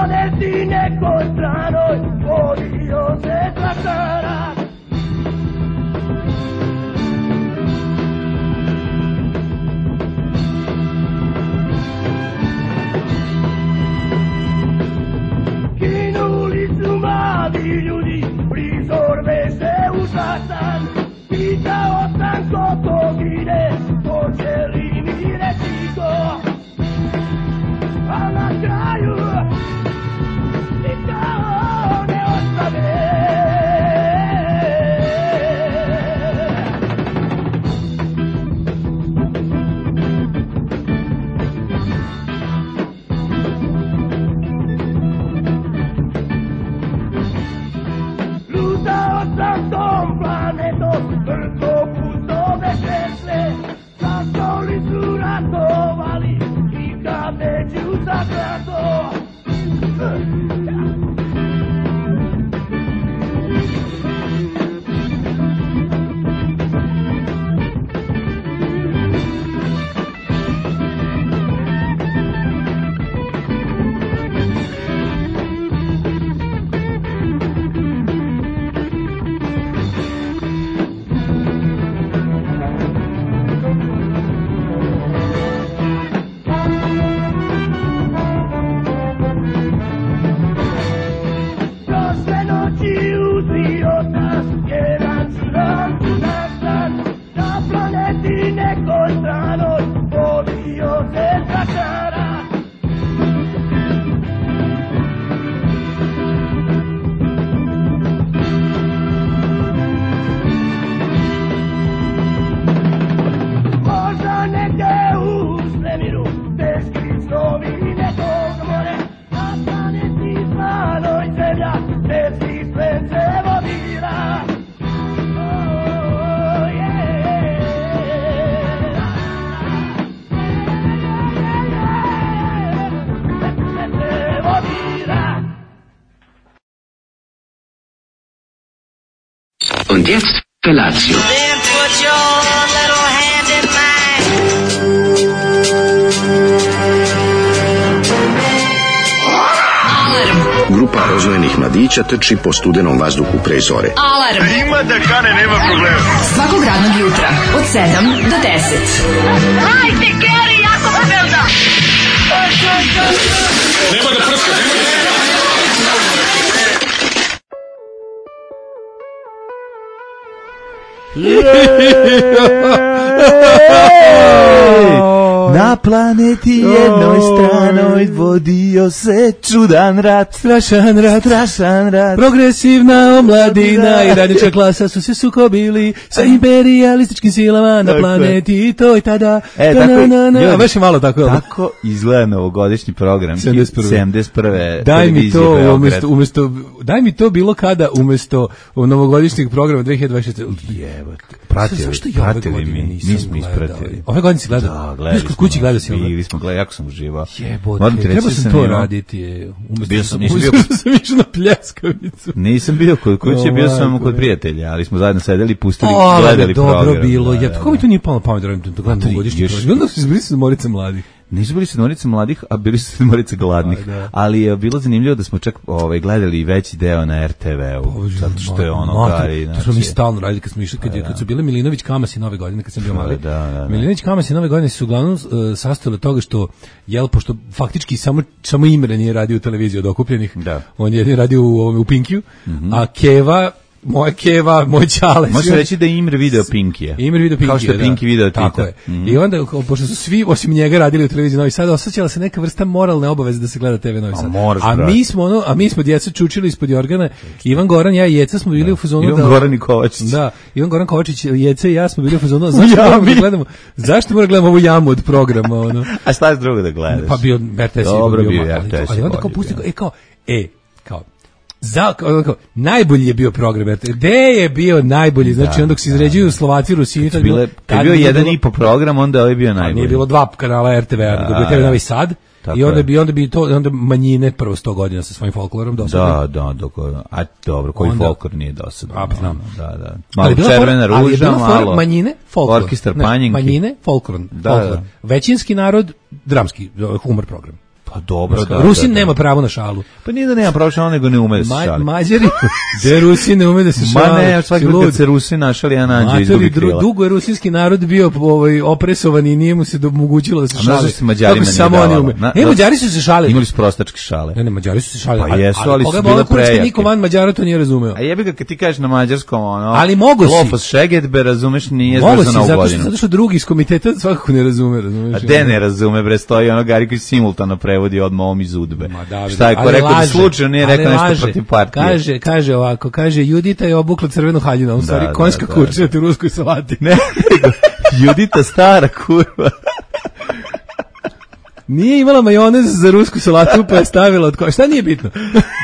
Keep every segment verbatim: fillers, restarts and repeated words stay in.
planeti nekoj stranoj vodio se tračarak. Kinuli su mladi ljudi, prizor veše užasan. Pitao sam ko to gine, hoće li mi reći ko. A na kraju nikao ne ostane. Lutao sam tom planetom, vrlo pusto bezvesne. Zašto li su ratovali i kad neću za krato. Und jetzt Felatio. Then put your little hand in mine. Grupa rozvojenih mladića trči po studenom vazduhu pre zore. Alarm. Ima da kane, nema problema. Svakog radnog jutra od sedam do deset. Hajde, Geri, jako se velda. Nema da prska, nema da prska. Na planeti jednoj stranoj vodio se čudan rat, strašan rat, strašan rat. Progresivna omladina i radnička klasa su se sukobili sa imperijalističkim silama na planeti i to i tada. E, tako, a baš je malo tako. Tako izgleda novogodišnji program sedamdeset prve Daj mi to umjesto, umjesto, daj mi to bilo kada umjesto novogodišnjeg programa dve hiljade dvadeset šeste. Jebate. Pratili, pratili mi, nismo ispratili. Ove godine si gledao? Da, gledali smo. Kući gledao si Bili smo, gledali, jako sam uživao. Jebote, treba sam to raditi. Bio sam, nisam bio... sam išao na pljeskavicu. Nisam bio kod kuće, bio sam kod prijatelja, ali smo zajedno sedeli, pustili, gledali program. Dobro bilo, je, kako mi to nije palo na pamet da radim to gledam novogodišnji program? Onda su izbili sedmorica mladih. Nisu bili sedmorica mladih, a bili su sedmorica gladnih. Ali je bilo zanimljivo da smo čak ovaj, gledali veći deo na er te veu. Zato što je ono kari. To smo mi stalno radili kad smo išli, kad, kad su bile Milinović Kamasi nove godine, kad sam bio mali. Da, da, da. Milinović Kamasi nove godine su uglavnom uh, sastojali toga što, jel, pošto faktički samo, samo Imre nije radio u televiziji od okupljenih, da. On je radio u, u Pinkiju, mm-hmm. a Keva, moja Keva, moj Čale. Može reći da je Imre video Pinkije. Imre video Pinkije, kao što je Pinki da. video Tita. Tako je. Mm-hmm. I onda, pošto su svi osim njega radili u televiziji Novi Sad, osjećala se neka vrsta moralne obaveze da se gleda te ve Novi Sad. A, a mi smo ono, a mi smo djeca čučili ispod jorgana. Ivan Goran, ja i Jeca smo bili da. u fazonu Ivan da... Ivan Goran i Kovačić. Da, Ivan Goran Kovačić, Jeca i ja smo bili u fazonu. Zašto moramo da gledamo? Zašto moramo da gledamo ovu jamu od programa, ono? A šta je drugo da gledaš? Pa bio er te es. Dobro bio er te es. Ali onda kao pusti, e kao, e, kao, Za, kao, najbolji je bio program. Gde je bio najbolji? Znači, da, onda dok se izređuju Slovaci, Rusini, kad je bio jedan bilo, i po program, onda ovaj bio najbolji. Nije bilo dva kanala er te ve, da, bio te ve Novi Sad. I onda bi onda bi to onda manjine prvo sto godina sa svojim folklorom dosadno. Da, da, dok a dobro, koji onda, folklor nije dosadno. A pa znam. Da, da. Malo Červena ruža, malo. Manjine, folklor. Orkestar Panjinki. Manjine, folklor. Da, da. Većinski narod, dramski humor program. Pa dobro, da. Rusin da, da. nema pravo na šalu. Pa nije da nema pravo šalu, nego ne ume da se Ma, šali. Mađari, da Rusin ne ume da se šali. Ma ne, svaki put kad se Rusin našali, ja nađe izgubi krila. Dugo je rusinski narod bio ovaj, opresovan i nije mu se omogućilo da se šali. A znaš se Mađarima nije samo oni ume. Na, E, Mađari su se šalili. Imali su prostačke šale. Ne, ne, Mađari su se šalili. Pa jesu, ali, ali su bile prejake. Niko van Mađara to nije razumeo. A jebi ga kad ti kažeš na mađarskom, ono, ali mogu si. Lopos šegedbe, razumeš, nije mogu zvezano u godinu. Zato što drugi iz komiteta svakako ne razume, razumeš. A de ne razume, bre, stoji ono Gari koji simultano prevodi odmah ovom iz udbe. Da, šta je ko rekao da slučajno nije rekao nešto laže. Protiv partije. Kaže, kaže ovako, kaže Judita je obukla crvenu haljinu, u stvari konjska kurčina u ruskoj salati. Ne, Judita stara kurva. Nije imala majonez za rusku salatu, pa je stavila od koja. Šta nije bitno?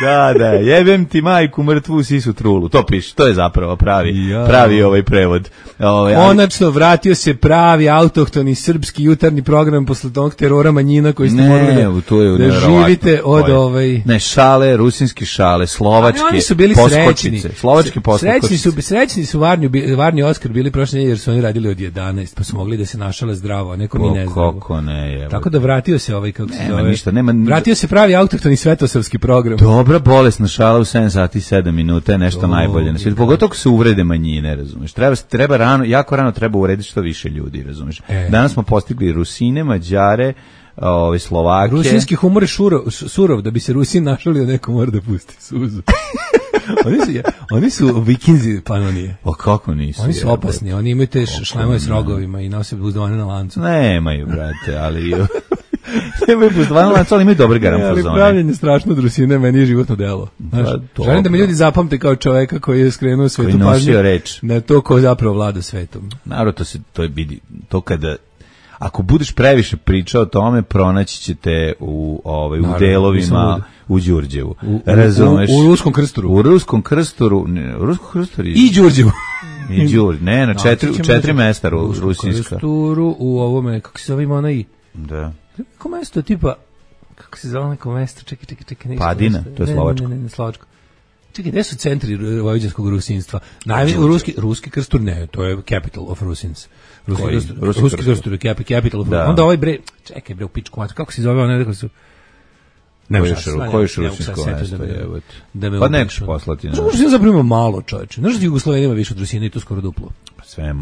Da, da, jebem ti majku mrtvu sisu trulu. To piše, to je zapravo pravi, ja. pravi ovaj prevod. Ovaj, konačno vratio se pravi autohtoni srpski jutarnji program posle tog terora manjina koji ste ne, morali da, to je da živite od ovaj... Ne, šale, rusinski šale, slovački, oni su bili srećni. Slovački srećni su, srećni su Varnju, Varnji Oskar bili prošle nedelje jer su oni radili od jedanaest, pa su mogli da se našale zdravo, a neko mi ne zdravo. Kako ne, je. Tako da vratio se ovaj kako se zove. Ništa, nema, vratio se pravi autohtoni svetosavski program. Dobra bolesna šala u sedam sati i sedam minuta je nešto oh, najbolje na svijetu. Pogotovo ako se uvrede manjine, razumeš. Treba treba rano, jako rano treba urediti što više ljudi, razumeš. E. Danas smo postigli Rusine, Mađare, ove Slovake. Rusinski humor je šuro, surov, da bi se Rusin našalio, neko mora da pusti suzu. oni su oni su vikinzi Panonije. O kako nisu? Oni su je, opasni, je, oni imaju te šlemove s rogovima i nose buzdovane na lancu. Nemaju, brate, ali nemaju buzdovane na lancu, ali imaju dobre garamfazone. Ali pravljenje strašno od Rusine meni je životno delo. Znaš, pa, želim da me ljudi zapamte kao čoveka koji je skrenuo svetu pažnju na to ko zapravo vlada svetom. Naravno, to se to je bidi, to kada ako budeš previše pričao o tome, pronaći ćete u ovaj u naravno, delovima u Đurđevu. Razumeš? U, u, u Ruskom Krsturu. U Ruskom Krsturu, ne, u Ruskom Krsturu i Đurđevu. I Đurđev, ne, na četiri u četiri mesta ru, rusinska. Krsturu u ovome kako se zove onaj. Da. Kako mesto tipa kako se zove neko mesto? Čekaj, čekaj, čekaj, Padina, to je slovačko. Ne, ne, ne, slovačko. Čekaj, gde su centri vojvođanskog rusinstva? Najveći ruski ruski Krstur ne, to je capital of Rusins. Ruski Krstur, ruski Krstur, capital of Rusins. Onda ovaj bre, čekaj bre u pičku, kako se zove, onaj kako su ne možeš, koji je rusinsko mesto je. Pa neš poslati. Možda se zapravo malo, čoveče. Znaš da Jugoslavija ima više od Rusine i to skoro duplo. Sve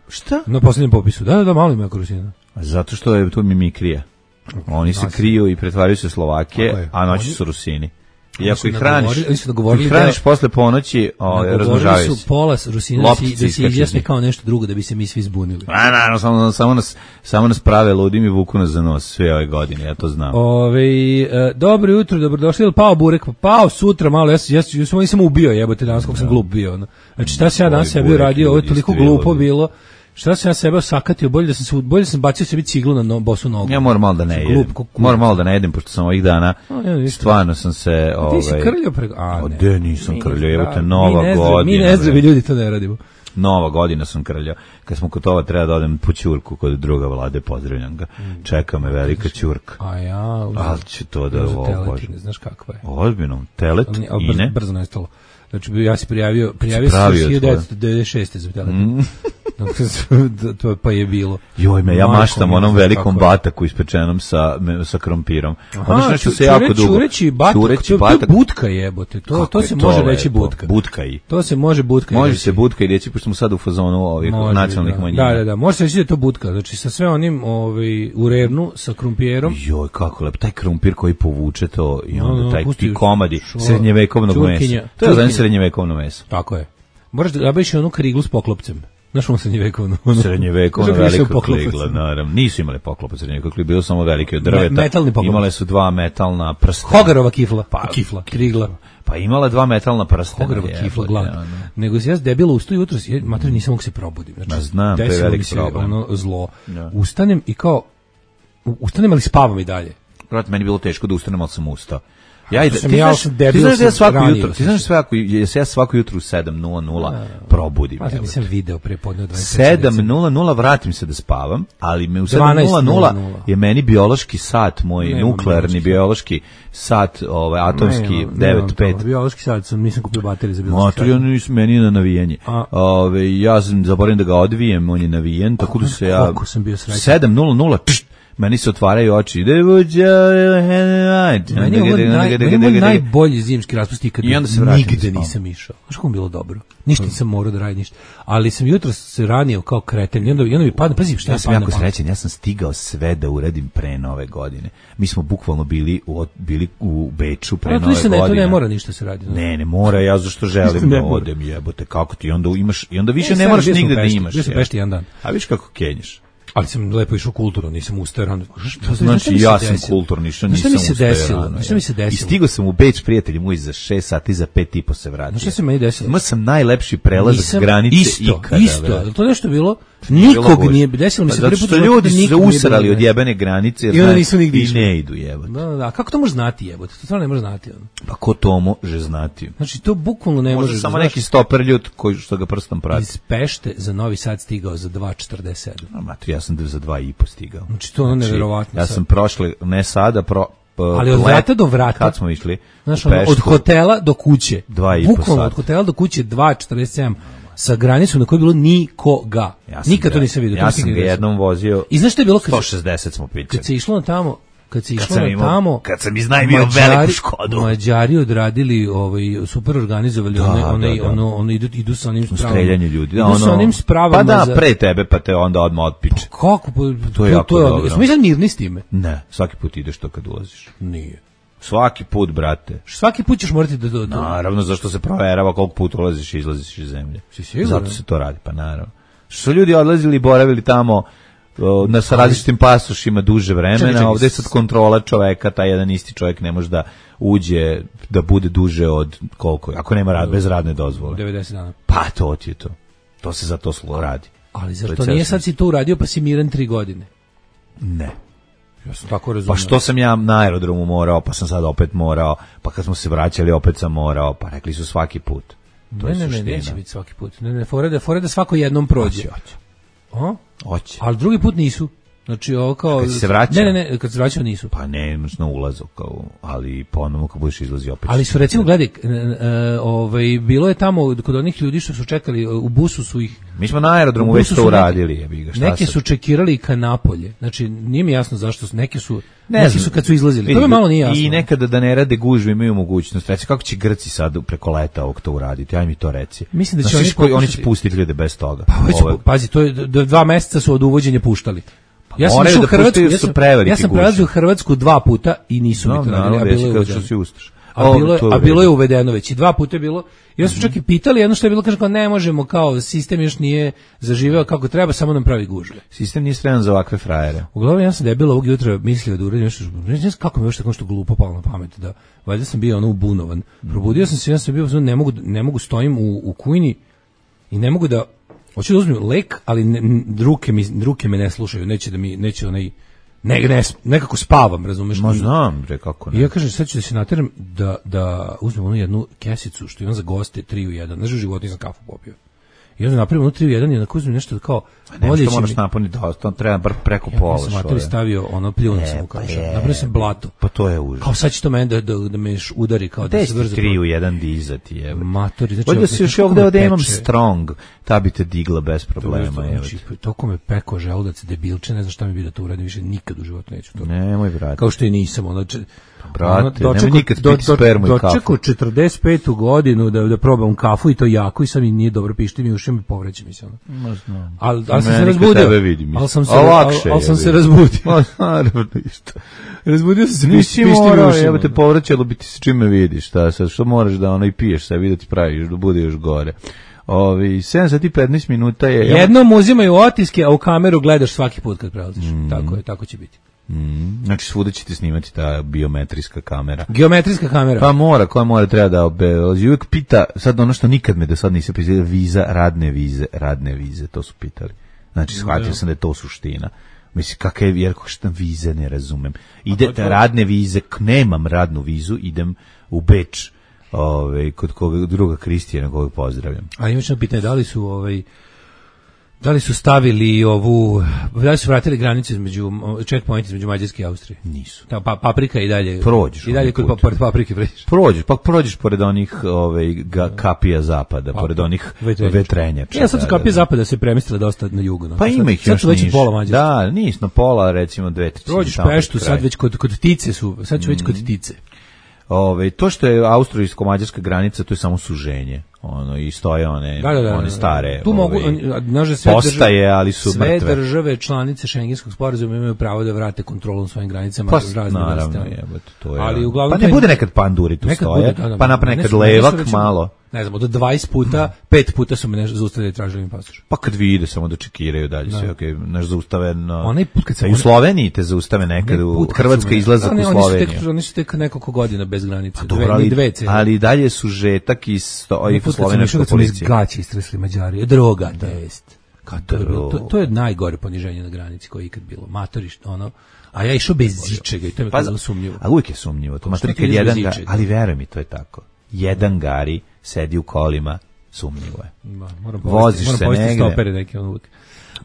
šta? Na poslednjem popisu. Da, da, da, malo ima ako Rusina. Zato što je to mimikrija. Oni se kriju i pretvaraju se Slovake, a noći su Rusini. I ako ih hraniš, ih hraniš posle ponoći, razmnožavaju se. Su pola Rusina da se izjasne kao nešto drugo, da bi se mi svi zbunili. A, naravno, samo, samo, nas, samo nas prave ludim i vuku nas za nos sve ove godine, ja to znam. Ove, e, dobro jutro, dobrodošli, ili pao burek? Pao sutra malo, ja, ja, ja sam nisam ubio, jebote, danas kako sam glup bio. No. Znači, šta se ja danas ja bio radio, ovo je toliko glupo bilo. Šta sam ja sebe osakatio, bolje da sam se bolje da sam bacio sebi ciglu na no, bosu nogu. Ja moram malo da ne jedem. Moram malo da ne jedem pošto sam ovih dana a, stvarno sam se ovaj. Ti si krljao preko. A ne. De nisam krljao, jebote, nova mi godina. Mi ne zdravi ljudi to ne radimo. Nova godina sam krljao. Kad smo kod toga treba da odem po ćurku kod druga Vlade, pozdravljam ga. Čeka me velika ćurka. A ja, ali će to da ovo. Znaš kakva je? Ozbiljno, telet i ne. Brzo nestalo. Znači ja se prijavio, prijavio se hiljadu devetsto devedeset šeste za telet. To pa je bilo. Joj me, ja maštam onom velikom bataku ispečenom sa sa krompirom. Ono nešto se jako dugo. Čureći batak, to je butka jebote. To to se može reći butka. Butka i. To se može butka. Može se butka i reći pošto smo sad u fazonu ovih nacionalnih manjina. Da, da, da, može se reći da je to butka. Znači sa sve onim ovaj u revnu sa krompirom. Joj kako lep taj krompir koji povuče to i onda taj ti komadi srednjevekovnog mesa. To je za srednjevekovno meso. Tako je. Moraš da gabiš onu kriglu s poklopcem. Znaš ono srednjevekovno? Srednjevekovno veliko krigla, naravno. Nisu imale poklopac srednjevekovno, bilo samo velike od drveta. Me, metalni poklopac. Imale su dva metalna prsta. Hogarova kifla, pa, kifla, krigla. Pa imala dva metalna prsta. Hogarova kifla, glavno. Nego se ja debilo ustaju jutro, mater nisam mogu se probuditi. Znači, Ma znam, to je veliki problem. Ono zlo. Ja. Ustanem i kao, ustanem ali spavam i dalje. Vrat, meni je bilo teško da ustanem, ali sam ustao. Ja i da, ti ja znaš, ti znaš da ja svako jutro, ti znaš svako, ja se ja svako jutro u sedam nula nula probudim. Pa nisam video prepodne od dvadeset sedam nula nula vratim se da spavam, ali me u sedam nula nula je meni biološki sat, moj ne, nuklearni biološki sat, ovaj atomski devet pet. Biološki sat, sam nisam kupio baterije za biološki sat. Motor je meni na navijanje. Ove ja sam zaboravim da ga odvijem, on je navijen, tako da se ja Kako sam bio srećan. sedam nula nula Meni se otvaraju oči. Meni je ovo najbolji zimski raspust ikad. I onda se vratim. Nigde nisam išao. Znaš kako mi bilo dobro? Ništa nisam morao da radim ništa. Ali sam jutro se ranio kao kreten. I onda, i onda mi padne, pazi šta ja ja sam jako srećen. Ja sam stigao sve da uradim pre nove godine. Mi smo bukvalno bili u, bili u Beču pre nove godine. Ne, to ne mora ništa se radi. Ne, ne mora. Ja zašto želim da odem, jebote, kako ti. Onda imaš, i onda više ne moraš nigde da imaš. Bio sam Pešti jedan dan. A viš kako kenješ. Ali sam lepo išao kulturno, nisam ustao rano. Što znači ja sam kulturno, nisam ustao rano. Šta mi se desilo? Šta mi se desilo? I stigao sam u Beč, prijatelji moji, za šest sati, za pet i po se vratio. Šta se meni desilo? Imao sam najlepši prelazak granice isto, ikada. Isto, isto. To nešto bilo? Nikog nije desilo mi se prvi put. Zato što ljudi su se usrali od jebene granice. I onda nisu nigdje išli. I ne idu jebote. Da, da, kako to može znati jebote? To stvarno ne može znati. Pa ko to može znati? Znači to bukvalno ne može. Može samo neki stoper ljud koji što ga prstom prati. Iz Pešte za Novi Sad stigao za dva četrdeset sedam. A matri, ja sam za dva i po stigao. Znači to je neverovatno. Ja sam prošle, ne sada, pro ali od vrata do vrata. Kad smo išli? Znači od hotela do kuće. Dva i po sata. Bukvalno od hotela do kuće dva četrdeset sedam. Sa granicom na kojoj je bilo nikoga. Ja Nikad to nisam vidio. Ja sam ga jednom vozio. I znaš što je bilo? sto šezdeset smo pričali. Kad se išlo na tamo, kad se išlo kad na imao, tamo, kad sam iznajmio veliku Škodu. Mađari odradili, ovaj super organizovali, da, one, da, one, da. ono, ono idu, idu sa onim spravama. Streljanje ljudi. Idu ono, sa onim spravama. Pa da, za... pre tebe, pa te onda odmah otpiče. Pa kako? Pa, to je jako to je, dobro. Smo mi sad mirni s time? Ne, svaki put ideš to kad ulaziš. Nije. Svaki put, brate. Svaki put ćeš morati da... da, da. Naravno, zašto se proverava koliko put ulaziš i izlaziš iz zemlje. Si siguran? Zato se to radi, pa naravno. Što su ljudi odlazili i boravili tamo o, na sa različitim pasošima duže vremena, čekaj, čekaj, ovdje je sad kontrola čoveka, taj jedan isti čovjek ne može da uđe, da bude duže od koliko, ako nema rad, bez radne dozvole. devedeset dana. Pa to ti je to. To se za to slo radi. Ali zar to nije sad si to uradio pa si miran tri godine? Ne. Ja sam tako razumio. Pa što sam ja na aerodromu morao, pa sam sad opet morao, pa kad smo se vraćali opet sam morao, pa rekli su svaki put. To ne, ne, ne, neće biti svaki put. Ne, ne, fore da, fore da svako jednom prođe. Oće, oće. O? Oće. Ali drugi put nisu. Znači ovo kao... Kad si se vraćao? Ne, ne, ne, kad se vraćao nisu. Pa ne, imaš na ulazu, kao, ali ponovno kad budeš izlazi opet. Ali su recimo, gledaj, e, ovaj, bilo je tamo kod onih ljudi što su čekali, u busu su ih... Mi smo na aerodromu već to uradili. Jebi ga, šta neke sad? Su čekirali i ka napolje. Znači, nije mi jasno zašto su, neke su... Ne neki znam, su kad su izlazili. Vidi, to mi malo nije jasno. I nekada da ne rade gužve imaju mogućnost. Reci, kako će Grci sad preko leta ovog to uraditi? Aj mi to reci. Mislim da će znači, oni, oni će pustiti ljude bez toga. Pa, Ove... pazi, to je, dva meseca su od uvođenja puštali. Ja sam išao u Hrvatsku, ja sam, ja sam prelazio u Hrvatsku dva puta i nisu no, mi to radili, no, a bilo je uvedeno. Si ustaš. A, bilo je, a bilo je uvedeno već i dva puta je bilo. Ja sam čak i pitali, jedno što je bilo, kaže kao ne možemo, kao sistem još nije zaživeo kako treba, samo nam pravi gužve. Sistem nije spreman za ovakve frajere. Uglavnom ja sam debilo ovog jutra mislio da uradim nešto, ne znam kako mi još tako što glupo palo na pamet, da valjda sam bio ono ubunovan. Probudio sam se, ja sam bio, ne mogu, ne mogu stojim u, u kujni i ne mogu da, hoću da uzmem lek, ali ne, ruke, mi, ruke me ne slušaju, neće da mi, neće onaj, ne, ne, nekako spavam, razumeš? Ma znam, bre, kako ne. I ja kažem, sad ću da se nateram da, da uzmem onu jednu kesicu, što imam za goste, tri u jedan, znaš, u životu nisam kafu popio. I onda napravim onu tri u jedan i onda uzmem nešto kao... A ne, što moraš mi... napuniti, to treba bar preko ja, pola. Ja sam materi stavio, ono, pljuno sam u kašu, napravio sam blato. Pa to je užas. Kao sad će to mene da, da, da me udari, kao da, da se brzo... tri u jedan dizati, evo. Matori, znači... Ovdje si još ovdje ovdje imam strong, ta bi te digla bez problema, evo. Znači, toko me peko želudac, debilče, ne znam šta mi bi da to uradim, više nikad u životu neću to. Nemoj, brate. Kao što i nisam, ono... Brate, nemoj nikad piti spermu i kafu. Dočekao četrdeset petu godinu da, da probam kafu i to jako i sam i nije dobro pišti mi ušima i povreće mi se ono. Možda. Ali al sam se razbudio. Ali sam se, al, al sam se razbudio. Ma naravno isto. Razbudio sam se pišti mi ušima. Evo te povrećalo bi ti se čime vidiš, šta sad, što moraš da ono i piješ sebi da ti praviš, da bude još gore. Ovi, sedam sati petnaest minuta je... Jednom uzimaju otiske, a u kameru gledaš svaki put kad prelaziš. Mm. Tako je, tako će biti. Mm, znači svuda ćete snimati ta biometrijska kamera. Geometrijska kamera. Pa mora, koja mora treba da obelazi. Uvijek pita, sad ono što nikad me do sad nisi pitali, viza, radne vize, radne vize, to su pitali. Znači shvatio sam da je to suština. Mislim, kakve je, jer što vize ne razumem. Idete radne vize, nemam radnu vizu, idem u Beč, ovaj, kod koga druga Kristijana, koga pozdravljam. A imaš na pitanje, da li su ovaj... Da li su stavili ovu, da li su vratili granice između, checkpoint između Mađarske i Austrije? Nisu. Ta pa, paprika i dalje. Prođeš. I dalje kod pored paprike pređeš. Prođeš, pa prođeš pored onih ovaj, ga, kapija zapada, pa, pored onih vetrenjača. vetrenjača ja sad su da, kapije da, zapada se premestile dosta na jugu. No. Pa ima ih sad, još sad već niš. pola Mađarske. Da, nis na pola, recimo dve, tri. Prođeš Peštu, sad već kod, kod Tice su, sad ću već kod Tice. Ove, to što je austrijsko-mađarska granica, to je samo suženje. Ono, i stoje one, da, da, da, one stare tu mogu, ove, naže sve postaje, države, ali su sve mrtve. države članice Šengenskog sporazuma imaju pravo da vrate kontrolu na svojim granicama. Pa, razne naravno, vrste. Jebate, to je. Ali uglavnom pa ne bude nekad panduri tu nekad stoje, bude, da, da, pa napre nekad ne, levak ne, ne, malo. Ne znam, od dvadeset puta, pet puta su me zaustavili i tražili mi pasoš. Pa kad vide samo da čekiraju dalje da. se, okej, okay, naš zaustave na... Onaj put kad se... U Sloveniji te zaustave nekad, u Hrvatska izlazak ne, u Sloveniju. Oni su, tek, oni su tek nekoliko godina bez granice. Pa dobro, ali, dve, ali dalje su žetak i slovenačka policija. Gaći istresli Mađari, droga, test. To, to, to je najgore poniženje na granici koje je ikad bilo. Matoriš, ono... A ja išao bez ičega i to je pa, bilo sumnjivo. A uvijek je sumnjivo. To matori kad jedan ga, ali veruj mi, to je tako. Jedan gari sedi u kolima, sumnjivo je. Ma, moram voziš moram se negde. Stopere neke on uvijek.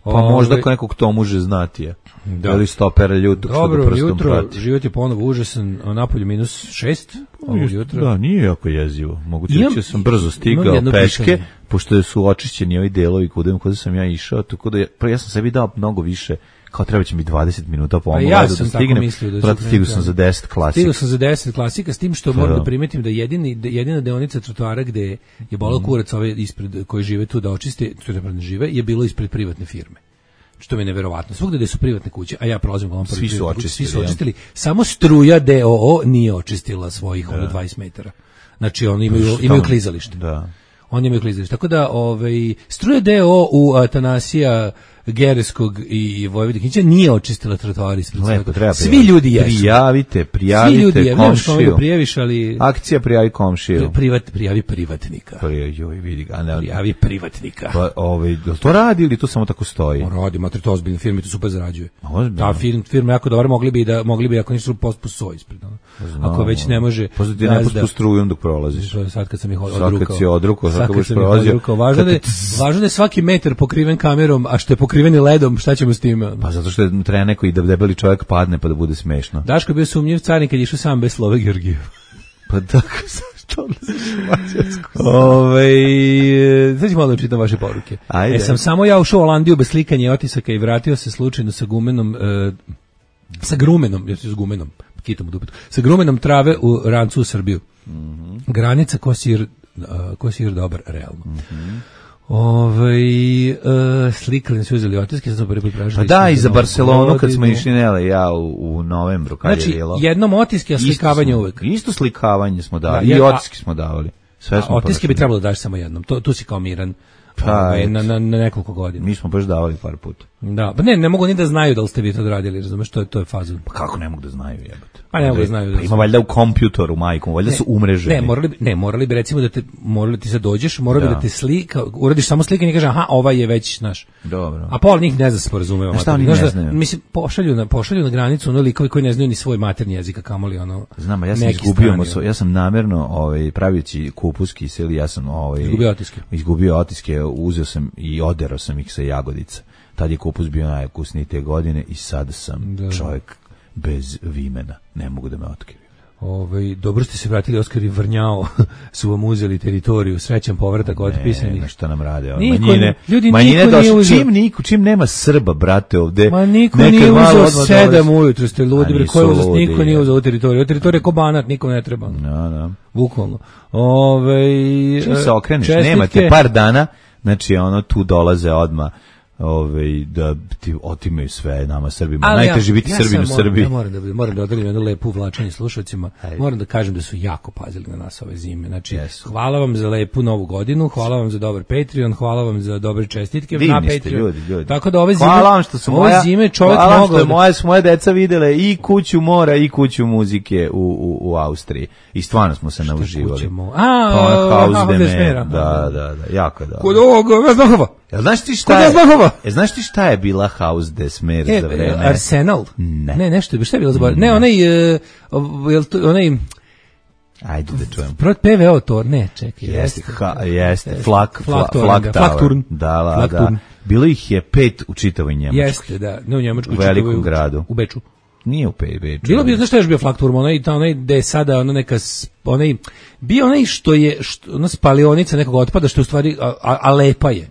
Pa o, možda ko nekog to može znati je. Da. Ili stopera ljutog što ga prstom jutro, prati. Život je ponovo užasan, napolju minus šest ovog jutra. Da, nije jako jezivo. Moguće da sam brzo stigao peške, pitanje. Pošto su očišćeni ovi delovi kuda, kuda sam ja išao, tako da ja, ja sam sebi dao mnogo više, kao treba će mi dvadeset minuta po ovom ja da stignem, da stigu sam za deset klasika. Stigu sam za deset klasika, s tim što moram da primetim da jedini, jedina deonica trotoara gde je bolao mm. kurac ove ispred, koji žive tu da očiste, tu ne žive, je bilo ispred privatne firme. Što mi je neverovatno. Svugde gde su privatne kuće, a ja prolazim golom svi su očistili, svi su očistili. Ja. Samo Struja D O O nije očistila svojih da. ono dvadeset metara. Znači oni imaju imaju klizalište. Da. Oni imaju klizalište. Tako da ovaj Struja D O O u Atanasija Gereskog i Vojvodinića nije očistila trotoare ispred svega. Svi ljudi jesu. Prijavite, prijavite je, komšiju. Prijaviš, ali akcija prijavi komšiju. Privat, prijavi privatnika. Prijavi, joj, vidi ga. Ne, prijavi privatnika. Pa, ovaj, to radi ili to samo tako stoji? Radi, matri, to ozbiljne firme, to super zarađuje. Ta firma, firma jako dobro, mogli bi da, mogli bi ako nisu post soj ispred. Znam, ako već ne može... Pozdrav ti ne pustu strujom dok prolaziš. Sad kad sam ih odrukao. Sad kad si odrukao, sad kad budeš prolazio. Važno je, važno da je svaki metar pokriven kamerom, a što je pokriveni ledom, šta ćemo s tim? Pa zato što je treba neko i da debeli čovjek padne pa da bude smešno. Daško je bio sumnjiv carnik kad je išao sam bez Slove Georgijeva. Pa tako, što Ove, sad ću malo da čitam vaše poruke. Ajde. E, sam samo ja ušao u Holandiju bez slikanja i otisaka i vratio se slučajno sa gumenom, e, sa grumenom, ja s gumenom, kitom u dupetu, sa grumenom trave u rancu u Srbiju. Mm-hmm. Granica Kosir, uh, Kosir dobar, realno. Mm-hmm. Ove, uh, slikali su uzeli otiske, sad smo prvi put pražili. Pa da, i za Barcelonu kad smo išli nele, ja u, u novembru kad znači, je bilo. Znači, jednom otiske, a slikavanje uvek. Isto slikavanje smo dali, da, i otiske smo davali. Sve smo otiske bi trebalo da daš samo jednom, to, tu si kao miran. Pa, na, na, na nekoliko godina. Mi smo baš davali par puta. Da, pa ne, ne mogu ni da znaju da li ste vi to radili, razumeš, to je, to je fazon. Pa kako ne mogu da znaju, jebote? Pa ne mogu da znaju. Da pa ima valjda u kompjutoru, majkom, valjda ne, su umreženi. Ne, morali bi, ne, morali bi recimo da te, morali ti sad dođeš, morali da, da te slika, uradiš samo slikanje i kaže, aha, ovaj je već, znaš. Dobro. A pola njih ne zna se porazumeva. Šta oni ne da, znaju? Mislim, pošalju na, pošalju na granicu ono likovi koji ne znaju ni svoj maternji jezik, a kamoli ono. Znam, ja sam izgubio, moso, ja sam namjerno, ovaj, pravijući kupus kiseli, ja sam, ovaj, izgubio otiske. Izgubio otiske, uzeo sam i oderao sam ih sa Jagodica. Tad je kupus bio najukusniji te godine i sad sam da. čovjek bez vimena. Ne mogu da me otkriju. Ovaj, dobro ste se vratili, Oskar i Vrnjao su vam uzeli teritoriju, srećan povratak otpisanih. Ne, šta nam rade? Niko, manjine, ljudi, manjine niko nije uzeo. Čim, niko, čim nema Srba, brate, ovde. Ma niko nije uzeo sedam ujutru, ste ludi, bre, ko je uzeo, niko nije uzeo teritoriju. Teritorija je ko Banat, nikom ne treba. No, no. Bukvalno. Ove, čim se okreneš, nemate par dana, znači ono, tu dolaze odmah. Ove, da ti otimaju sve nama Srbima. Ali najteže ja, biti ja Srbin u Srbiji. Ja moram da, moram da odalim jedno lepo uvlačenje slušalcima. Moram da kažem da su jako pazili na nas ove zime. Znači, yes. Hvala vam za lepu novu godinu, hvala vam za dobar Patreon, hvala vam za dobre čestitke divni na Patreon. Ste, ljudi, ljudi. Tako da ove zime, hvala vam što su moja, zime čovjek hvala mogao... što moje, moje deca videle i kuću mora i kuću muzike u, u, u Austriji. I stvarno smo se nauživali. A, House de Mer. Da, da, da, jako da. Kod ovoga, Veznahova. Jel znaš ti šta je? E, znaš ti šta je bila House des Mer e, za vreme? Arsenal? Ne. Ne, nešto, šta je bilo zaboravljeno? Ne, onaj, uh, onaj, Ajde da čujem. Prot P V O Tor, ne, čekaj. Jeste, jeste, Flak, Flak Tower. Da, da, bilo ih je pet u čitavoj Njemačkoj. Jeste, da, ne u Njemačkoj. U velikom gradu. U Beču. Nije u Beču. Bilo bi, znaš što je još bio Flak Tower, onaj, onaj gde je sada ono neka, onaj, bio onaj što je, što, ono spalionica nekog otpada, što je u stvari, a, a, a lepa je.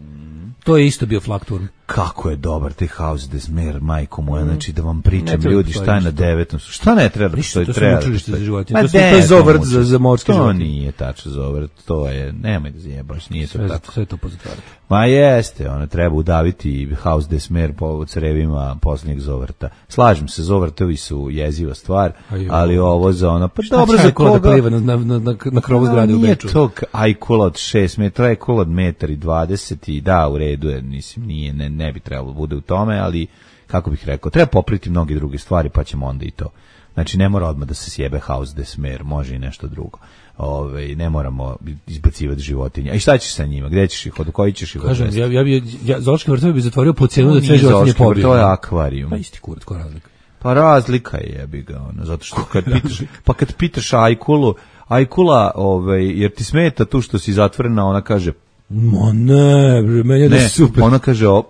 To je isto bio Flak Tower. Kako je dobar te Haus des Mer, majko moja, znači da vam pričam ljudi šta je na devetom, šta ne treba, što je treba. To su učilište za životinje, to je zovrt za, za morske životinje. To nije tačno zovrt, to je, nemoj da zjebaš, nije to tako. Sve to pozatvarati. Ma jeste, ono, treba udaviti Haus des Mer po crevima posljednjeg zovrta. Slažem se, zovrtovi su jeziva stvar, ali ovo za ono, pa dobro za koga? Da pliva na, na, na, na krovu zgrade u Beču. Nije to ajkula od šest metara, ajkula od metar i dvadeset i da, u redu je, mislim, nije, ne, ne bi trebalo bude u tome, ali, kako bih rekao, treba popriti mnogi druge stvari, pa ćemo onda i to. Znači, ne mora odmah da se sjebe Haus des Mer, može i nešto drugo. Ove, ne moramo izbacivati životinje. A i šta ćeš sa njima? Gde ćeš ih? Od koji ćeš ih odvesti? Kažem, ja, ja bi, ja, zoološki vrtovi bi zatvorio po cenu da sve životinje pobiju. To je akvarijum. Pa isti kurac, koja razlika? Pa razlika je, jebi ga, ono, zato što kad pitaš, pa kad pitaš ajkulu, ajkula, ovaj, jer ti smeta tu što si zatvorena, ona kaže, ma ne, meni je da super. Ona kaže, o,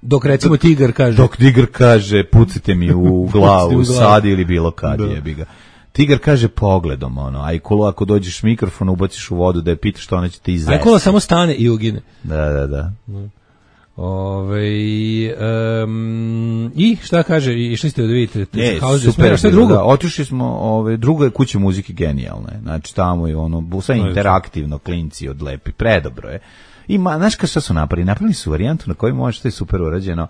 dok recimo tigar kaže, dok tigar kaže, pucite mi u glavu, sad ili bilo kad, jebi ga. Tigar kaže pogledom, ono, ajkula ako dođeš mikrofon, ubaciš u vodu da je pitaš što ona će te izvesti. Ajkula samo stane i ugine. Da, da, da. Ove, um, i šta kaže, i šta ste da vidite? E, super, šta drugo? Da, otišli smo, ove, druga je kuća muzike genijalne, znači tamo je ono, sve interaktivno, klinci odlepi, predobro je. Ima, znaš kao šta su napravili? Napravili su varijantu na kojoj može, što je super urađeno,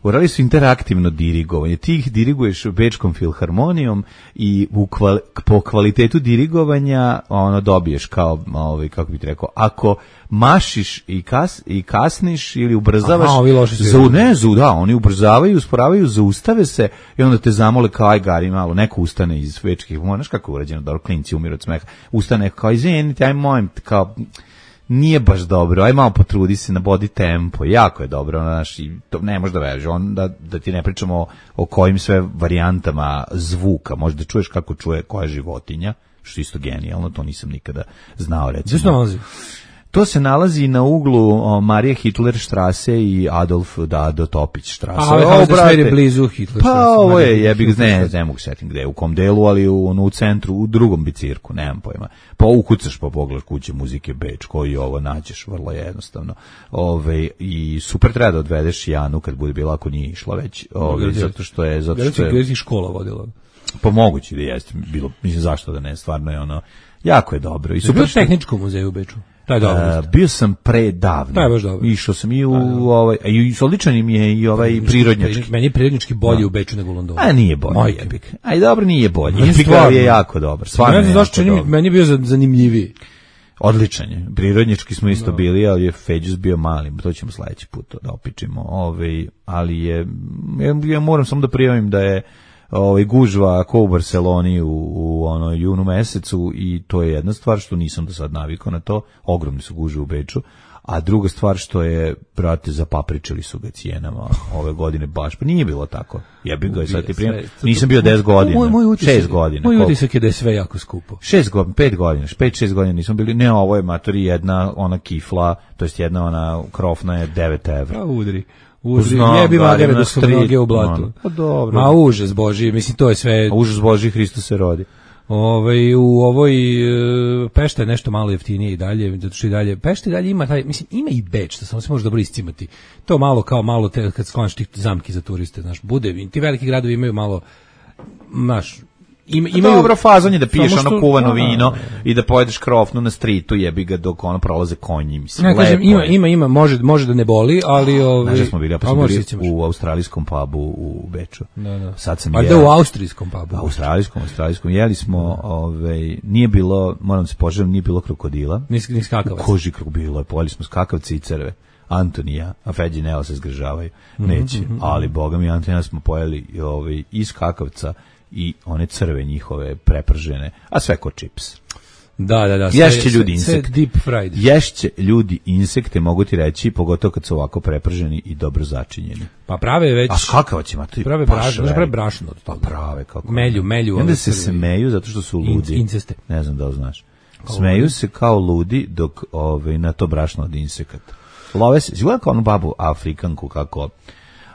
uradili su interaktivno dirigovanje. Ti ih diriguješ Bečkom filharmonijom i u kval, po kvalitetu dirigovanja ono dobiješ kao, ovaj, kako bih ti rekao, ako mašiš i, kas, i kasniš ili ubrzavaš, aha, za, ne, za, da, oni ubrzavaju, usporavaju, zaustave se i onda te zamole kao aj gari malo, neko ustane iz Bečkih, znaš kako je urađeno, dobro, klinci umiru od smeha, ustane kao, izvinite, aj molim, kao, nije baš dobro, aj malo potrudi se na body tempo, jako je dobro, znaš, i to ne možeš da veruješ, onda da ti ne pričamo o, o kojim sve varijantama zvuka, možda čuješ kako čuje koja životinja, što je isto genijalno, to nisam nikada znao, recimo. Gdje se nalazi? To se nalazi na uglu o, Marije Hitler štrase i Adolf Dado Topić štrase. A, ovo je brate, blizu Hitler štrase. Pa ovo je, jebi, ne, ne mogu setim gde, u kom delu, ali u, u centru, u drugom bicirku, nemam pojma. Pa ukucaš pa pogledaš kuće muzike Beč, koji ovo nađeš, vrlo jednostavno. Ove, i super treba da odvedeš Janu kad bude bila, ako nije išla već, ove, zato što je... Zato što je gdje škola vodila? Pa moguće da jeste, bilo, mislim, zašto da ne, stvarno je ono, jako je dobro. I super je što... tehničkom muzeju u Beču? Taj dobro. Uh, bio sam predavno. Taj baš dobro. Išao sam i u ovaj, a i odličan im je i ovaj prirodnjački. Meni je prirodnjački bolji no. u Beču nego u Londonu. A nije bolji, jebik. Aj dobro, nije bolji. Stvarno je jako dobar. Stvarno. Ne znam zašto mi, meni je bio zanimljiviji. Odličan je. Prirodnjački smo isto no. bili, ali je Feđus bio mali. To ćemo sledeći put da opičimo. Ovaj, ali je ja, ja moram samo da prijavim da je ovaj gužva ko u Barceloni u, u ono junu mesecu i to je jedna stvar što nisam do sad navikao na to, ogromni su gužve u Beču, a druga stvar što je, brate, zapapričali su ga cijenama ove godine baš, pa nije bilo tako, jebi ga i sad ti prijem, nisam bio deset godina, moj, moj utisak, šest godina. Moj utisak je da je sve jako skupo. šest godina, pet godina, pet, šest godina nismo bili, ne, ovo je matori jedna ona kifla, to jest jedna ona krofna je devet evra. Pa udri. Udri, jebi magare da su mnoge u blatu. Pa dobro. Ma užas Božji, mislim to je sve... A užas Božji, Hristos se rodi. Ovaj, u ovoj uh, Pešta je nešto malo jeftinije i dalje, zato što i dalje, Pešta i dalje ima, taj, mislim, ima i Beč, da samo se može dobro iscimati. To malo kao malo, te, kad skloniš tih zamki za turiste, znaš, bude, ti veliki gradovi imaju malo, znaš, Ima, imaju dobro fazon je da piješ što, ono kuvano vino i da pojedeš krofnu na stritu, jebi ga dok ono prolaze konji, mislim. Ne, kažem, ima, ima, ima, može, može da ne boli, ali ove, znaš, smo bili, pa smo bili u australijskom pubu u Beču. Da, da. Sad sam ali da u austrijskom pubu. Australijskom, australijskom. Jeli smo, ovaj, nije bilo, moram se poželim, nije bilo krokodila. Nis, nis skakavac. Koži krokodila, pojeli smo skakavci i crve. Antonija, a Feđi Neo se zgržavaju. Neće, mm-hmm. ali boga mi Antonija smo pojeli ovaj, iz skakavca i one crve njihove prepržene, a sve ko čips. Da, da, da. Ješće ljudi insekte. Deep fried. Ješće ljudi insekte, mogu ti reći, pogotovo kad su ovako preprženi i dobro začinjeni. Pa prave već... A skakavac ima to. Prave brašno, znači prave brašno od toga. Pa prave kako. Melju, melju. I onda se smeju zato što su ludi. Inceste. Ne znam da li znaš. Smeju se kao ludi dok ovaj, na to brašno od insekata. Love se, izgleda kao onu babu Afrikanku kako...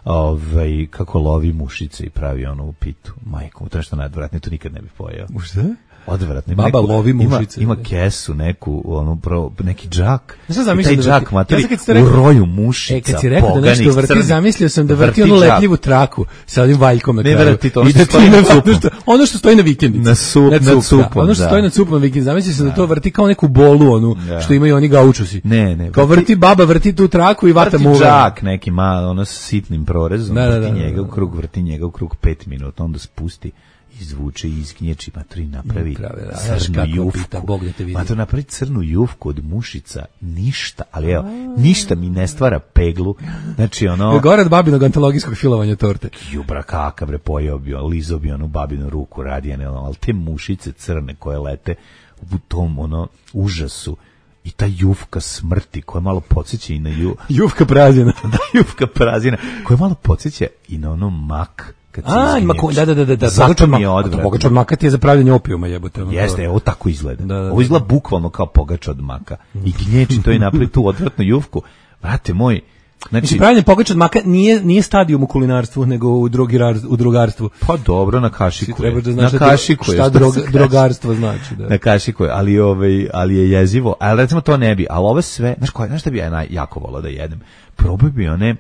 Ovaj, kako lovi mušice i pravi ono u pitu. Majko, to je što najodvratnije, to nikad ne bih pojeo. U šta? Odvratno. Baba neku, lovi mušice. Ima, ima kesu, neku, ono, pro, neki džak. Ja I taj da džak, materi, ja u roju mušica, e, kad si rekao da nešto vrti, crni, zamislio sam da vrti, vrti onu lepljivu traku sa ovim valjkom na kraju. Ne vrti to, ono što, što stoji na cupom. Ono što stoji na vikendici. Na, sup, na, cup, na cupom, da. Ono što da. stoji na cupom na vikendici. Zamislio sam da. da to vrti kao neku bolu, onu, da. Što imaju oni gaučusi. Ne, ne. Kao vrti baba, vrti tu traku i vata muva. Vrti džak neki mal, ono s sitnim prorezom, da, da, vrti da, njega u krug, vrti njega u krug pet minuta, onda spusti. Izvuče i izgnječi, matri napravi Prave, da, crnu jufku. Pita, Bog da te vidi. Matri napravi crnu jufku od mušica, ništa, ali evo, ništa mi ne stvara peglu. Znači ono... Gore od babinog antologijskog filovanja torte. Jubra kakav bre, pojeo bi, lizo bi onu babinu ruku radi, ali te mušice crne koje lete u tom ono užasu. I ta jufka smrti koja malo podsjeća i na ju... jufka prazina. Da, jufka prazina koja malo podsjeća i na ono mak. A, ima ko, da, da, da, da, zato mi je odvratno. Pogač od maka ti je za pravljanje opijuma, jebote. Jeste, ovo tako izgleda. Da, da, da. Ovo izgleda bukvalno kao pogač od maka. I gnječi to i napravi tu odvratnu jufku. Brate moj, znači, znači pravljanje pogač od maka nije nije stadijum u kulinarstvu, nego u drugirar, u drugarstvu. Pa dobro, na kašiku. Treba da znaš na kašiku šta drog, drogarstvo znači, da. Na kašiku, ali ovaj, ali je jezivo. Ali recimo to ne bi, al ove sve, znaš koje, znaš šta bi ja jako volao da jedem. Probaj bi one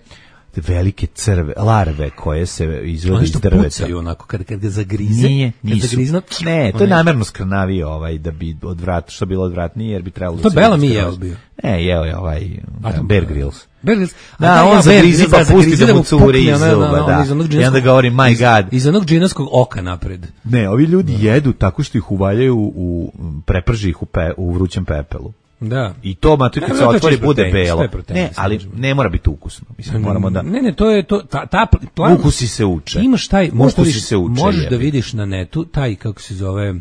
velike crve, larve koje se izvode iz drveta. Pucaju onako, kad, kad ga zagrize. Nije, nisu. Zagrizno, ne, to je namjerno skrnavio ovaj, da bi odvrat, što bilo odvratnije, jer bi trebalo... To Bela mi jeo bio. Ne, jeo je ovaj da, Bear Grylls. Bear Grylls. Da, da, on zagrizi pa pusti da mu cure iz zuba, da. I onda govori, my god. Iz onog džinovskog oka napred. Ne, ovi ljudi jedu tako što ih uvaljaju u, preprži ih u, pe, u vrućem pepelu. Da. I to matri kad se otvori bude belo. Ne, ali ne mora biti ukusno. Mislim, moramo da... Ne, ne, to je to, ta, ta plan... Ukusi se uče. Imaš taj, Ukusi se uče. Možeš da vidiš na netu, taj, kako se zove...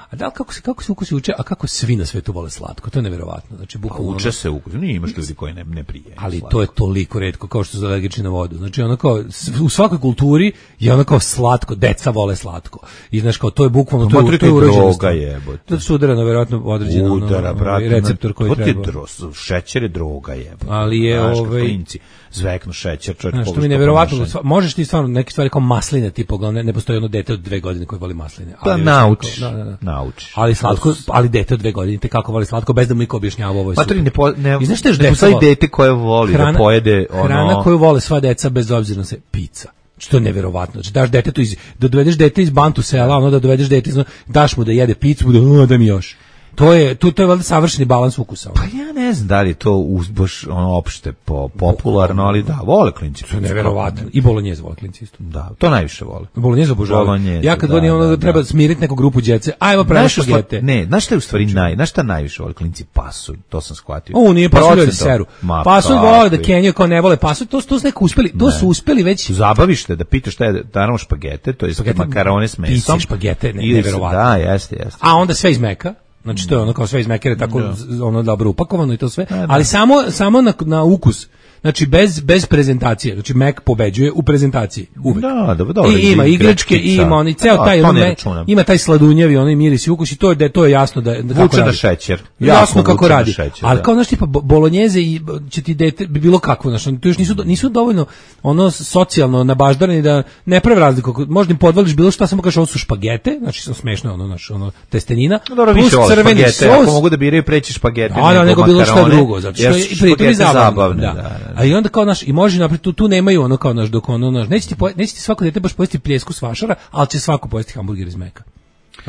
A da li kako se, kako se ukusi uče, a kako svi na svetu vole slatko? To je neverovatno. Znači, bukvalno... Uče se ukusi. Nije imaš ljudi koji ne, ne prije. Ali slatko. To je toliko retko kao što su alergični na vodu. Znači, ono kao, u svakoj kulturi je ono kao slatko, deca vole slatko. I znaš, kao, to je bukvalno, to, to, to je urođeno. Droga jebote. To su udarano, verovatno, određeno Udara, ono, ono, receptor koji treba. Dros, šećer je droga jebote. Ali je, znaš, ovaj... klinci, zveknu šećer, čovjek znaš, što mi neverovatno, možeš ti stvarno neke stvari kao masline, tipa, ne, ne postoji ono dete od dve godine koje voli masline. Pa naučiš, da, da, da. naučiš. Ali slatko, ali dete od dve godine te kako voli slatko bez da mu niko objašnjava ovo je super. Pa to ne po, ne. I znaš šta je ne postoji dete koje voli hrana, da pojede ono hrana koju vole sva deca bez obzira na se pizza. Što je neverovatno. Znači daš detetu iz da dovedeš dete iz Bantu sela, ono da dovedeš dete iz, daš mu da jede picu, bude no, da mi još. To je to to je valjda savršeni balans ukusa. Pa ja ne znam da li je to uzbaš ono opšte po popularno, ali da, vole klinci. To je neverovatno. I bolognjeze vole klinci isto. Da, to najviše vole. Bolognjeze obožavaju. Ja kad da, vodim ono da, treba da. smiriti neku grupu đece, ajmo pravi špagete. Ne, znaš šta je u stvari naj, znaš šta najviše vole klinci pasulj, to sam shvatio. O, nije pasulj ljudi seru. Pasulj vole da kenjaju kao ne vole pasulj, to to su neki uspeli, to su uspeli već. Zabavište da pitaš šta je naravno špagete, to je makarone s mesom. Špagete, neverovatno. Da, jeste, jeste. A onda sve iz meka. Znači to je ono kao sve iz mekere tako da. Ono dobro upakovano i to sve, da, da. Ali samo samo na, na ukus. Znači bez bez prezentacije. Znači Mac pobeđuje u prezentaciji uvek. Da, da, dobro. I ima igračke i ima oni ceo da, taj ono, ima taj sladunjavi, onaj miris i ukus i to je da to je jasno da da vuče na šećer. Jasno kako radi. Šećer, ali kao znaš tipa bolognjeze i će ti dete bi bilo kakvo, znači to još nisu nisu dovoljno ono socijalno nabaždareni da ne prave razliku. Možda im podvališ bilo šta, samo kažeš ovo su špagete, znači su smešno ono naš ono testenina. Dobro, više crveni sos. Ako mogu da biraju preći špagete, nego, nego bilo šta drugo, zato što i pritom je zabavno. A i onda kao naš i može napred tu, tu nemaju ono kao naš dok ono naš neće ti po, neće ti svako dete baš pojesti pljesku s vašara, al će svako pojesti hamburger iz meka.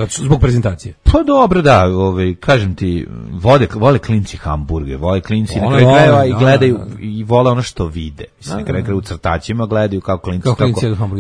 Zbog prezentacije. Pa dobro da, ovaj kažem ti, vode vole klinci hamburger, vole klinci na kraju krajeva i gledaju da, da, da. I vole ono što vide. Mislim na kraju krajeva u crtačima gledaju kako klinci kako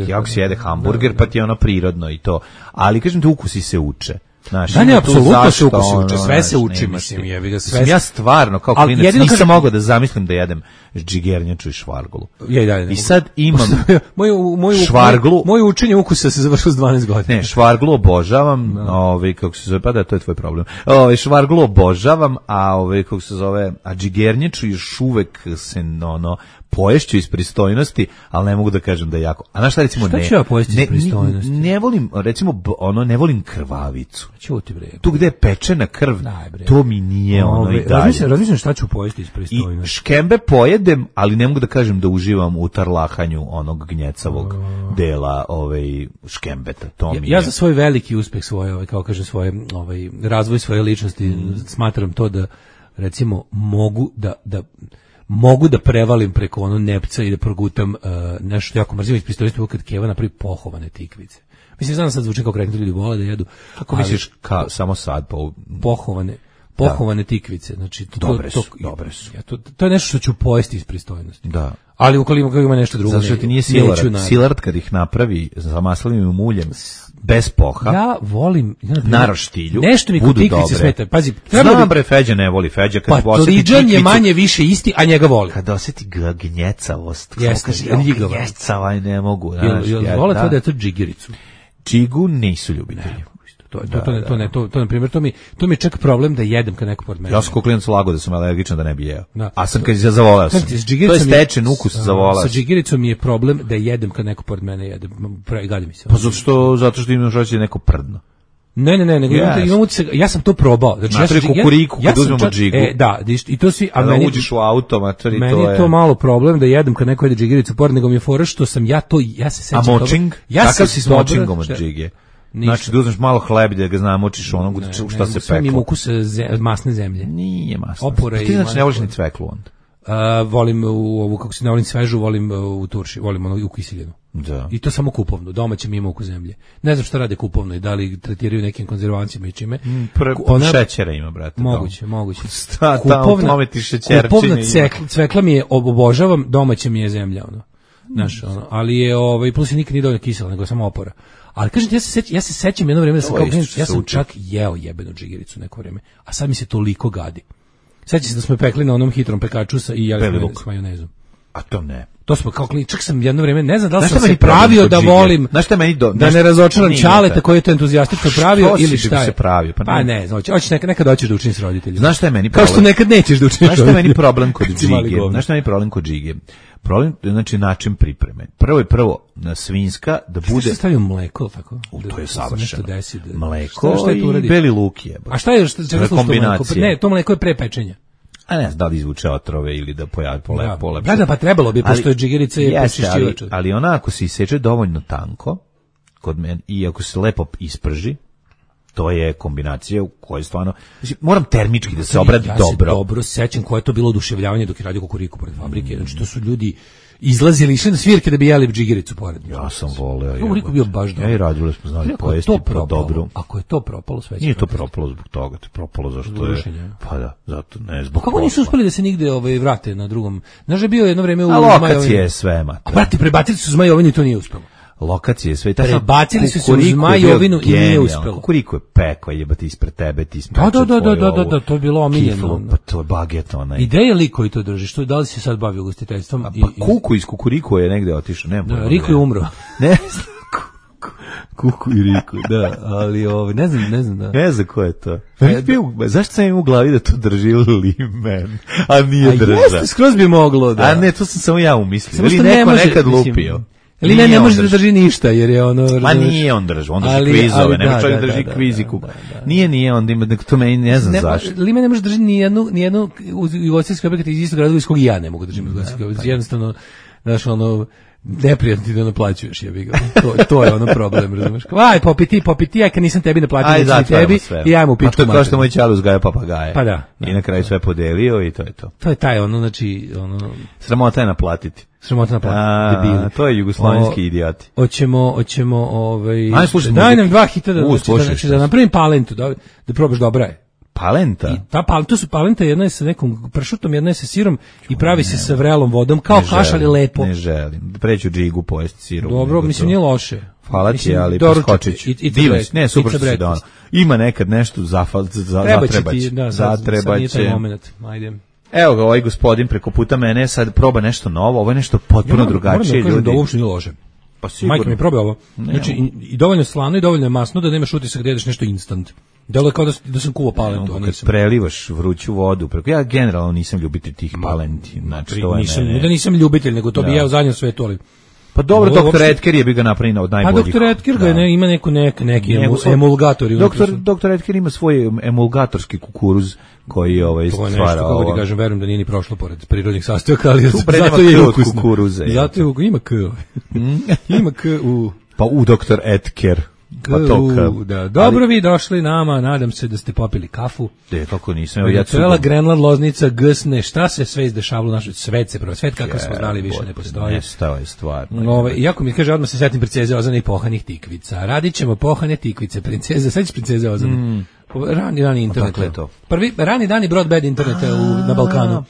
kako se jede hamburger, pa ti je ono prirodno i to. Ali kažem ti ukusi se uče. Znaš, da, ne, apsolutno se ukusi ono, uče, sve se znaš, uči, ne, mislim, mislim, jebi ga, sve. Mislim, ja stvarno, kao Ali klinac, jedino nisam kažem- mogao da zamislim da jedem džigernjaču i švargulu. Je, da, ne I mogu. sad imam moj, moj, švarglu. Moj učenje ukusa se završilo s dvanaest godina. Ne, švarglu obožavam, ovaj kako se zove, pa da, to je tvoj problem. Ovaj švarglu obožavam, a ovaj kako se zove, a džigernjaču još uvek se ono poješću iz pristojnosti, ali ne mogu da kažem da je jako. A znaš šta recimo Šta ne? ću ja pojesti iz ne, pristojnosti? Ne, ne volim, recimo b- ono ne volim krvavicu. Ćuti bre. Tu gde je pečena krv, Daj, bre. to mi nije ono Ove, i dalje. razmišljam, razmišljam šta ću pojesti iz I pristojnosti. škembe pojedem, ali ne mogu da kažem da uživam u tarlahanju onog gnjecavog dela ovaj škembeta. To Ja, mi ja je. za svoj veliki uspeh, svoje, ovaj, kao kaže, svoje, ovaj, razvoj svoje ličnosti, Mm. smatram to da, recimo, mogu da, da mogu da prevalim preko ono nepca i da progutam uh, nešto jako mrzim iz pristojnosti kad Keva napravi pohovane tikvice. Mislim, znam da sad zvuči kao kretni, ljudi vole da jedu. Kako ali misliš ka, samo sad pa u- pohovane, pohovane tikvice, znači to, Dobre to, su, to, dobre su. Ja, to, to je nešto što ću pojesti iz pristojnosti. Da. Ali ukoliko ima nešto drugo, Zato što ne- ti nije neću, silard, naravno. silard kad ih napravi za maslinovim uljem bez poha, Ja volim ja, na primjer, na roštilju, nešto mi kod budu tikvice dobre. smeta. Pazi, treba Znam bi bre, Feđa ne voli, Feđa kad pa osjeti liđan je tikvicu- manje više isti, a njega voli. Kad osjeti g- gnjecavost, Jeste, kaže, jel "Jo, ljigava?" gnjecava i ne mogu. Jel, znaš, jel ja- vole da. to da je to džigericu? Čigu nisu ljubitelji. To, to, to, ne, to, ne, to, to, na primjer, to mi, to mi je čak problem da jedem kad neko pored mene. Ja sam kao klinac lagao da sam alergičan da ne bi jeo. Da. A sam kad se zavoleo sam. Kažete, s To je džigericom mi stečen ukus, a, zavoleo Sa sam. džigericom mi je problem da jedem kad neko pored mene jede. Pravi, gadi mi se. Pa zato što, zato što imaš hoće neko prdno. Ne, ne, ne, nego imam, Yes. imam utisak, ja sam to probao. Znači, Matori ja sam, kukuriku ja, ja kad sam uzmemo čak- džigu. E, da, i to svi, a Kada meni, uđeš u auto, matori, meni to je je... to malo problem da jedem kad neko jede džigericu pored, nego mi je fora što sam ja to, ja se sećam A toga- močing? Ja Kakav se si s dobro- močingom od šta- džige? Ništa. Znači, da uzmeš malo hleb da ga namočiš onog Ne, šta ne, se sve mi ima peklo. ukus ze- masne zemlje. Nije masno. Opora Pa i ti znači ne voliš masno. ni cveklu onda. A, volim u ovu, kako se ne volim svežu, volim uh, u turši, volim ono u kiseljenu. Da. I to samo kupovno, domaće mi ima oko zemlje. Ne znam šta rade kupovno i da li tretiraju nekim konzervancijama i čime. Pre, Ona- šećera ima, brate. Moguće, moguće. Sta, tamo tome ti šećerčine kupovna ima. cvekla, cvekla mi je, ob- obožavam, domaće mi je zemlja, ono. Znaš, ono, ali je, ovaj, plus je nikad nije dovoljno kisela, nego je samo opora. Ali kažem ti, ja se sećam, ja se sećam jedno vreme da sam To kao isto klinac, se ja sam uči. čak jeo jebenu džigericu neko vreme, a sad mi se toliko gadi. Sećam se da smo je pekli na onom hitrom pekaču sa i jeli Beli smo luk. s majonezom. A to ne. To smo kao klinac, čak sam jedno vreme, ne znam da li Znaš sam šta se meni problem pravio kod da džige? volim, Znaš šta meni do- da znaš- ne razočaram Nije Ćaleta to. koji je to entuzijastično pravio Što si ili bi šta je. se pravio? Pa Pa ne. ne, znači, hoćeš nekad, nekad hoćeš da učiniš s roditeljima. Znaš šta je meni Kao problem? što nekad nećeš da učiniš Znaš šta je meni roditeljima. problem kod Kad si mali džige? govno. Znaš šta je meni problem kod džige? Problem, znači način pripreme. Prvo je prvo na svinjska da Bude bude... se stavio mleko, tako? U, Da- to je da se nešto savršeno. desi da- Mleko Šta- šta je tu i uradi? beli luk je. A šta je, šta, To čega je služi to mleko? kombinacija. Ne, to mleko je pre pečenja. A ne znam da li izvuče otrove ili da pojavi pole, Da. polepše. Da, da, pa trebalo bi, pošto je džigerica je jeste, ali, pročišćivač. ali ona ako se iseče dovoljno tanko, kod mene, i ako se lepo isprži, to je kombinacija u kojoj stvarno... Znači, moram termički da se obradi ja dobro. se dobro sećam koje je to bilo oduševljavanje dok je radio kukuriku pored fabrike. Znači, to su ljudi izlazili, išli na svirke da bi jeli džigericu pored. Ja sam voleo. Kukuriku jebote. bio baš dobro. Ja i radili smo znali Ako je pojesti to po propalo, dobru. ako je to propalo, sve će Nije to propasti. propalo zbog toga, to je propalo zašto Zbog je... rušenja. Pa da, zato ne, zbog Kako nisu posla. uspeli da se nigde ovaj, vrate na drugom? Znaš da je bio jedno vreme u A lokacije Zmajovini? je sve, mate. A brate, prebacili su Zmajovini i to nije uspelo. Lokacije sve. Ta Prebacili su se u Kukuriku je Zmajovinu bio i nije genijalan. uspelo. Kukuriku je pekao, jebate ispred tebe, ti Da, da, da, da, da, da, da, to je bilo omiljeno. Kiflu, pa to je baget onaj. Ideja lik koji to drži, što da li se sad bavi ugostiteljstvom? Pa i, i- Kuku iz Kukuriku je negde otišao, nema Da, pojma Riko gde je umro. Ne znam. Kuku- Kuku i Riku, Da, ali ovaj ne znam, ne znam da. ne znam ko je to. E, bio, zašto sam im u glavi da to drži Limen, a nije A držao? jeste, skroz bi moglo, da. A ne, to sam samo ja umislio. Samo Ili što neko ne može, nekad mislim, lupio. Ili ne, Nije ne on može da držao. drži ništa, jer je ono... Ma razumeš, nije on držao, on drži Ali- kvizove, ali ne da, može čovjek da, da drži da, da, kviz i da, kuku. da, da. Nije, nije, onda ima, to meni ne znam Ne, zašto. Lime ne može držati ni jednu, ni jednu ugostiteljski objekat iz istog grada iz kog i ja ne mogu držati ugostiteljski objekat. Jednostavno, znaš, ono, neprijatno ti da naplaćuješ, jebi ga. To, to je ono problem, razumeš? Kao, aj, popi ti, popi ti, aj kad nisam tebi naplatio, Aj, neću ni zatvaramo tebi, sve. i ajmo u A to pičku je kao što materinu. moj ćalu uzgaja papagaje. Pa da, I da, na kraju sve podelio i to je to. To je taj, ono, znači, ono, Sramota je naplatiti. sramota naplatiti, A, debili. to je jugoslavenski O, idioti. Hoćemo, hoćemo, ovaj, Aj, slušaj daj muziku. nam dva hita da, U, znači, da, slušaj, znači, šta da si. napravim palentu, da, da probaš dobra je. Palenta? I ta pal, to su palenta, jedna je sa nekom pršutom, jedna je sa sirom i pravi se sa vrelom vodom, kao Ne kaš, ali želim, lepo. Ne želim. Preću džigu pojesti sirom. Dobro, nego mislim, to. nije loše. hvala ti, ali preskočit ću. Divan si, ne, super što si da ono. Ima nekad nešto zafal, za, zatrebać. Da, zatrebać. Sad nije taj moment. Ajde. Evo ga, ovaj gospodin preko puta mene sad proba nešto novo, ovo je nešto potpuno ja, drugačije. Moram da kažem da uopšte nije loše. Pa sigurno. Majka mi probaj ovo. Znači, i, i dovoljno slano i dovoljno masno da nemaš utisak da jedeš nešto instant. Delo je kao da, da sam kuvao palentu. Kad prelivaš vruću vodu, preko ja generalno nisam ljubitelj tih palenti. Znači, to je nisam, mene... da nisam ljubitelj, nego to da. Bi jeo zadnjem svetu, ali... Pa dobro, ovo, doktor Edker je bi ga napravio od najboljih. A doktor Edker ga ne, ima neku, nek, neki Njegu, emulgator. Doktor, doktor Edker ima svoj emulgatorski kukuruz koji ovaj stvara. To je nešto, kako ti kažem, verujem da nije ni prošlo pored prirodnih sastojaka, ali zato je ukusno. Kukuruze. Zato je, ima k. Ima k u... Pa u doktor Edker. Pa to k. Da. Dobro ali... vi došli nama, nadam se da ste popili kafu. De, kako nisam. Evo, ja Cela Grenland, Loznica, Gsne, šta se sve izdešavalo u našoj svet se prvo. Svet kakav smo znali više ne postoji. Nestao je stvar. Ove, jako mi kaže, odmah se setim princeze Ozane i pohanih tikvica. Radit ćemo pohane tikvice, princeze, sad ćeš princeze Ozane. Mm. Rani rani internet. To. Prvi rani dani broadband interneta u, na Balkanu.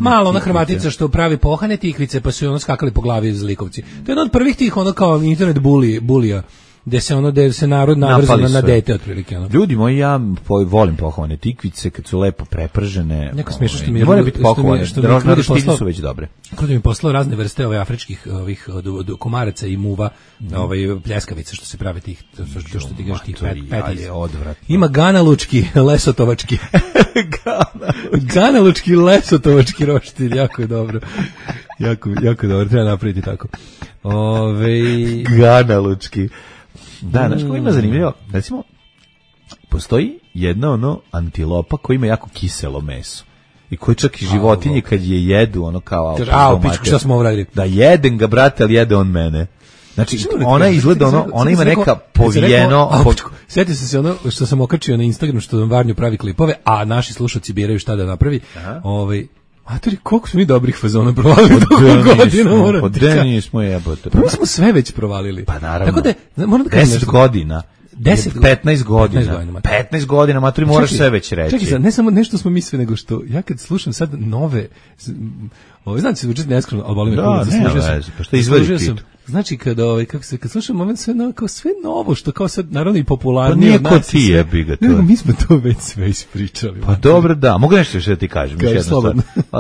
Malo ona Hrvatica što pravi pohane tikvice, pa su ono skakali po glavi zlikovci. To je jedno od prvih tih ono kao internet buli, bulija. Gde se ono da se narod navrza na, na dete otprilike ono. Ljudi moji, ja volim pohovane tikvice kad su lepo prepržene. Neko smiješno što mi je mora biti pohovane, što mi poslao, su već dobre. Kada mi poslao razne vrste ovaj afričkih ovih komaraca i muva, mm. ovaj pljeskavice što se pravi tih što što ti kažeš tih peti odvratno. Ima ganalučki, lesotovački. Ganalučki, lesotovački roštilj, jako je dobro. Jako jako dobro, treba napraviti tako. Ovaj ganalučki. Da, znaš ko ima zanimljivo? Recimo, postoji jedna ono antilopa koja ima jako kiselo meso. I koji čak i životinje kad je jedu, ono kao... A, u pičku, šta smo uradili? Da, jedem ga, brate, ali jede on mene. Znači, ona izgleda ono, ona ima neka povijeno... Sjeti se se ono što sam okačio na Instagram, što nam Varnju pravi klipove, a naši slušalci biraju šta da napravi. Ovaj... Matori, koliko smo mi dobrih fazona provalili toliko godina, moram ti kažem. Pa nismo jebote. Pa mi smo sve već provalili. Pa naravno. Tako da, moram da kažem deset godina. deset, petnaest godina. petnaest godina, matori, moraš sve već reći. Čekaj sad, ne samo nešto smo mi sve, nego što ja kad slušam sad nove... Ovo, znači se zvuči neskromno, ali volim me puno, zaslužio sam. Pa što izvedi pitu. Znači kad ovaj kako se kad slušam moment sve novo, kao sve novo što kao sad naravno i popularnije pa od nas. Ti je biga to. Ne, mi smo to već sve ispričali. Pa dobro, da, mogu nešto što ti kažem, još jedna stvar.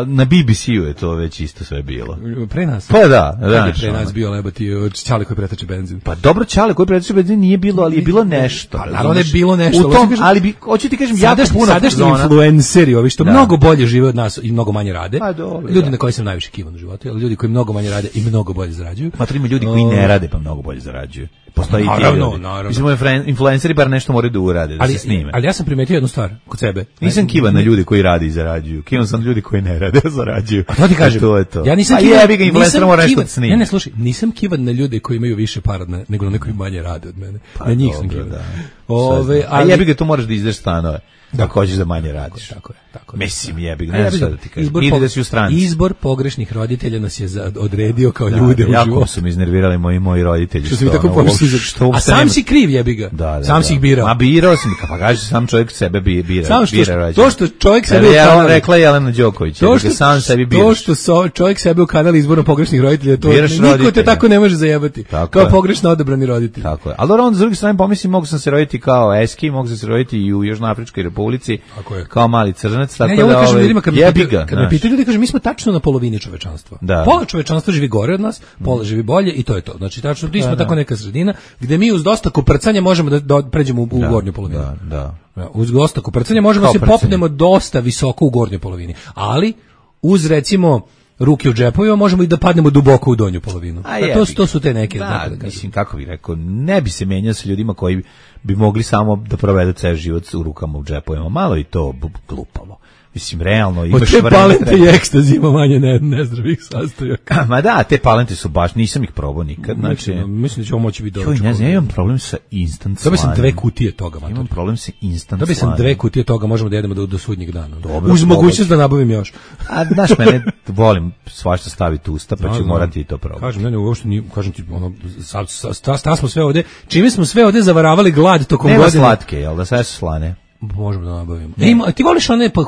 Na B B C-u je to već isto sve bilo. Pre nas. Pa da, da. Pre nas bio lebati Čale koji pretače benzin. Pa dobro, Čale koji pretače benzin nije bilo, ali je bilo nešto. Pa naravno je bilo nešto. U tom, ali bi hoću ti kažem jako puno sadašnji influenceri, ovi što mnogo bolje žive od nas i mnogo manje rade. Ljudi na koje sam najviše kivan u životu, ali ljudi koji mnogo manje rade i mnogo bolje zarađuju. Ma ima ljudi koji ne rade pa mnogo bolje zarađuju. Postoji naravno, ti naravno. Mislim, influenceri bar nešto moraju da urade, da ali, se snime. Ali ja sam primetio jednu stvar kod sebe. Nisam kivan na ljudi koji rade i zarađuju. Kivan sam na ljudi koji ne rade, zarađuju. A to ti kažem. To je to. Ja nisam a kivan. Jebi ga, influencer mora nešto da snime. Ne, ne, slušaj, nisam kivan na ljude koji imaju više para nego na neki manje rade od mene. Pa na njih dobro, sam kivan. Da. Ove, ali... A jebi ga, tu moraš da izdeš stanove. Da hoćeš da manje radiš. Tako je, tako je. Mislim jebi ga, ne znam da ti kažem. Ili po, da si u stranci. Izbor pogrešnih roditelja nas je za, odredio kao da, ljude u životu. Jako su mi iznervirali moji moji roditelji. Što su mi tako pomislili. A sam nema... si kriv jebi ga. Da, da, sam da. si ih birao. Ma birao sam, pa kaže sam čovjek sebe bira. Sam što, bira to što čovjek sebe u kanal rekla Jelena Đoković, to što sam sebi bira. To što so, čovjek sebe u kanal izborom pogrešnih roditelja, to niko te tako ne može zajebati. Kao pogrešno odabrani roditelj. Tako je. Al dobro, on s druge strane pomislim mogu sam se roditi kao Eski, mogu sam se roditi i u Južnoafričkoj Republici. Kao mali crnac, tako ne, da kažem, ovaj, ljudima, kad jebi ga. Kad me pitaju ljudi, kažem, mi smo tačno na polovini čovečanstva. Da. Pola čovečanstva živi gore od nas, pola živi bolje i to je to. Znači, tačno, mi smo da, tako neka sredina, gde mi uz dosta koprcanja možemo da, da pređemo u, da, u gornju polovinu. Da, da. Ja, uz dosta koprcanja možemo se popnemo dosta visoko u gornjoj polovini. Ali, uz recimo ruke u džepovima, možemo i da padnemo duboko u donju polovinu. A da, to, to su te neke. Da, da mislim, kako bih rekao, ne bi se menjao sa ljudima koji bi mogli samo da provedu ceo život u rukama u džepovima. Malo i to glupavo. Mislim, realno imaš vreme. Od te palente i ekstazi ima manje ne, nezdravih sastojaka. Ma da, te palente su baš, nisam ih probao nikad. Znači, mislim, mislim da će ovo moći biti dobro. Ne znam, ja imam problem sa instant slanim. Dobio sam dve kutije toga, mater. Imam problem sa instant slanim. Dobio sam dve kutije toga, možemo da jedemo do, do sudnjeg dana. Dobro, uz mogućnost da nabavim još. A znaš, mene volim svašta staviti u usta, pa ću morati i to probati. Kažem, ne, ne, uopšte nije, kažem ti, ono, sad, sad, sad smo sve ovde, čime smo sve ovde zavaravali glad tokom godine. Nema slatke, jel da, sve su slane. Možemo da nabavimo. E, ima, ti voliš one pa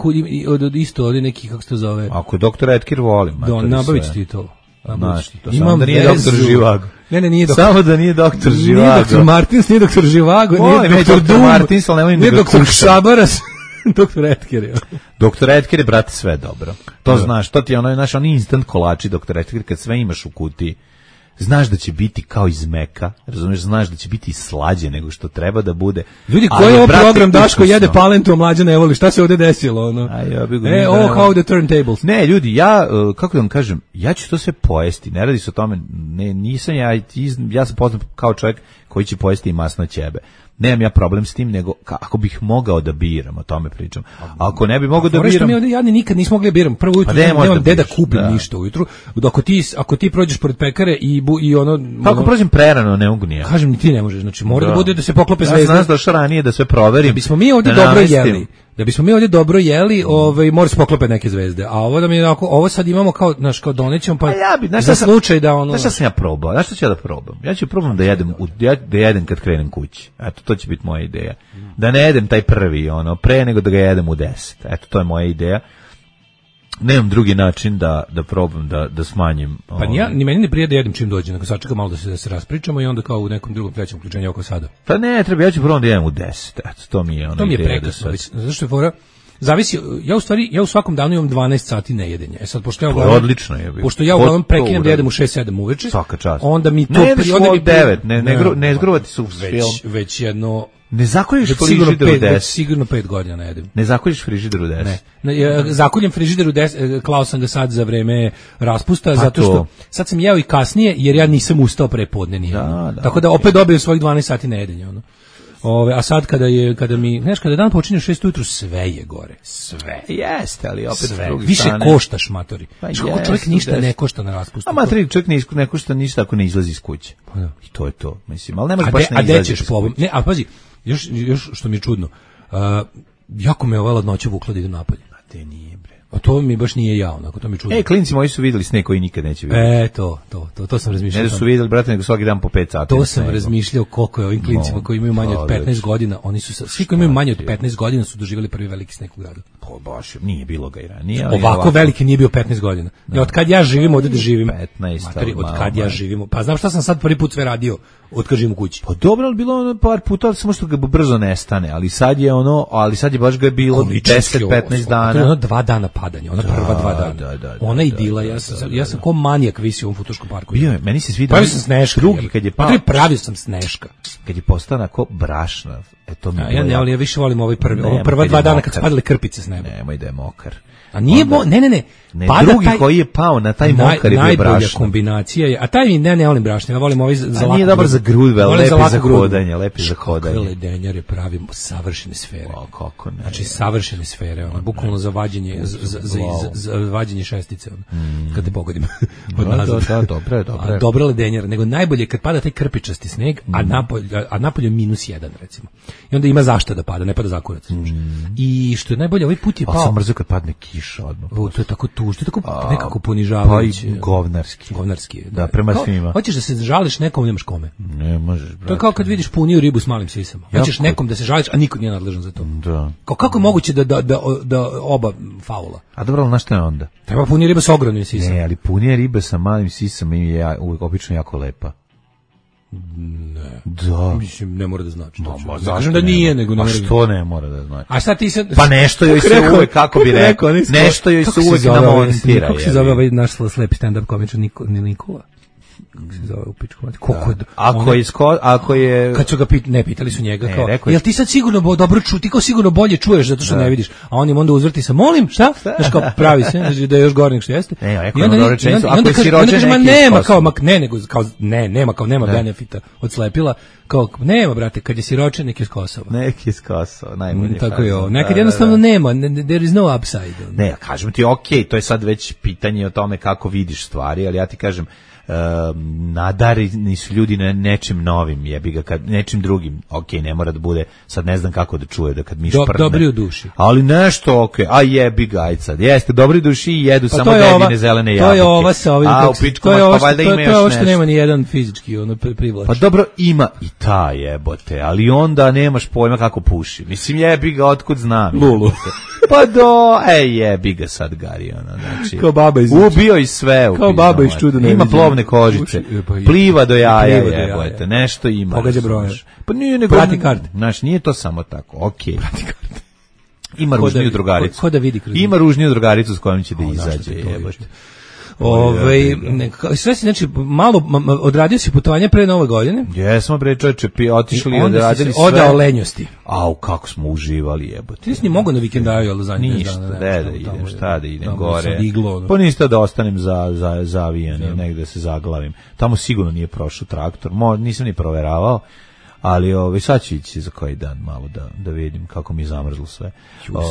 od, od isto ovdje neki, kako se to zove? Ako je doktor Edker volim. Da, nabavit ti to. Znaš, to samo da nije doktor Živago. Ne, ne, nije doktor. Samo da nije doktor Živago. Nije doktor Martins, nije doktor Živago, Molim, nije doktor Dum, Martins, ali nemoj nije doktor Šabaras, doktor Etker. Doktor Etker je, brate, sve dobro. To da. Znaš, to ti je ono, znaš, oni instant kolači, doktor Etker, kad sve imaš u kutiji. Znaš da će biti kao iz meka, razumiješ, znaš da će biti slađe nego što treba da bude. Ljudi, koji je ovo program Daško jede palentu, a mlađa ne voli, šta se ovdje desilo? Ono? Aj, ja bih e, oh, how the turntables. Ne, ljudi, ja, kako da vam kažem, ja ću to sve pojesti, ne radi se o tome, ne, nisam ja, ja sam poznat kao čovjek koji će pojesti i masno ćebe. Nemam ja problem s tim, nego ako bih mogao da biram, o tome pričam. A ako ne bi mogao da biram... Mi ovdje jadni nikad nismo mogli da biram. Prvo ujutru pa nemam gde da kupim da. ništa ujutru. Ako ti, ako ti prođeš pored pekare i, bu, i ono... Pa ako ono, prođem prerano, ne mogu nije. Kažem, ni ti ne možeš. Znači, mora da, da bude da se poklope ja zvezde. Ja sam došao ranije da sve proverim. Da bismo mi ovdje da dobro jeli. Da bismo mi ovdje dobro jeli, ovaj mora se poklope neke zvezde. A ovo da mi onako, ovo sad imamo kao, znaš, kao donećemo pa ja bi, znaš, za slučaj da ono. Znaš šta sam ja probao? Znaš šta ću ja da probam? Ja ću probam da jedem, u, ja, da jedem kad krenem kući. Eto, to će biti moja ideja. Da ne jedem taj prvi, ono, pre nego da ga jedem u deset. Eto, to je moja ideja. Nemam drugi način da da probam da da smanjim. Pa ni ja, ni meni ne prije da jedem čim dođe, nego sačekam malo da se da se raspričamo i onda kao u nekom drugom trećem uključenju oko sada. Pa ne, treba, ja ću probam da jedem u deset. Eto, to mi je ono. To mi je prekasno. Zato što je fora zavisi, ja u stvari, ja u svakom danu imam dvanaest sati nejedenja. E sad, pošto ja uglavnom, odlično je. Pošto ja uglavnom prekinem da jedem u šest sedam uveče, svaka čast. Onda mi to ne pri, onda mi devet, ne, ne, ne, ne zgruvati su već, već jedno... Ne zakoljiš frižider u deset. Sigurno pet godina ne jedem. Ne zakoljiš frižider u deset. Ne. ne zakoljem frižider u deset, klao sam ga sad za vreme raspusta, pa zato što sad sam jeo i kasnije, jer ja nisam ustao prepodne nije. Da, da, tako da opet dobijem svojih dvanaest sati nejedenja. Ono. Ove, a sad kada je kada mi, znaš, kada dan počinje u šest ujutru, sve je gore, sve. Jeste, ali opet sve. Drugi više strane. Koštaš, matori. Pa kako čovjek ništa des... ne košta na raspustu. A matori, čovjek ne, ne košta ništa ako ne izlazi iz kuće. Pa da. I to je to, mislim, ali ne može baš ne izlazi. A dećeš po ovom? Ne, a pazi, još, još što mi je čudno, uh, jako me ova ladnoća vukla da idem napolje. A te nije, bre. A to mi baš nije ja, onako, to mi je čudno. E, klinci moji su vidjeli sneg koji nikad neće vidjeti. E, to, to, to, to sam razmišljao. Ne da su vidjeli, brate, nego svaki dan po pet sati. To sam razmišljao koliko je ovim klincima koji imaju manje od petnaest godina, oni su, svi koji imaju manje od petnaest godina su doživjeli prvi veliki sneg u gradu. Po baš, nije bilo ga i ranije. Ovako, ovako veliki nije bio petnaest godina. Ja, od kad ja živim ovdje da živim, petnaest, materi, od kad ja živim, pa znam šta sam sad prvi put sve radio, od kad živim u kući. Pa dobro, ali bilo ono par puta, samo što ga brzo nestane, ali sad je ono, ali sad je baš ga bilo deset petnaest dana. To je ono dva dana padanja, ona prva dva dana. Da, da, da, ona idila, ja sam, ja sam ko manijak visio u ovom Futuškom parku. Bio je, meni se svidio. Pravio sam Sneška. Drugi, kad je pao. Pa pravio sam Sneška. Kad je postao onako brašnav, e to mi je. Ja ne, ali ja više volim ovaj prvi, ovo prva dva dana kad su padale krpice s neba. Nemoj da je mokar. A nije bo, ne, ne, ne. Ne, drugi taj, koji je pao na taj mokar je bio brašno. Najbolja kombinacija je, a taj mi ne, ne volim brašno, ja volim ovaj za lako. Nije dobar za grudve, ali lepi za, za hodanje, lepi za hodanje. Kakve ledenjare pravimo savršene sfere. O, kako ne. Znači savršene sfere, ono, bukvalno za vađenje, za, za, za, za vađenje šestice, ono, mm. kad te pogodim. Od da, da, da, dobre, dobre. A, dobre ledenjare, nego najbolje kad pada taj krpičasti sneg, mm. a napolje, a napolje minus jedan, recimo. I onda ima zašto da pada, ne pada zakurac. Mm. I što je najbolje, ovaj put je pao. A sam mrzio kad padne kiša odmah. O, to je tako tužno, to je tako a, nekako ponižavajuće. Pa i govnarski. Govnarski. Da, da prema kao, svima. Hoćeš da se žališ nekom, nemaš kome. Ne možeš, brate. To je kao kad vidiš puniju ribu s malim sisama. Hoćeš jako... nekom da se žališ, a niko nije nadležan za to. Da. Kao, kako je moguće da, da, da, da oba faula? A dobro, ali znaš šta je onda? Treba punija riba s ogromnim sisama. Ne, ali punija riba sa malim sisama je ja, uvijek obično jako lepa. Ne. Da. Mislim, ne mora da znači. No, ma, kažem da nije, nego ne mora. A što ne mora da znači? A šta ti sad? Pa nešto joj se uvek, kako bi rekao, nešto joj se uvek namontira. Kako se zove ovaj naš slepi stand-up komičar Nikola? Kako se zove u pičku? Koliko je? Ako je ako je kad su ga pit, ne pitali su njega kao, jel ti sad sigurno bo, dobro ču, ti kao sigurno bolje čuješ zato što da. Ne vidiš, a on im onda uzvrti sa molim, šta? Znaš kao pravi se, znači da je još gore nego što jeste. Ne, ako je rečenicu, ako je siroče neki nema kao mak ne nego kao ne, nema kao nema benefita od slepila. Kao nema brate, kad je siroče neki iz Kosova. Neki iz Kosova, najbolje. Tako je ovo. Nekad jednostavno nema, there is no upside. Ne, kažem ti, okej, to je sad već pitanje o tome kako vidiš stvari, ali ja ti kažem Uh, nadareni su ljudi na nečim novim, jebi ga, kad nečim drugim. Okej, ne mora da bude, sad ne znam kako da čuje da kad miš Do, prdne. Dobri u duši. Ali nešto okej, a jebi ga aj sad. Jeste dobri u duši i jedu pa samo dedine zelene jabuke. To je ova sa ovim. A u pičku pa valjda ima još nešto. To nema ni jedan fizički ono privlač. Pa dobro, ima i ta jebote, ali onda nemaš pojma kako puši. Mislim jebi ga, otkud znam. Lulu. Pa do, ej jebi ga sad Gari, ono, znači. Kao baba iz ubio i sve. Kao baba iz Čudo neviđeno. Ima plovne kožice, pliva do jaja, jebote, nešto ima. Pogađa broje. Pa nije nego... Prati karte. Znači, nije to samo tako, okej. Okay. Prati karte. Ima ružniju drugaricu. Ko, ko da vidi kroz Ima ružniju drugaricu s kojom će da izađe, jebote. Ove, ne, sve si, znači, malo ma, odradio si putovanje pre Nove godine. Jesmo, bre, čoveče, otišli i odradili sve. Odao lenjosti. Au, kako smo uživali, jebote. Ti nisi ni mogao na vikendaju, ali za njih ništa, dana. Ništa, da idem, šta da idem, gore. Iglo, pa ništa da ostanem za, za, zavijan, ja. negde se zaglavim. Tamo sigurno nije prošao traktor, Mo, nisam ni proveravao. Ali ovaj sad ću ići za koji dan malo da da vidim kako mi je zamrzlo sve.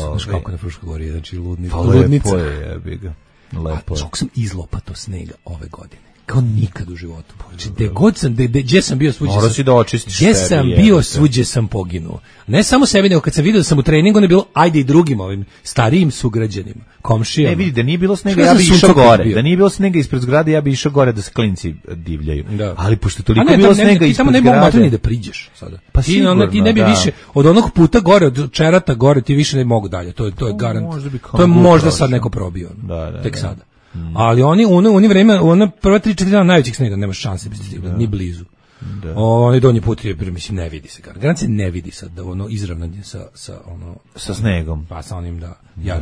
Znaš kako na Fruškoj gori, znači ludnica. Pa lepo je, jebi ga. Lepo. A čak sam izlopato snega ove godine. Kao nikad u životu. Znači, gde god sam, gde, gde sam bio svuđe sam... si da očistiš gde sam je, bio svuđe sam poginuo. Ne samo sebi, nego kad sam vidio da sam u treningu, ne bilo, ajde i drugim ovim starijim sugrađanima, komšijama. Ne, vidi, da nije bilo snega, ja bi išao gore. Bio? Da nije bilo snega ispred zgrade, ja bi išao gore da se klinci divljaju. Da. Ali pošto toliko ne, bilo ne, snega ne, ispred zgrade... Ti tamo ne mogu da priđeš sada. Pa ti, sigurno, ona, ti ne bi da. više, od onog puta gore, od Čerata gore, ti više ne mogu dalje. To je, to je garant. To je možda sad neko probio. Da, da, tek sada. Mm. Ali oni u oni vreme, ona prva tri četiri dana najvećih snega, nema šanse da stigli, ni blizu. Da. O, onaj donji put je, mislim, ne vidi se. Garant se ne vidi sad, da ono izravnanje sa, sa, ono, sa snegom. Pa sa onim, da, ja,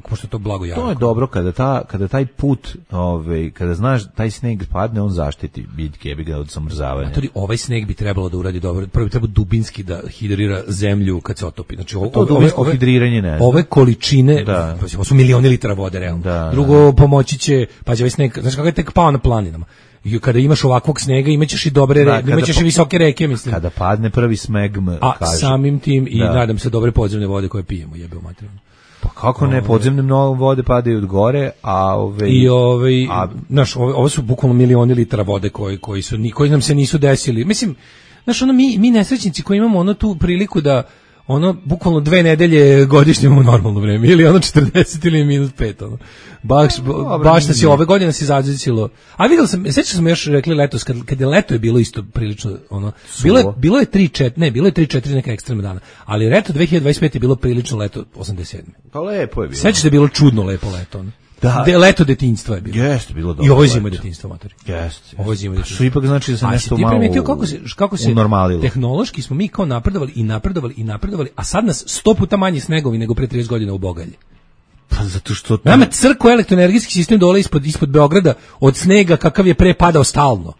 pošto to blago jako. To je dobro, kada, ta, kada taj put, ovaj, kada znaš, taj sneg padne, on zaštiti bitke, bi ga od zamrzavanja. Znači, ovaj sneg bi trebalo da uradi dobro, prvo bi trebalo dubinski da hidrira zemlju kad se otopi. Znači, ovo, to dubinsko ove, hidriranje ne. Ove količine, da. Pa su milioni litara vode, realno. Da, drugo, da. Pomoći će, pa će ovaj sneg, znači kako je tek pao na planinama. I kada imaš ovakvog snega, imaćeš i dobre, da, re, imaćeš pa, i visoke reke, mislim. Kada padne prvi smegm, a kaže. Samim tim i da. Nadam se dobre podzemne vode koje pijemo, jebe u materinu. Pa kako ne, podzemne mnogo vode padaju od gore, a ove i ove, a naš ove, ovo su bukvalno milioni litara vode koji koji su koji nam se nisu desili. Mislim, znaš, ono mi mi nesrećnici koji imamo ono tu priliku da ono bukvalno dve nedelje godišnje u normalno vreme ili ono četrdeset ili minus pet ono. Baš no, baš da se ove godine se zadzicilo. A videl sam, sećam se još rekli letos kad kad je leto je bilo isto prilično ono bilo je bilo je tri četiri, ne, bilo je tri četiri neka ekstremna dana, ali leto dve hiljade dvadeset pete je bilo prilično leto osamdeset sedme. Pa lepo je bilo. Sećaš se da je bilo čudno lepo leto ono. Da, de leto detinjstva je bilo. Jeste, bilo dobro. I ovo zima detinjstva, matori. Jeste. Ovo zima detinjstva. Što ipak znači da se nešto malo. A ti primetio kako se kako se tehnološki smo mi kao napredovali i napredovali i napredovali, a sad nas sto puta manje snegovi nego pre trideset godina u Bogalji. Pa zato što nama crko elektroenergetski sistem dole ispod ispod Beograda od snega kakav je pre padao stalno.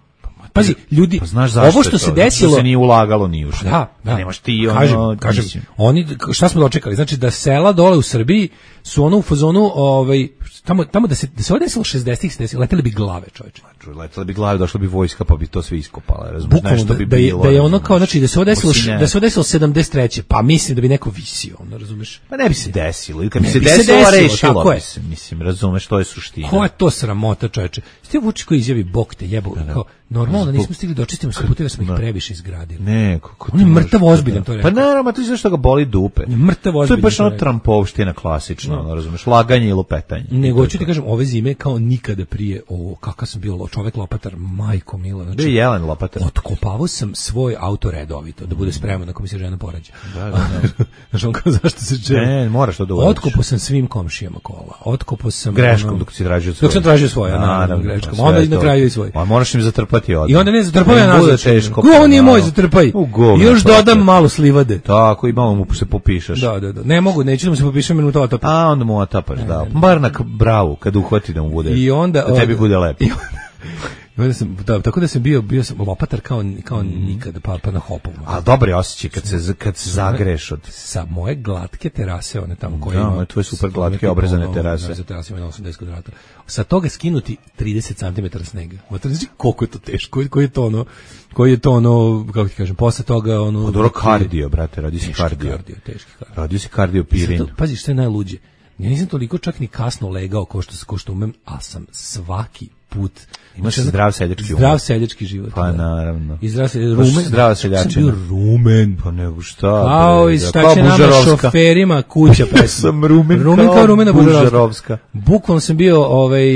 Pazi, ljudi, pa ovo što se desilo, što se nije ulagalo ni u šta. Da, da. Nemaš ti ono, kažem, kažem, oni šta smo dočekali? Znači da sela dole u Srbiji su ono u fazonu, ovaj tamo tamo da se da se ovo desilo šezdesetih sedamdesetih letele bi glave, čoveče. Letele bi glave, došla bi vojska pa bi to sve iskopala, razumiješ, nešto bi da, bilo. Da je ono kao, znači da se ovo desilo da se ovo desilo sedamdeset treće pa mislim da bi neko visio, ono, razumeš? Pa ne bi se desilo, ili kad bi se desilo, rešilo bi se, mislim, razumeš, to je suština. Ko je to sramota, čoveče? Ste Vučić koji izjavi bog te jebo, kao normalno nismo stigli da očistimo sve puteve, smo ih previše izgradili. Ne, kako on je mrtav ozbiljan to je. Pa naravno, to je zašto ga boli dupe. Mrtav ozbiljan. To je baš ono Trumpovština klasična, no. Razumeš, laganje i lupetanje. Nego hoću ti kažem, ove zime kao nikada prije, o kakav sam bio čovek lopatar, majko mila, znači. Bio Jelen lopatar. Otkopavao sam svoj auto redovito da bude spreman ako mi se žena porađa. Da, da, da. Znači on kao zašto se čuje? Ne, moraš to da uradiš. Otkopao sam svim komšijama kola. Otkopao sam greškom ono, dok si tražio svoje. Dok sam tražio svoje, naravno, greškom. Onda i na kraju i svoje. Ma moraš im zatrpati odmah. I onda ne zatrpaj ja nazad. Teško. Go nije moj, zatrpaj. Još dodam malo slivade. Tako, i malo mu se popišeš. Da, da, da. Ne mogu, neću da mu se popišem, minuta otapaš. A onda mu otapaš, da. Bar na bravu, kad uhvati da mu bude. I onda, da tebi bude lepo. I onda sam, da, tako da sam bio, bio sam lopatar kao, kao nikada, pa, pa na hopu. A dobri osjećaj kad se, kad se zagreš od... Sa moje glatke terase, one tamo koje da, ima... Da, tvoje super glatke obrezane terase. Za terase ima osamdeset kvadrata. Sa toga skinuti trideset centimetara snega. Znači, koliko je to teško, koji je to ono, koji je to ono, kako ti kažem, posle toga ono... Pa dobro kardio, brate, radi si kardio. kardio. Teški kardio. Radio si kardio pirin. To, pazi, što je najluđe. Ja nisam toliko čak ni kasno legao kao što, kao što umem, ali sam svaki put. Imaš zdrav seljački život. Zdrav seljački život. Pa naravno. I zdrav seljački rumen. Zdrav seljačina. Sam bio rumen. Pa nego šta. Kao iz šta će nama šoferima kuća pesma. Sam rumen, rumen kao rumena Bužarovska. Bužarovska. Bukvalno sam bio ovaj,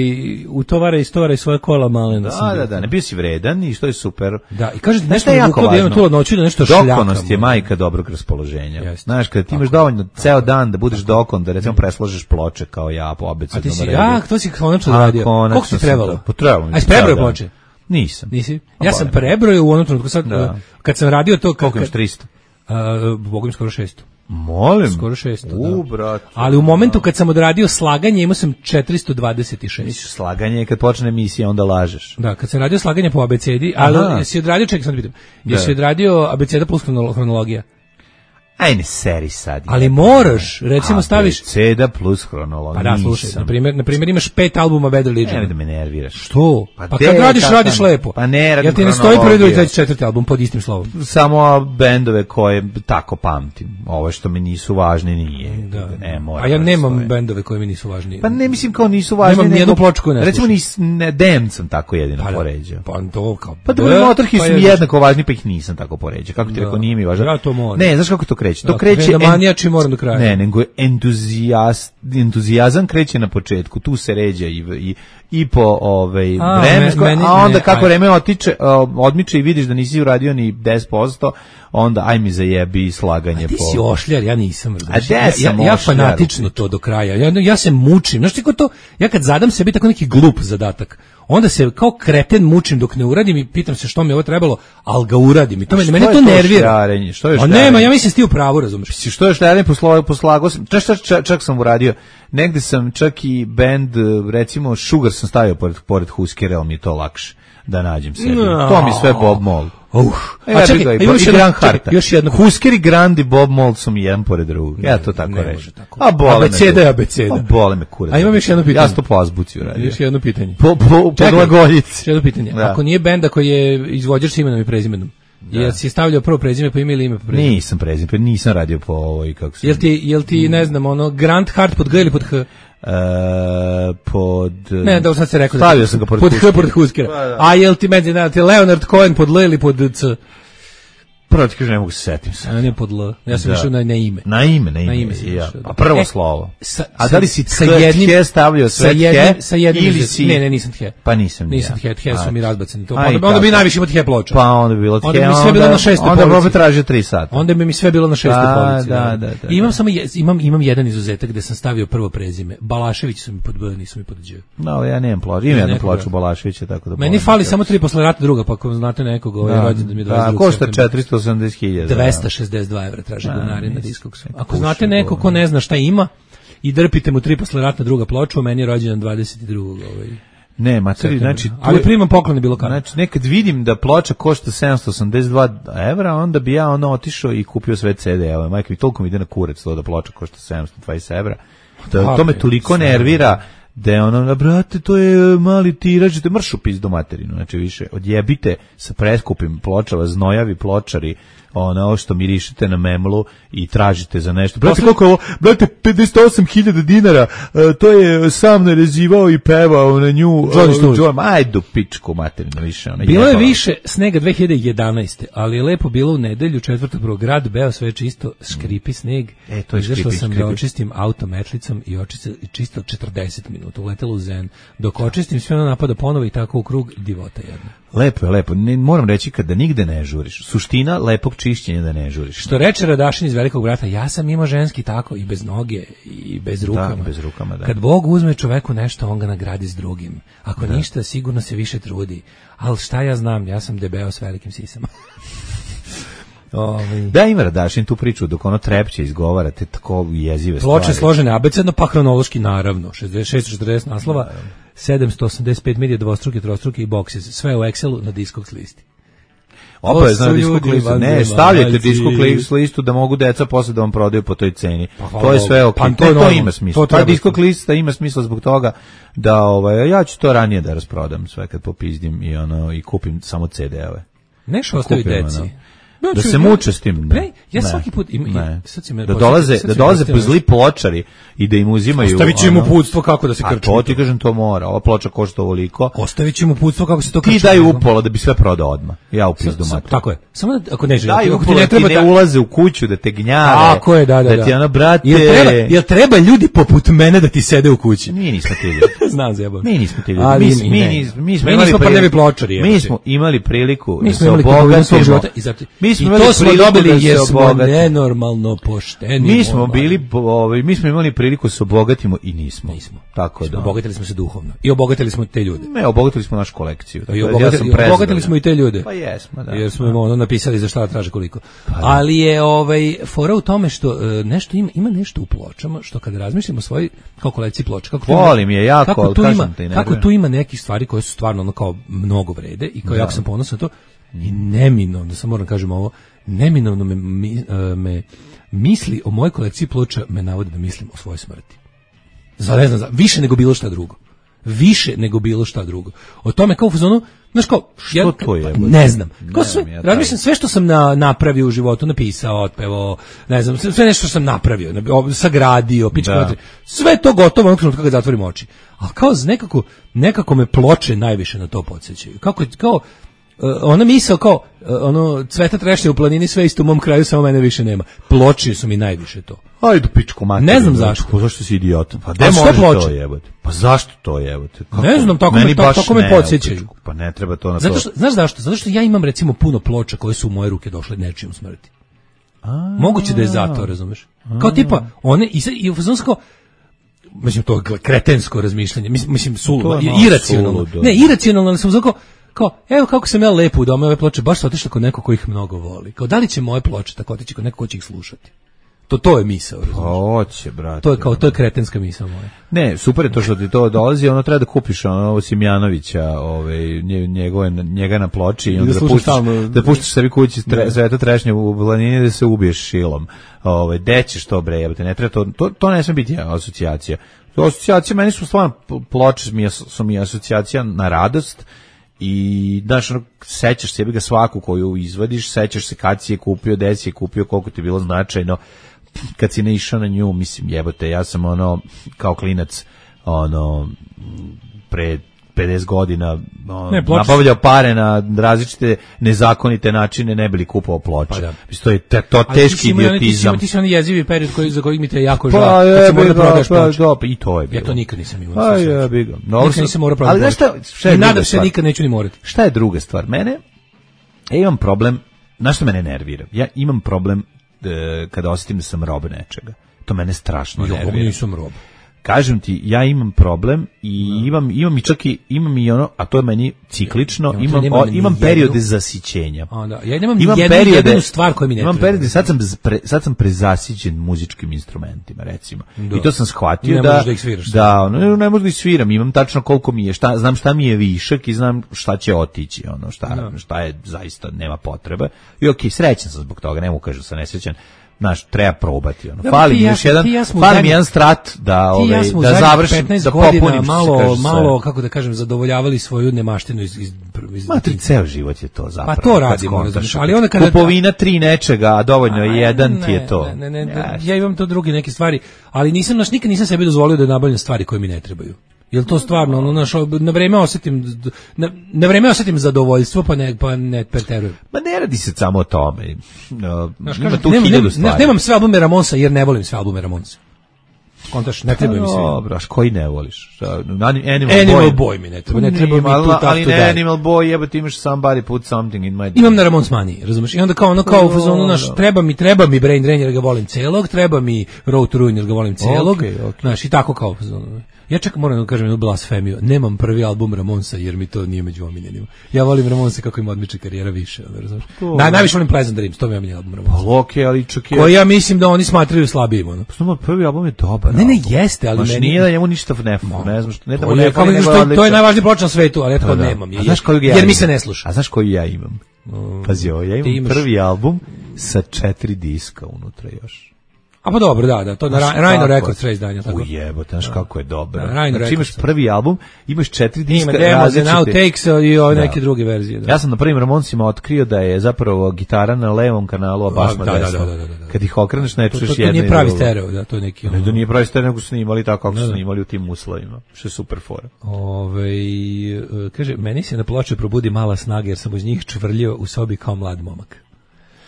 utovara i stovara i svoje kola malena. Da, da, da, ne bio si vredan i što je super. Da, i kažete nešto je je jako važno. Da tu noći da nešto šljakam. Dokonost je majka dobrog raspoloženja. Znaš, kad ti imaš dovoljno ceo dan da budeš dokon, da recimo presložiš ploče kao ja po abecednom redu. Ja, to si konačno radio. Koliko ti trebalo? Potrebalo mi. Aj, prebroj ploče. Nisam. Nisi? Ja sam prebrojio u onom trenutku sad, da. Kad sam radio to... Koliko imaš tristo? Uh, Bogom skoro šesto. Molim? Skoro šesto, U, da. brat. Ali u momentu kad sam odradio slaganje imao sam četiristo dvadeset šest. Misliš, slaganje je kad počne emisija, onda lažeš. Da, kad sam radio slaganje po abecedi, ali jesi odradio, čekaj sam da pitam, jesi odradio abeceda plus hronologija? Aj ne seri sad. Ali moraš, recimo staviš abeceda plus hronologija. Pa da, slušaj, na primjer, na primjer imaš pet albuma Bad Religion. Nemoj da me nerviraš. Što? Pa, pa kad radiš, radiš lepo. Pa ne radim. Ja ti ne stoji prvi, drugi, treći, četvrti album pod istim slovom. Samo bendove koje tako pamtim. Ovo što mi nisu važni nije. Da. Ne, mora. A ja nemam bendove koje mi nisu važni. Pa ne mislim kao nisu važni. Nemam nijednu pločku ne. Recimo nis ne Dem sam tako jedino pa, poređao. Pa to kao. Pa da Motorhead pa su mi jednako važni, pa ih nisam tako poređao. Kako ti rekao, nije mi važno. Ja to moram. Ne, znaš kako to kreće? To kreće manijači moram do kraja. Ne, nego entuzijast, entuzijazam kreće na početku, tu se ređa i, i, i po ovaj, vremensko, me, a onda ne, kako vreme otiče, odmiče i vidiš da nisi uradio ni deset posto, onda aj mi zajebi slaganje. A ti po... si ošljar, ja nisam. A ja, ja, ja fanatično to do kraja, ja, ja se mučim, znaš ti ko to, ja kad zadam sebi tako neki glup zadatak, onda se kao kreten mučim dok ne uradim i pitam se što mi je ovo trebalo, ali ga uradim i to mene, mene to nervira. Šljarenje? Što je šljarenje? A nema, ja mislim ti u pravu, razumeš. Što je šljarenje, poslagao, poslagao sam, čak, čak, čak, čak sam uradio, negde sam čak i band, recimo Sugar sam stavio pored, pored Huskera, ali mi je to lakše da nađem sebi. No. To mi sve Bob Mould. Uh, a ja čekaj, ga, i Gran Harta. Još jedno. Husker i Grand i Bob Mould su mi jedan pored drugog. Ja to tako ne reći. Tako. A bole abeceda je abeceda. A bole me kurac. A imam još jedno pitanje. Ja to po azbuci uradio. Još jedno pitanje. Po, po, po glagoljici. Jedno pitanje. Da. Ako nije benda koji je izvođač s imenom i prezimenom, da. Jel si stavljao prvo prezime pa ime ili ime po prezime? Nisam prezime, pa nisam radio po ovoj, kako se... Jel ti, jel ti ne znam, ono, Grand Hart pod G ili pod H? Uh, pod ne, da sad se rekao stavio sam ga pod, pod H, pod Huskera. Pa, da. A jel ti meni, da, ti Leonard Cohen pod L ili pod C? Prvo ti kažem, ne mogu se setim se. A ne pod L. Ja sam išao na, na ime. Na ime, na ime. Na ime si ja. A prvo e, slovo. Sa, a da li si sa jednim tje stavljao sve sa jednim, tje? Sa jednim ili si... Ne, ne, nisam tje. Pa nisam ni Nisam ja. tje, tje su mi razbacani. To. Aj, onda, onda bi najviše imao tje ploča. Pa onda bi bilo tje, onda bi mi sve bilo na šestoj onda bi opet tražio tri sata. Onda bi mi sve bilo na šestoj polici. Da, da, da, da. Imam samo imam imam jedan izuzetak gde sam stavio prvo prezime. Balašević su mi pod B, nisu mi pod Đ. No, ja nemam ploču. Imam jednu ploču Balaševića, tako da. Meni fali samo tri posle rata druga, pa ako znate nekog, ovaj rođendan mi dvadeset drugog. Da, košta četiristo osamdeset hiljada. dvesta šezdeset dva evra traži gunari na Discogsu. Ako znate neko ko ne zna šta ima i drpite mu tri posle ratna druga ploča, a meni je rođendan dvadeset drugog ovaj. Ne, materi, znači, ali primam poklone bilo kada. Znači, nekad vidim da ploča košta sedamsto osamdeset dva evra, onda bi ja ono otišao i kupio sve ce de. Evo, majka mi toliko mi ide na kurac to da ploča košta sedamsto dvadeset evra. Da, to me toliko nervira da je ono, brate, to je mali tiraž, te mršu pizdu materinu, znači više, odjebite sa preskupim pločava, znojavi pločari, ono što mirišite na memlu i tražite za nešto. Brate, koliko je ovo? Brate, pedeset osam hiljada dinara, uh, to je sam narezivao i pevao na nju. Uh, Ajde u pičku materinu više. Ona bilo jebala. Je više snega dve hiljade jedanaeste. ali je lepo bilo u nedelju, četvrtog prvog grad, beo sve čisto, škripi sneg. E, to je Izašla škripi, sam škripi. Da očistim auto metlicom i očistila, čisto četrdeset minuta, uletelo u zen. Dok očistim sve ono napada ponovo i tako u krug, divota jedna. Lepo je, lepo. Ne, moram reći kad da nigde ne žuriš. Suština lepog čišćenja da ne žuriš. Što reče Radašin iz Velikog brata, ja sam imao ženski tako i bez noge i bez rukama. Da, bez rukama, da. Kad Bog uzme čoveku nešto, on ga nagradi s drugim. Ako da. Ništa, sigurno se više trudi. Ali šta ja znam, ja sam debeo s velikim sisama. Ovi. Da, ima Radašin tu priču dok ono trepće izgovara te tako jezive stvari. Ploče složene abecedno, pa hronološki naravno. šezdeset šest četrdeset naslova, naravno. sedamsto osamdeset pet medija, dvostruke, trostruke i boxes. Sve u Excelu na Discogs listi. Opet na Discogs listu. Ne, stavljajte Discogs listu da mogu deca posle da vam prodaju po toj ceni. Pa, to je sve ok. Pa, to, to, to ima smisla. Ta Discogs lista ima smisla zbog toga da ovaj, ja ću to ranije da rasprodam sve kad popizdim i, ono, i kupim samo ce de-ove. Nešto ostavi deci. Ono. da se muče s tim. Ne, ja svaki put im, ne. Sad si me da dolaze, da dolaze zli pločari i da im uzimaju. Ostavit će im uputstvo kako da se krči. A to ti kažem, to mora. Ova ploča košta ovoliko. Ostavit će im uputstvo kako se to krči. Ti daju upola da bi sve prodao odmah. Ja u pizdu mater. Tako je. Samo da, ako ne želiš, daju ako ti ne treba da ulaze u kuću da te gnjave. Tako je, da, da, da. Da ti ono, brate. Jel treba, jel treba ljudi poput mene da ti sede u kući? Mi nismo ti ljudi. Znam zebam. Mi nismo ti ljudi. Mi, mi, mi, mi smo imali prljavi pločari. Mi smo imali priliku mi da se obogatimo. I, zato, mi smo i imali to smo dobili jer smo nenormalno pošteni. Mi smo bili, ovaj, mi smo imali priliku da se obogatimo i nismo. Nismo. Tako da. Obogatili smo se duhovno. I obogatili smo te ljude. Ne, obogatili smo našu kolekciju. I obogatili, ja obogatili smo i te ljude. Pa jesmo, da. Jer smo im ono napisali za šta da traže koliko. Pa, ali je ovaj fora u tome što uh, nešto ima, ima nešto u pločama što kad razmišljamo o svojoj kao kolekciji ploča, kako volim je jako, kako tu ima, kako tu ima nekih stvari koje su stvarno ono kao mnogo vrede i kao jako sam ponosan na to i neminovno, sam moram kažem ovo, neminovno me, mi, me misli o mojoj kolekciji ploča me navode da mislim o svojoj smrti. Za ne znam, za, više nego bilo šta drugo. Više nego bilo šta drugo. O tome kao u fazonu, znaš kao, što ja, to je? Ne znam. Kao sve, ja razmišljam sve što sam na, napravio u životu, napisao, otpevao, ne znam, sve nešto što sam napravio, sagradio, pička, sve to gotovo onog trenutka kad zatvorim oči. A kao nekako, nekako me ploče najviše na to podsjećaju. Kako, kao, ona misao kao, ono, cveta trešnje u planini, sve isto u mom kraju, samo mene više nema. Ploče su mi najviše to. Ajde, pičko mater. Ne znam zašto. Pa zašto si idiot? Pa gde može to jebote? Pa zašto to jebote? Ne znam, tako me, tako me podsjećaju. Pa ne treba to na Zato to. što, znaš zašto? Zato što ja imam recimo puno ploča koje su u moje ruke došle nečijom smrti. A, moguće da je zato, razumeš? Kao tipa, one, i, i u fazonu kao, mislim, to je kretensko razmišljanje, mislim, mislim suludo, iracionalno. Ne, iracionalno, ali sam kao, kao, evo kako sam ja lepo u dome ove ploče, baš su otišle kod nekog ko ih mnogo voli. Kao, da li će moje ploče tako otići kod nekog ko će ih slušati? To to je misao, razumiješ? Hoće, brate. To je kao, to je kretenska misao moja. Ne, super je to što ti to dolazi, ono treba da kupiš ono Simjanovića, ovaj njegove njega na ploči i onda da, da puštiš tamo, da puštiš sebi kući tre, sve to trešnje u planini da se ubiješ šilom. Ovaj dećeš to bre, jebote, ne treba to to, to ne sme biti asocijacija. To asocijacija meni su stvarno ploče mi su mi asocijacija na radost. I znaš, ono, sećaš sebi ga svaku koju izvadiš, sećaš se kad si je kupio, gde si je kupio, koliko ti je bilo značajno, kad si ne išao na nju, mislim, jebote, ja sam ono, kao klinac, ono, pre pedeset godina on, ne, nabavljao pare na različite nezakonite načine, ne bili kupao ploče. Pa da. Mislim, to je te, to teški idiotizam. Ti si onaj jezivi period koji, za koji mi te jako žao. Pa je, bi ga, pa, pa, i to je bilo. Ja to nikad nisam imao. Pa je, bi ga. No, nikad nisam morao prodati. Ali znaš šta, šta je I nadam se nikad neću ni morati. Šta je druga stvar? Mene, ja imam problem, znaš što mene nervira? Ja imam problem e, kada osjetim da sam rob nečega. To mene strašno jo, nervira. Ja nisam rob. Kažem ti, ja imam problem i no. imam imam i čak i imam i ono, a to je meni ciklično, ja, imam o, imam periode zasićenja. A da, ja nemam imam jednu, periode, jednu stvar koja mi ne imam treba. Periode, sad sam pre, sad sam prezasićen muzičkim instrumentima, recimo. Do. I to sam shvatio ne da da, ih da ono, ne možeš da ih sviram, imam tačno koliko mi je, šta znam šta mi je višak i znam šta će otići, ono šta no. šta je zaista nema potrebe. I okej, okay, srećan sam zbog toga, ne mogu kažem sa nesrećan. Znaš, treba probati ono. Fali mi još jedan, fali mi jedan strat da ovaj ja da završim, da popunim malo kaže, malo sve. Kako da kažem, zadovoljavali svoju nemaštinu iz iz, iz Matri, ceo život je to zapravo. Pa to radimo, razumiješ, ali onda kada kupovina tri nečega, a dovoljno je jedan ne, ti je to. Ne, ne, ne, ne, ja imam to druge neke stvari, ali nisam naš nikad nisam sebi dozvolio da nabavljam stvari koje mi ne trebaju. Jel to stvarno ono naš na vreme osetim na, na vreme osetim zadovoljstvo pa ne pa ne preterujem. Ma ne radi se samo o tome. No, znaš, ima tu hiljadu stvari. Nemam sve albume Ramonsa jer ne volim sve albume Ramonsa. Kontaš, ne treba mi sve. Dobro, a koji ne voliš? Animal, Animal Boy. Boy mi ne treba, ne treba mi tu ali ne Animal Boy, jebote imaš somebody put something in my day. Imam na Ramones Money, razumeš? I onda kao ono kao u fazonu naš, treba mi, treba mi Brain Drain jer ga volim celog, treba mi Road to Ruin jer ga volim celog. Okay, okay. Znaš, i tako kao u fazonu. Ja čak moram da kažem jednu blasfemiju. Nemam prvi album Ramonsa jer mi to nije među omiljenima. Ja volim Ramonsa kako im odmiče karijera više, razumeš? Naj najviše volim Pleasant Dreams, to mi je omiljeni album Ramonsa. Pa okej, ali čak je. Koji ja mislim da oni smatraju slabijim, ono. Pa prvi album je dobar. Ne, ne jeste, ali meni nije da njemu ništa ne, ne znam što, ne da mu ne fali, nego to je najvažniji ploča na svetu, ali ja to nemam. A znaš koju ja jer mi se ne sluša. A znaš koju ja imam? Pazi, ovo, ja imam prvi album sa četiri diska unutra još. A pa dobro, da, da, to na Rhino Records sve izdanje, tako. Ujebo, znaš da. Kako je dobro. Da, znači imaš prvi album, imaš četiri diska različite. Ima demos, outtakes i ove neke da. druge verzije. Da. Ja sam na prvim Ramoncima otkrio da je zapravo gitara na levom kanalu, a bas na desnom. Da, da, da, da, da. Kad ih okreneš, ne čuješ jedno. To, to nije pravi stereo, da, to je neki. Ne, da nije pravi stereo, nego su snimali tako kako da, su snimali u tim uslovima. Što je super fora. Ove, kaže, meni se na ploče probudi mala snaga jer sam uz njih čvrljio u sobi kao mlad momak.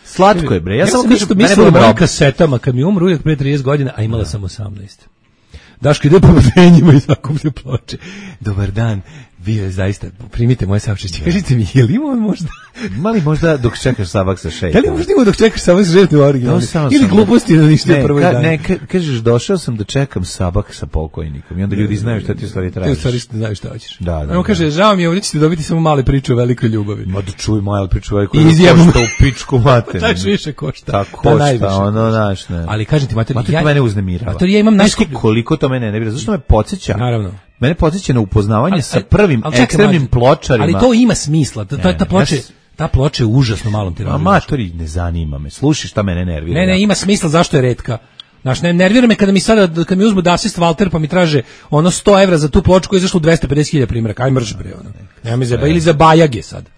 Slatko je, bre. Ja, ja samo kažem, mene bilo mojim kasetama, kad mi umru uvijek pre trideset godina, a imala da. sam osamnaest. Daško ide po venjima i zakuplje ploče. Dobar dan, vi je zaista, primite moje savčešće. Kažite mi, je li imao možda? Mali možda dok čekaš Sabak sa šejtom. Da li možda imao dok čekaš Sabak sa šejtom u originalu? Ili gluposti na ništa prvo dan? Ne, ka, kažeš, došao sam da čekam Sabak sa pokojnikom i onda ljudi znaju šta ti u stvari tražiš. Ti u stvari znaju šta hoćeš. Da, da, da. On kaže, žao mi je, ovdje ćete dobiti samo male priče o velikoj ljubavi. Ma da čuj male priče o velikoj ljubavi, košta u pičku mater. Tač više košta. Tako košta, ono, znaš, ne. Ali kažem ti, mater, ja... to mene uznemirava. Mater, ja imam najskuplju. Koliko to mene ne bira, zašto me podsjeća? Naravno. Mene podsjeća na upoznavanje ali, sa prvim ali, ali, ekstremnim ali, pločarima. Ali to ima smisla. Ta, ta, ta ploče... Ta ploča je užasno malom tiražu. Amatori, ne zanima me. Slušaj šta mene nervira. Ne, ne, ima smisla zašto je retka. Znaš, ne nervira me kada mi sada, kad mi uzmu Dasist Walter pa mi traže ono sto evra za tu ploču koja je izašla u dvesta pedeset hiljada primjeraka. Aj mrš bre, ono. Nema mi za, ili za Bajage sad.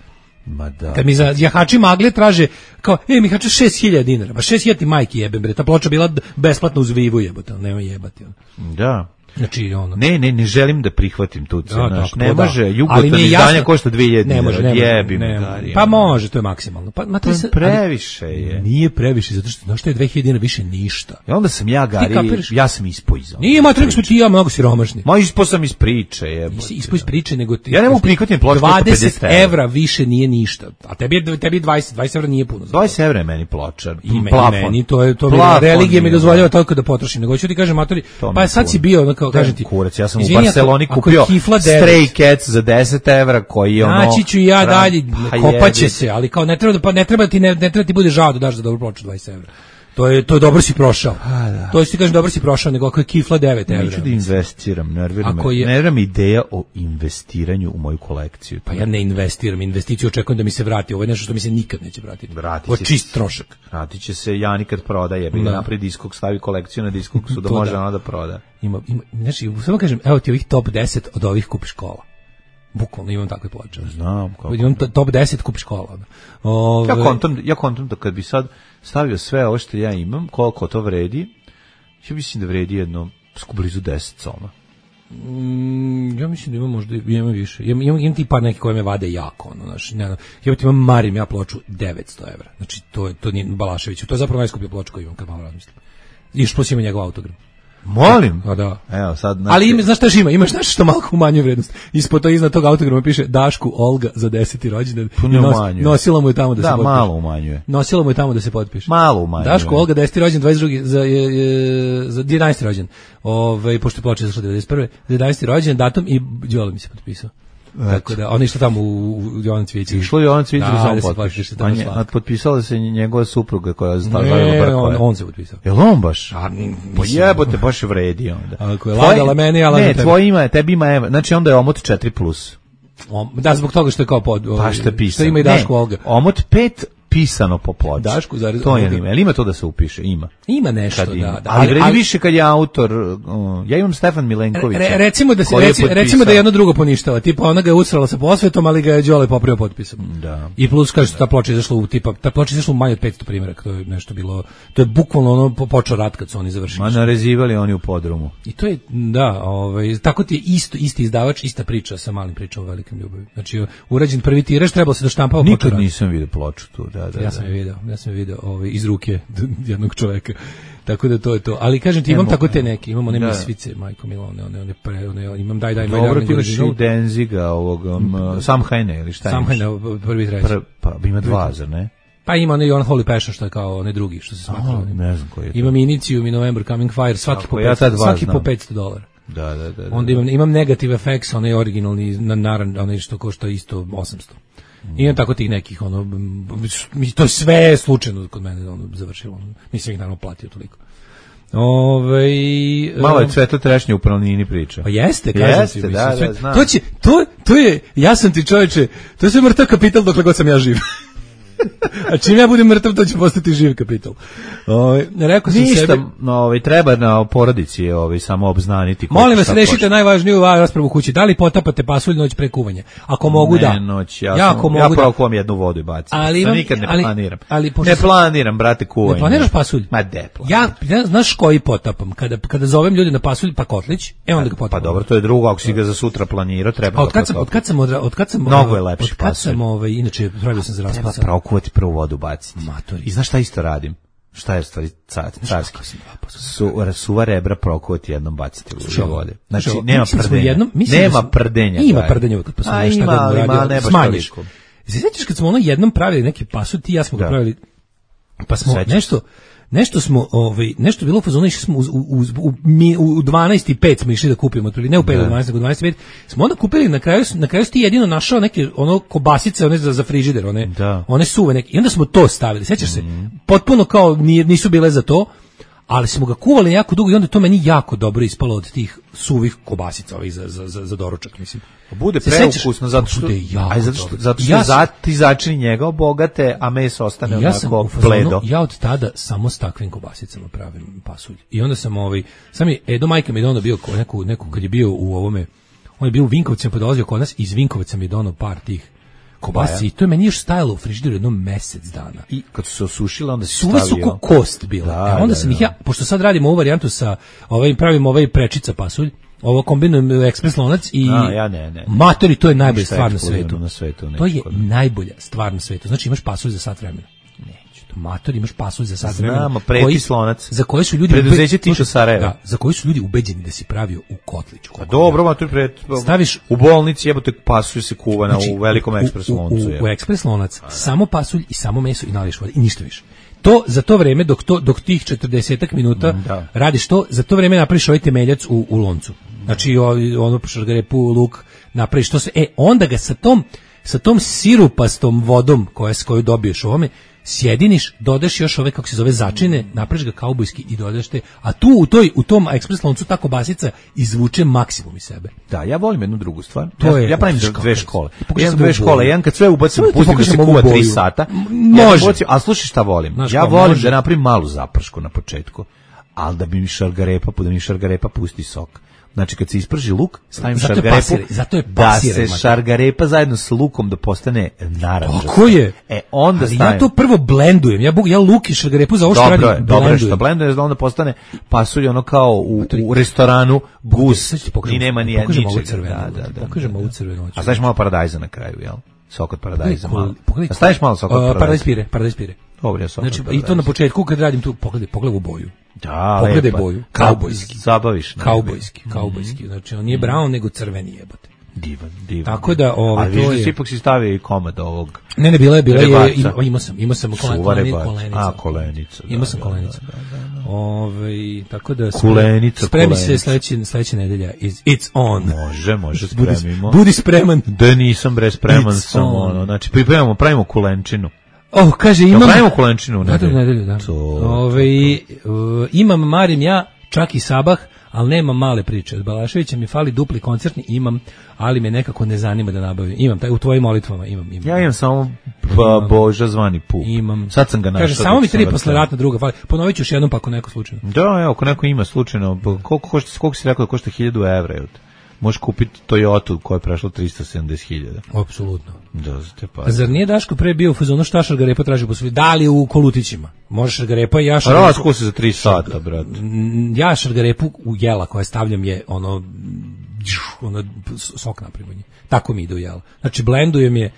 Ma da. Kad mi za jahači magle traže, kao, e, mi hače šest hiljada dinara. Pa šest hiljada ti majki jebem bre. Ta ploča bila besplatno uz Vivu jebote, nema jebati. Ono. Da. Znači ono. Ne, ne, ne želim da prihvatim tu cenu. Da, ne može, Jugoton izdanja košta dvije hiljade. Ne može, ne jebi ne, ne, pa može, to je maksimalno. Pa ma to je previše je. Nije previše zato što znaš šta je dve hiljade dinara više ništa. I onda sam ja Gari, ja sam ispao iz. Nije matrix smo ti ja mnogo siromašni. Ma ispao sam iz priče, jebote. Nisi ispao iz priče nego ti. Ja ne mogu prihvatiti ploču dvadeset evra više nije ništa. A tebi je tebi dvadeset, dvadeset evra nije puno. dvadeset evra je meni ploča. I meni to je to mi religija mi dozvoljava toliko da potrošim. Nego hoću ti kažem matori, pa sad si bio, kao kažem ti. Ja sam Izvini, u Barceloni ako, kupio ako Stray Cats za deset evra koji je ono... Naći ću ja ran... dalje, kopaće se, ali kao ne treba, da, pa ne treba ti ne, ne treba ti bude žao da daš za dobru ploču dvadeset evra. To je, to je dobro si prošao. A, da. To je ti kažem dobro si prošao, nego ako je kifla devet evra. Neću da investiram, nervira me. Je... Nervira me ideja o investiranju u moju kolekciju. Pa ja ne investiram, investiciju očekujem da mi se vrati. Ovo je nešto što mi se nikad neće vratiti. Vratit Ovo je čist trošak. Vratit će se ja nikad prodaje. Da. Napred diskog, stavi kolekciju na diskoksu da može da. ona da proda. Ima, ima, znači, samo kažem, evo ti ovih top deset od ovih kupi škola. Bukvalno imam takve ploče. Znam. Kako. Imam top deset kupi škola. Ove... Ja kontam, ja kontam da kad bi sad stavio sve ovo što ja imam, koliko to vredi, ja mislim da vredi jedno blizu deset soma. Mm, ja mislim da imam možda imam više. Imam, imam, imam ti par neke koje me vade jako. Ono, znači, ne, ja imam marim ja ploču devetsto evra. Znači, to, to nije Balaševiću. To je zapravo najskuplja ploča koju imam, kad malo razmislim. I što ima njegov autogram. Molim. A da. Evo sad. Znači... Ali ima, znaš šta ima? Imaš nešto što malo umanjuje vrednost. Ispod to iznad tog autograma piše Dašku Olga za deseti rođendan. Nos, nosila mu je tamo da, da se potpiše. Da, malo umanjuje. Nosila mu je tamo da se potpiše. Malo umanjuje. Dašku Olga deseti rođendan dvadeset drugi za je, je, za jedanaesti rođendan. Ovaj pošto je ploča izašla devedeset prve za jedanaesti rođendan datum i Đole mi se potpisao. Tako da, on je što tamo u, u Jovan Cvijiću. Išlo je Jovan Cvijiću da samo potpiše. On je potpisala se njegova supruga koja je stavila ne, on, on se potpisao. Jel on baš? A, pa jebote, baš je vredi onda. Ako je lagala meni, ja lažem tebe. Ne, tvoj ima, tebi ima, evo, znači onda je omot četiri plus. O, da, zbog toga što je kao pod... Pa što je pisano. Što ima i Dašku Olga. Omot pet pisano po ploči. Dašku, zarez, to je ima. Jel ima to da se upiše? Ima. Ima nešto, ima. da. da ali, ali vredi ali, više kad je autor, uh, ja imam Stefan Milenkovića. Re, recimo da se reci, recimo da jedno drugo poništava, tipa ona ga je usrala sa posvetom, ali ga je Đole popravio potpisom. Da. I plus kaže da ta ploča izašla u tipa, ta ploča izašla u manje od petsto primjeraka, to je nešto bilo, to je bukvalno ono počeo rat kad su oni završili. Ma narezivali oni u podrumu. I to je da, ovaj tako ti je isto isti izdavač, ista priča sa malim pričama o velikim ljubavi. Znači urađen prvi tiraž, trebalo se da štampava počeo. Nikad nisam video ploču tu, da, da. Ja sam je video. Ja sam video ovaj iz ruke jednog čoveka. Tako da to je to. Ali kažem ti imam tako te neke, imamo one misvice, majko milo, one one one pre, one imam daj daj Dobro ti imaš i Denziga ovog um, Samhaine ili šta imaš? Samhaine prvi treći. Pr, pa ima dva zar ne? Pa ima onaj on Holy Passion što je kao onaj drugi što se smatra. Ne znam koji je. Imam Initium i November Coming Fire svaki po ja svaki po petsto dolara. Da, da, da. Onda imam imam Negative Effects, onaj originalni na naran, onaj što košta isto osamsto. Imam tako tih nekih, ono, to sve slučajno kod mene ono, završilo. Nisam ih naravno platio toliko. Ove, malo je Cveto Trešnje u Planini priča. Pa jeste, kažem jeste, ti. Da, sve, da, znam. To, će, to, to je, ja sam ti čoveče, to je sve mrtav kapital dokle god sam ja živ. A čim ja budem mrtav, to će postati živ kapital. Ovaj rekao sam Ništa, sebi, ovaj treba na porodici ovaj samo obznaniti. Molim vas, rešite najvažniju raspravu u kući. Da li potapate pasulj noć pre kuvanja? Ako mogu, ne, da. Noć, ja, ja, sam, ako ja mogu, pravo da. kuvam jednu vodu i bacim. Ali to imam, nikad ne ali, planiram. Ali, ne planiram, brate, kuvanje. Ne planiraš pasulj? Ma de planiram. Ja, ja znaš koji potapam? Kada, kada zovem ljudi na pasulj, pa kotlić, e onda ga potapam. Pa dobro, to je drugo, ako si ga za sutra planirao, treba. A od kad sam, od kad sam, od kad sam, mnogo je lepši od kad sam, ovaj, inače, pravio sam za Treba raspravu. pravo kuvati prvu vodu baciti. Matori. I znaš šta isto radim? Šta je stvari carski? Su, suva rebra prokuvati jednom baciti u vode. Znači, nema prdenja. Jednom, nema prdenja. Ima prdenja kad pasulj. A ima, ali ima, ne baš toliko. Se sjećaš kad smo ono jednom pravili neki pasulj, ti i ja smo ga pravili, pa smo nešto... Nešto smo, ovaj, nešto bilo u fazonu, išli smo u, u, u, u dvanaest i pet smo išli da kupimo, otprilike, ne u pet do dvanaest, nego u dvanaest i pet. Smo onda kupili, na kraju, na kraju ti jedino našao neke ono kobasice, one za, za frižider, one, one suve neke. I onda smo to stavili, sjećaš se? Mm. Potpuno kao nisu bile za to, ali smo ga kuvali jako dugo i onda to meni jako dobro ispalo od tih suvih kobasica ovih za, za, za, za doručak, mislim. Bude preukusno zato što, aj, zato što, zato što ja sam, ti začini njega obogate, a meso ostane ja onako bledo. Ja od tada samo s takvim kobasicama pravim pasulj. I onda sam ovaj, sam je Edo majka mi je donao bio neku, neku, kad je bio u ovome, on je bio u Vinkovcima, pa dolazio kod nas, iz Vinkovaca mi je donao par tih kobasi, to je meni još stajalo u frižideru jedno mesec dana. I kad su se osušile, onda si stavio. Suve su ko kost bila. Da, e, onda da, sam ih ja, pošto sad radimo ovu varijantu sa, ovaj, pravimo ovaj prečica pasulj, ovo kombinujem ekspres lonac i a, ja ne, ne. Matori, to je najbolja stvar na svetu. Na svetu to je najbolja stvar na svetu. Znači imaš pasulj za sat vremena. Neću. Matori, imaš pasulj za sat vremena. Znamo, pretis lonac. Za koje su ljudi preduzeće Tiša Sarajeva. Da, za koji su ljudi ubeđeni da si pravio u kotliću. A dobro, matori, pred, staviš u bolnici, jebote, pasulj se kuva znači, u velikom ekspres loncu. U, u, u ekspres lonac, a, samo pasulj i samo meso i nališ vode i ništa više. To za to vreme dok to dok tih četrdesetak minuta da. Radiš to, za to vreme napraviš ovaj temeljac u, u loncu. Znači ono šargarepu, luk, napraviš to sve. E onda ga sa tom sa tom sirupastom vodom koja s koju dobiješ u ovome sjediniš, dodaš još ove kako se zove začine, napraviš ga kaubojski i dodaš te, a tu u toj u tom ekspres loncu ta kobasica izvuče maksimum iz sebe. Da, ja volim jednu drugu stvar. To ja, je, ja pravim dve škole. Jedan dve škole, jedan kad sve ubacim, pustim da se kuva tri sata. Može. Ja, a slušaj šta volim. Znaš, ja volim može. Da napravim malu zapršku na početku, ali da bi mi šargarepa, da mi šargarepa pusti sok. Znači kad se isprži luk, stavim zato šargarepu, pasire, zato je pasire, da se šargarepa zajedno s lukom da postane narandžasta. Tako je. E onda ali stavim. Ja to prvo blendujem. Ja ja luk i šargarepu za ovo što radim. Dobro je, dobro što blenduješ da onda postane pasulj ono kao u, u restoranu gus i nema ni ničega. Da, da, da. Pokažemo ovu crvenu. A staviš malo paradajza na kraju, jel? Sok od paradajza malo. A staviš malo sok od paradajza. Paradajz pire, paradajz pire. Dobro, ja sok. Znači i to na početku kad radim tu pogledaj, pogledaj u boju. Da, pogledaj boju, kaubojski. Zabaviš. Kaubojski, kaubojski. Znači on nije brown nego crveni jebote. Divan, divan. Tako da ovaj to je. Ali ipak si stavio i komad ovog. Ne, ne, bila je, bila je, imao sam, imao sam kolenicu. A, kolenica. Imao sam kolenicu. Ovaj, tako da kulenica, spremi se sledeće sledeće nedelja. It's on. Može, može, spremimo. Budi spreman. Da nisam bre spreman sam ono. Znači pripremamo, pravimo kulenčinu. Oh, kaže imam. Da pravimo kulenčinu u nedelju. nedelju, da. Ovaj uh, imam Marim ja, čak i Sabah, ali nema male priče. Od Balaševića mi fali dupli koncertni, imam, ali me nekako ne zanima da nabavim. Imam, taj u tvojim molitvama imam, imam. Ja imam samo pa Boža zvani pup. Imam. Sad sam ga našao. Kaže samo mi tri posle ratna druga fali. Ponovit ću još jednom pa ako neko slučajno. Da, evo, ako neko ima slučajno, koliko košta, koliko si rekao da košta hiljadu evra? Možeš kupiti Toyotu koja je prešla tristo sedamdeset hiljada. Apsolutno. Da, ste pa. A zar nije Daško pre bio u fazonu šta šargarepa traži posle? Da li u Kolutićima? Može šargarepa i ja šargarepu. Rasko se za tri sata, brate. Ja šargarepu u jela koje stavljam je ono ono sok napravljanje. Tako mi ide u jela. Znači blendujem je.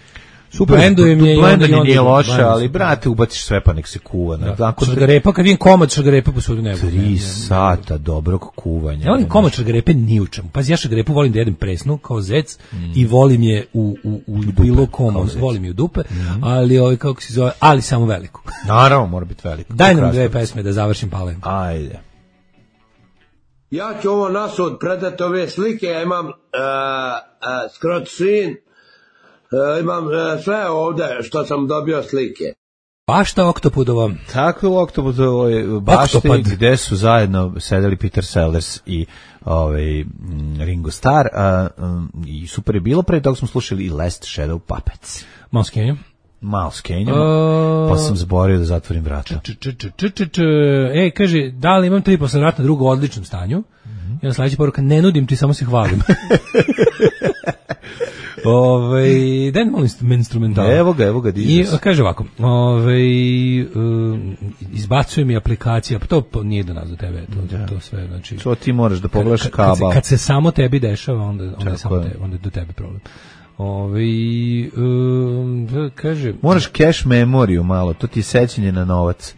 Super, blendujem je, blendanje nije loše, ali brate ubaciš sve pa nek se kuva. Da. Šargarepa, kad vidim komad šargarepa po svoju nebu. Tri sata dobrog kuvanja. Ja volim komad šargarepe ni u čemu. Pazi, ja šargarepu volim da jedem presnu kao zec mm. i volim je u, u, u bilo komu, volim je u dupe, mm. ali ovaj, kako se zove, ali samo veliku. Naravno, mora biti veliko. Daj nam dve pesme da završim palem. Ajde. Ja ću ovo nasud predati ove slike, ja imam uh, uh, skrot sin, Uh, imam uh, sve ovde što sam dobio slike. Bašta Oktopudova. Tako u Oktopudovoj bašti gde su zajedno sedeli Peter Sellers i ovaj, Ringo Starr uh, um, i super je bilo. Pre toga smo slušali i Last Shadow Puppets. Moskenja. malo skenjamo, pa sam zborio da zatvorim vrata. E, kaže, da li imam tri posle ratna druga u odličnom stanju? I onda sledeća poruka, ne nudim ti, samo se hvalim. Ove, den malo instrumentalno. Evo ga, evo ga. I kaže ovako, ove, um, izbacuje mi aplikacija, pa to nije do nas, do tebe, to, to sve, znači. To ti moraš da pogledaš kad, kabal. Kad se, kad se samo tebi dešava, onda, onda, je samo te, onda je do tebe problem. Ove, um, kaže... Moraš cache memoriju malo, to ti je sećanje na novac.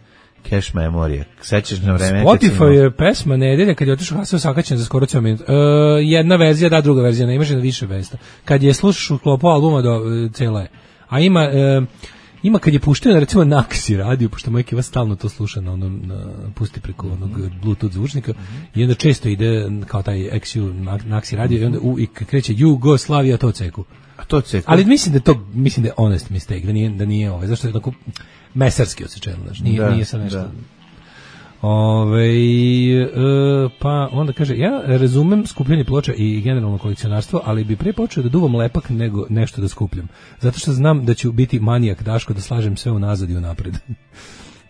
Cache memorije. Sećaš na vreme? Spotify je pesma nedelja kad je otišao Haseo sakaćen za skoro cijel minut. Uh, jedna verzija, da, druga verzija, ne imaš na više vesta. Kad je slušaš u klopu albuma, do, uh, cela je. A ima... Uh, Ima kad je pušteno na recimo Naksi radio, pošto moj kiva stalno to sluša na onom, na, pusti preko onog Bluetooth zvučnika, i onda često ide kao taj X U Naksi radio i onda u, i kreće Jugoslavija, to ceku. A to ceku? Ali mislim da to, mislim da je honest mistake, da nije, da nije ovaj, zašto je tako mesarski osjećajno, znači, nije, da, nije sad nešto... Da. Ove, e, pa onda kaže, ja razumem skupljanje ploča i generalno kolekcionarstvo, ali bi pre počeo da duvam lepak nego nešto da skupljam. Zato što znam da ću biti manijak Daško, da slažem sve unazad i unapred.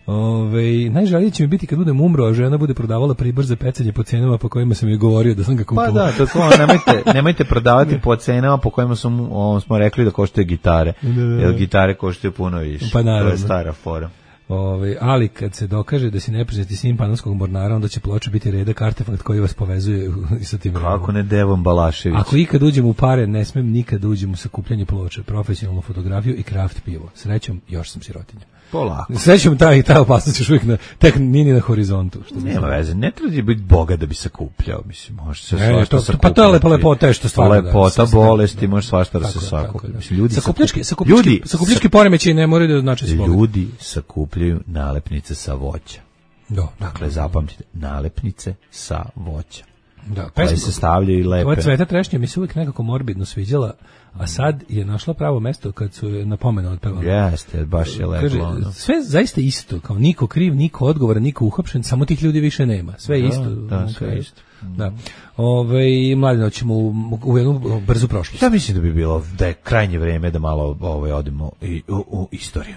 Ove, najžalije će mi biti kad budem umro, a žena bude prodavala pribor za pecanje po cenama po kojima sam joj govorio da sam ga kupovao. Pa da, to to, nemojte, nemojte prodavati po cenama po kojima sam, on, smo rekli da koštaju gitare. Da, da, da. Jer gitare koštaju puno više. Pa naravno. To je stara fora. Ove, ali kad se dokaže da si nepriznati sin panonskog mornara, onda će ploča biti redak artefakt koji vas povezuje sa tim. Kako ne Devon Balašević. Ako ikad uđem u pare, ne smem nikad uđem u sakupljanje ploča, profesionalnu fotografiju i kraft pivo. Srećom, još sam sirotinja. Polako. Srećom, ta i ta opasnost još uvijek na, tek nini na horizontu. Što nema veze, ne treba biti boga da bi sakupljao, mislim, može se ne, svašta to, sakupljati. Pa to je lepo, lepota je što stvarno. Lepota, da, bolesti, može svašta da se sakuplja. Mislim, ljudi sakupljački, sakupljački, sakupljački poremećaji ne moraju da znači se ljudi sakupljaju nalepnice sa voća. Da, dakle, zapamtite, nalepnice sa voća. Da, pesma se stavljaju i lepe. Ova Cveta Trešnja mi se uvijek nekako morbidno sviđala, a sad je našla pravo mesto kad su je napomenu odpevala. Jeste, baš je lepo. Kaže, sve zaista isto, kao niko kriv, niko odgovoran, niko uhapšen, samo tih ljudi više nema. Sve je da, isto. Da, sve je isto. Da. Ove, mladine, hoćemo u, u jednu brzu prošlost. Ja mislim da bi bilo da je krajnje vreme da malo ovaj, odemo i, u, u istoriju.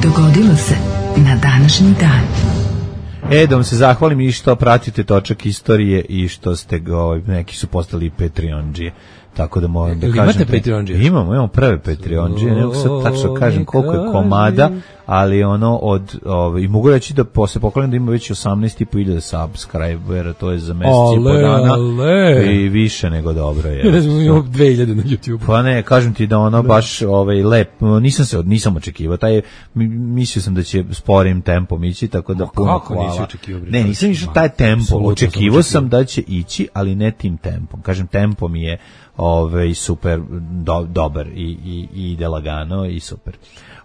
Dogodilo se na današnji dan. E, da vam se zahvalim i što pratite točak istorije i što ste go, neki su postali Patreondžije. Tako da moram da kažem. Imate Patreondžije? Imamo, imamo prve Patreondžije. Ne mogu sad tačno kažem koliko je komada, ali ono od, ove, i mogu reći da posle poklonim da ima već osamnaest i po hiljada subscribera, to je za mesec i po dana. Ale. I više nego dobro je. Ne znam, imamo dve hiljade na YouTube. Pa ne, kažem ti da ono baš ovaj, lep, nisam se, nisam očekivao, taj, mislio sam da će sporim tempom ići, tako da puno kako hvala. nisi očekivao? Ne, nisam išao taj tempo, očekivao sam da će ići, ali ne tim tempom. Kažem, tempo mi je Ove, super, do, dobar i, i, i ide lagano i super.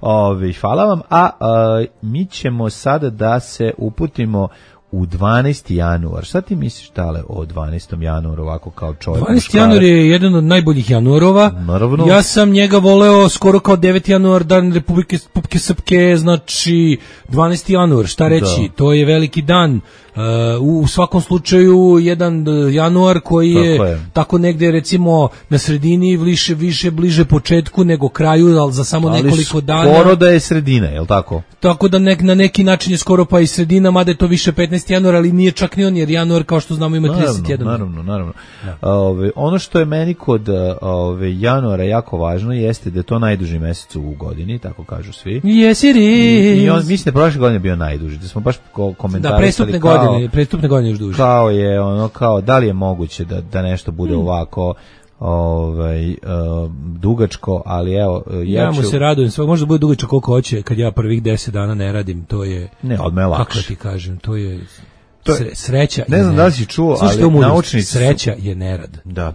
Ove, hvala vam, a, a mi ćemo sada da se uputimo u dvanaesti januar. Šta ti misliš, Dale, o dvanaestom januaru ovako kao čovjek? dvanaesti januar je jedan od najboljih januarova. Naravno. Ja sam njega voleo skoro kao deveti januar, dan Republike, Republike Srpske, znači dvanaesti januar, šta reći, da. To je veliki dan. Uh, u svakom slučaju jedan januar koji je tako, je tako negde recimo na sredini više više bliže početku nego kraju, ali za samo ali nekoliko dana. Skoro da je sredina, je l' tako? Tako da nek, na neki način je skoro pa i sredina, mada je to više petnaesti januar, ali nije čak ni on, jer januar kao što znamo ima trideset jedan. Naravno, naravno. Da. Ove, ono što je meni kod ove, januara jako važno jeste da je to najduži mesec u godini, tako kažu svi. Yes, it is. I, i on, mislim da prošle godine bio najduži, da smo baš komentarisali. Da, prestupne kao, godine, prestupne godine još duže. Kao je ono, kao, da li je moguće da, da nešto bude hmm. ovako ovaj, uh, dugačko, ali evo, ja, ja mu ću... se radujem, sve možda bude dugačko koliko hoće, kad ja prvih deset dana ne radim, to je, ne, odmah je lakše. Kako ti kažem, to je... To je, sreća. Ne znam da li si čuo, Slušajte, ali naučnici su, sreća je nerad. Da.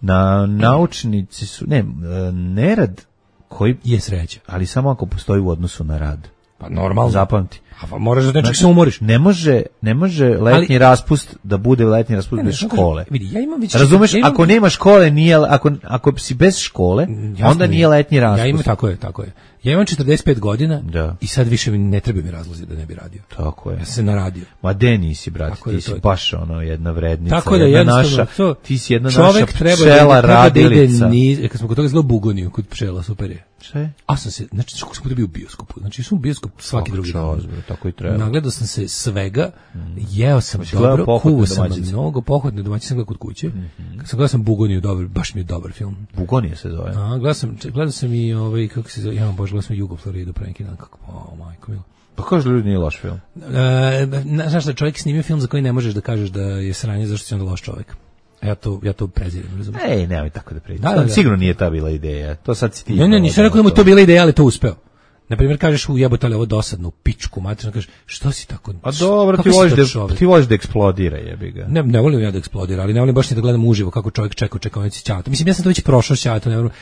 Na naučnici su ne, nerad koji je sreća, ali samo ako postoji u odnosu na rad. Pa normalno. Zapamti. A moraš da nečeg se umoriš. Ne može, ne može letnji ali, raspust da bude letnji raspust bez škole. Vidi, ja imam već razumeš, ja imam, ako nema škole, nije, ako, ako si bez škole, jasno, onda nije letnji raspust. Ja imam, tako je, tako je. Ja imam četrdeset pet godina da. I sad više mi ne treba mi razlozi da ne bi radio. Tako je. Ja sam se naradio. Ma de nisi, brate, ti si baš ono jedna vrednica. Tako da jedna naša, to, ti si jedna naša pčela radilica. Da niz, kad smo kod toga zelo bugoniju, kod pčela, super je. Šta je? A sam se, znači, kako sam bio u bioskopu, znači sam u bioskop svaki drugi dan. Tako i treba. Nagledao sam se svega, mm. jeo sam pa dobro, kuo sam mnogo, pohodne domaće sam gledao kod kuće. Mm-hmm. Kad sam gledao sam Bugoniju, dobar, baš mi je dobar film. Bugonija se zove. A, gledao sam, gledao sam i ovaj, kako se zove, ja bože, gledao sam Jugo Floridu pre neki dan, kako, o, majko milo. Pa kaže ljudi nije loš film. E, znaš da čovjek snimio film za koji ne možeš da kažeš da je sranje, zašto si onda loš čovjek. Ja to ja to prezirem, razumiješ? Ej, nemoj tako da pričaš. Da, da, sigurno nije ta bila ideja. To sad si ti. Ne, ne, nisam rekao da mu to bila ideja, ali to uspeo. Na primjer kažeš u jebote, ali ovo dosadno, u pičku, materinu, kažeš, što si tako? A dobro, ti voliš da ti voliš da eksplodira, jebi ga. Ne, ne volim ja da eksplodira, ali ne volim baš ni da gledam uživo kako čovjek čeka u čekaonici ćata. Mislim, ja sam to već prošao s ćatom, ne volim.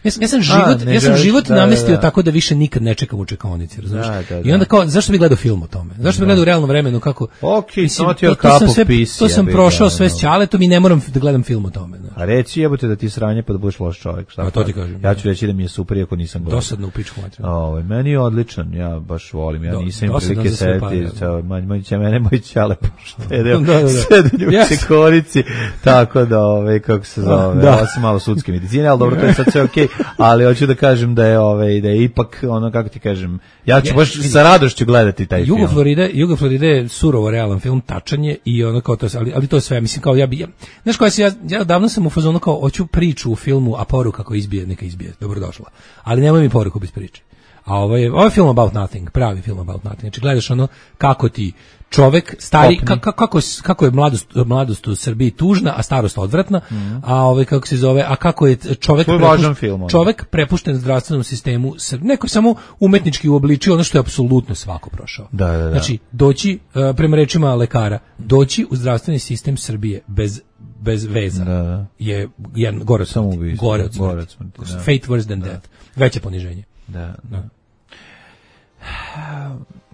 Ja sam, ja sam život, A, ja sam život da, namestio da, da. tako da više nikad ne čekam u čekaonici, razumiješ? Da, da, da. I onda kao, zašto bi gledao film o tome? Zašto bi gledao u realnom vremenu kako? Okay, mislim, to, to, to sam sve, pisi, to sam prošao da, sve s ćaletom i ne moram da gledam film o tome. A reći jebote da ti sranje pa da budeš loš čovjek, šta? A to ti kažem. Ja ću reći da mi je super iako nisam gledao. Dosadno u pičku materinu. Ovaj meni je odličan, ja baš volim. Ja Do, nisam imao prilike sedeti, moj će mene moj ćale poštedeo. Sedim u čekorici, tako da ovaj kako se zove, osim malo sudske medicine, al dobro, to je sad sve okej, ali hoću da kažem da je ovaj da je ipak ono kako ti kažem ja ću baš sa radošću gledati taj Jugo film. Floride, Jugo Floride je surovo realan film, tačan je i ono kao to ali ali to je sve mislim kao ja bi ja, znaš kao ja ja davno sam u fazonu kao hoću priču u filmu a poruka kako izbije neka izbije dobrodošla. Ali nemoj mi poruku bez priče. A ovo je ovaj film about nothing, pravi film about nothing. Znači gledaš ono kako ti čovek stari kako kako kako je mladost mladost u Srbiji tužna, a starost odvratna, mm. a ovaj kako se zove, a kako je čovek prepušten, film, čovek prepušten zdravstvenom sistemu, neko samo umetnički uobličio ono što je apsolutno svako prošao. Da, da, da. Znači doći uh, prema rečima lekara, doći u zdravstveni sistem Srbije bez bez veza da, da. je jedan gore samo gore od smrti. Fate worse than da. death. Veće poniženje. Da, da.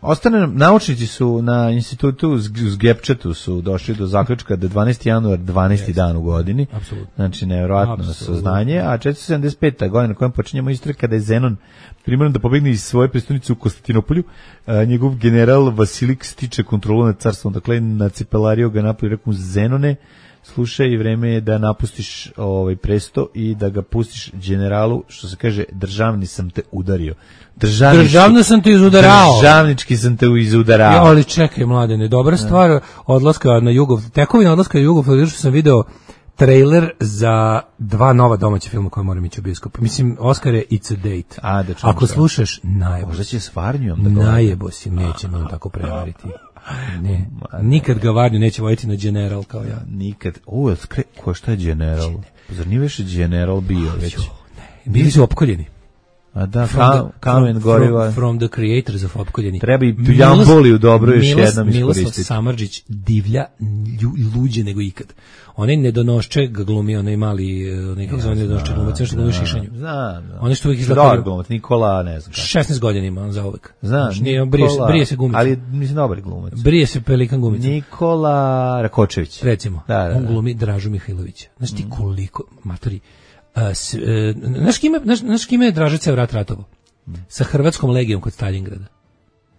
Ostane naučnici su na institutu u Zgepčetu su došli do zaključka da dvanaesti januar dvanaesti yes. dan u godini. Apsolutno. Znači nevjerojatno saznanje, a četiristo sedamdeset peta godina na kojem počinjemo istoriju kada je Zenon primjeran da pobegne iz svoje prestonice u Konstantinopolju, a njegov general Vasilik stiče kontrolu nad carstvom, dakle na Cepelario ga napoli rekom Zenone, slušaj, i vreme je da napustiš ovaj presto i da ga pustiš generalu, što se kaže, državni sam te udario. Državno sam te izudarao. Državnički sam te izudarao. Ja, ali čekaj, mladene, dobra stvar odlaska na Jugo, tekovina odlaska na Jugo, što sam video trailer za dva nova domaća filma koje moram ići u bioskop. Mislim, Oskar je It's a Date. A, da Ako slušaš, najebo. Možda će s Varnjom da najebo si, neće me tako prevariti. Ne, nikad ga Varnju neće vojiti na General kao ja. Nikad. O, skre, ko šta je General? Zar nije više General bio već? Bili su opkoljeni. A da, ka, kamen goriva. From, from the creators of opkoljeni. Treba i Jamboliju dobro još jednom iskoristiti. Miloslav Samardžić divlja lju, luđe nego ikad. Onaj nedonošče ga glumi, onaj mali, onaj kako zove nedonošče glumac, što glumi Šišanju. Znam, znam. Onaj što uvijek izgleda. Dobar glumac, Nikola, ne znam kako. šesnaest godina ima on za uvijek. Znam, Nikola. Brije se, brije se gumica. Ali mislim dobar glumac. Brije se pelikan gumica. Nikola Rakočević. Recimo, da, da, da. on glumi Dražu Mihajlovića. Znaš ti koliko, matori, uh, s, uh, znaš kime, znaš, znaš kime je Draža ceo rat ratovao? Sa hrvatskom legijom kod Stalingrada.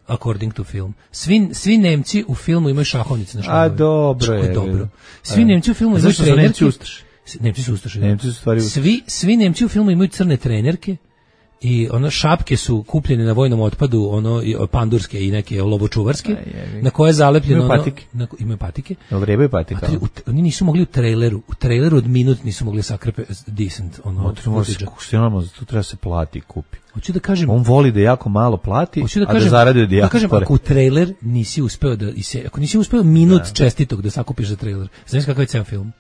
According to film. Svi, svi Nemci u filmu imaju šahovnice na šahovima. A dobro je. Dobro. Svi Nemci u filmu imaju trenerke. Nemci ustaše? Nemci su ustaše. Nemci su stvari ustaše. Svi, svi Nemci u filmu imaju crne trenerke i ono šapke su kupljene na vojnom otpadu, ono pandurske i neke lovočuvarske, na koje je zalepljeno imaju patike. Ono, na, imaju patike. Vrebaju patike. Oni nisu mogli u traileru, u traileru od minut nisu mogli sakrpe decent ono. Motri može se kuštinamo, tu treba se plati i kupi. Hoću da kažem, on voli da jako malo plati, da kažem, a da zaradi od dijaspore. Da kažem, ako u trailer nisi uspeo da ise, ako nisi uspeo minut da. čestitog da sakupiš za trailer, znaš kakav je ceo film?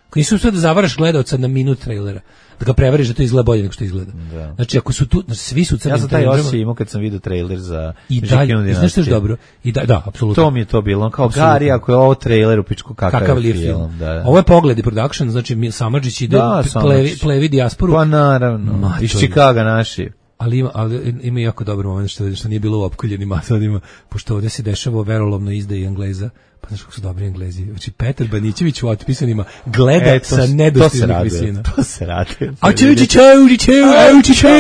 Ako nisi uspeo da zavaraš gledaoca na minut trailera, da ga prevariš da to izgleda bolje nego što izgleda. Da. Znači, ako su tu, znači, svi su crnim ja sam taj osjećaj imao kad sam vidio trailer za i dalje, i znaš što je dobro? I da, da, apsolutno. To mi je to bilo, kao Gari, ako je ovo trailer u pičku, kakav, kakav je film. film. Da, da. Ovo je Pogled i production, znači Samardžić ide da, plevi, plevi dijasporu. Pa naravno, Ma, iz Čikaga naši. Ali ima, ali ima jako dobar moment što, što nije bilo u opkoljenim masadima, pošto ovdje se dešava verolovno izdaji Engleza Pa znaš kako su dobri Englezi. Znači, Petar Banićević u otpisanima gleda e, sa nedostojnih visina. To se radi. A čuči čau, uči čau, a uči čau,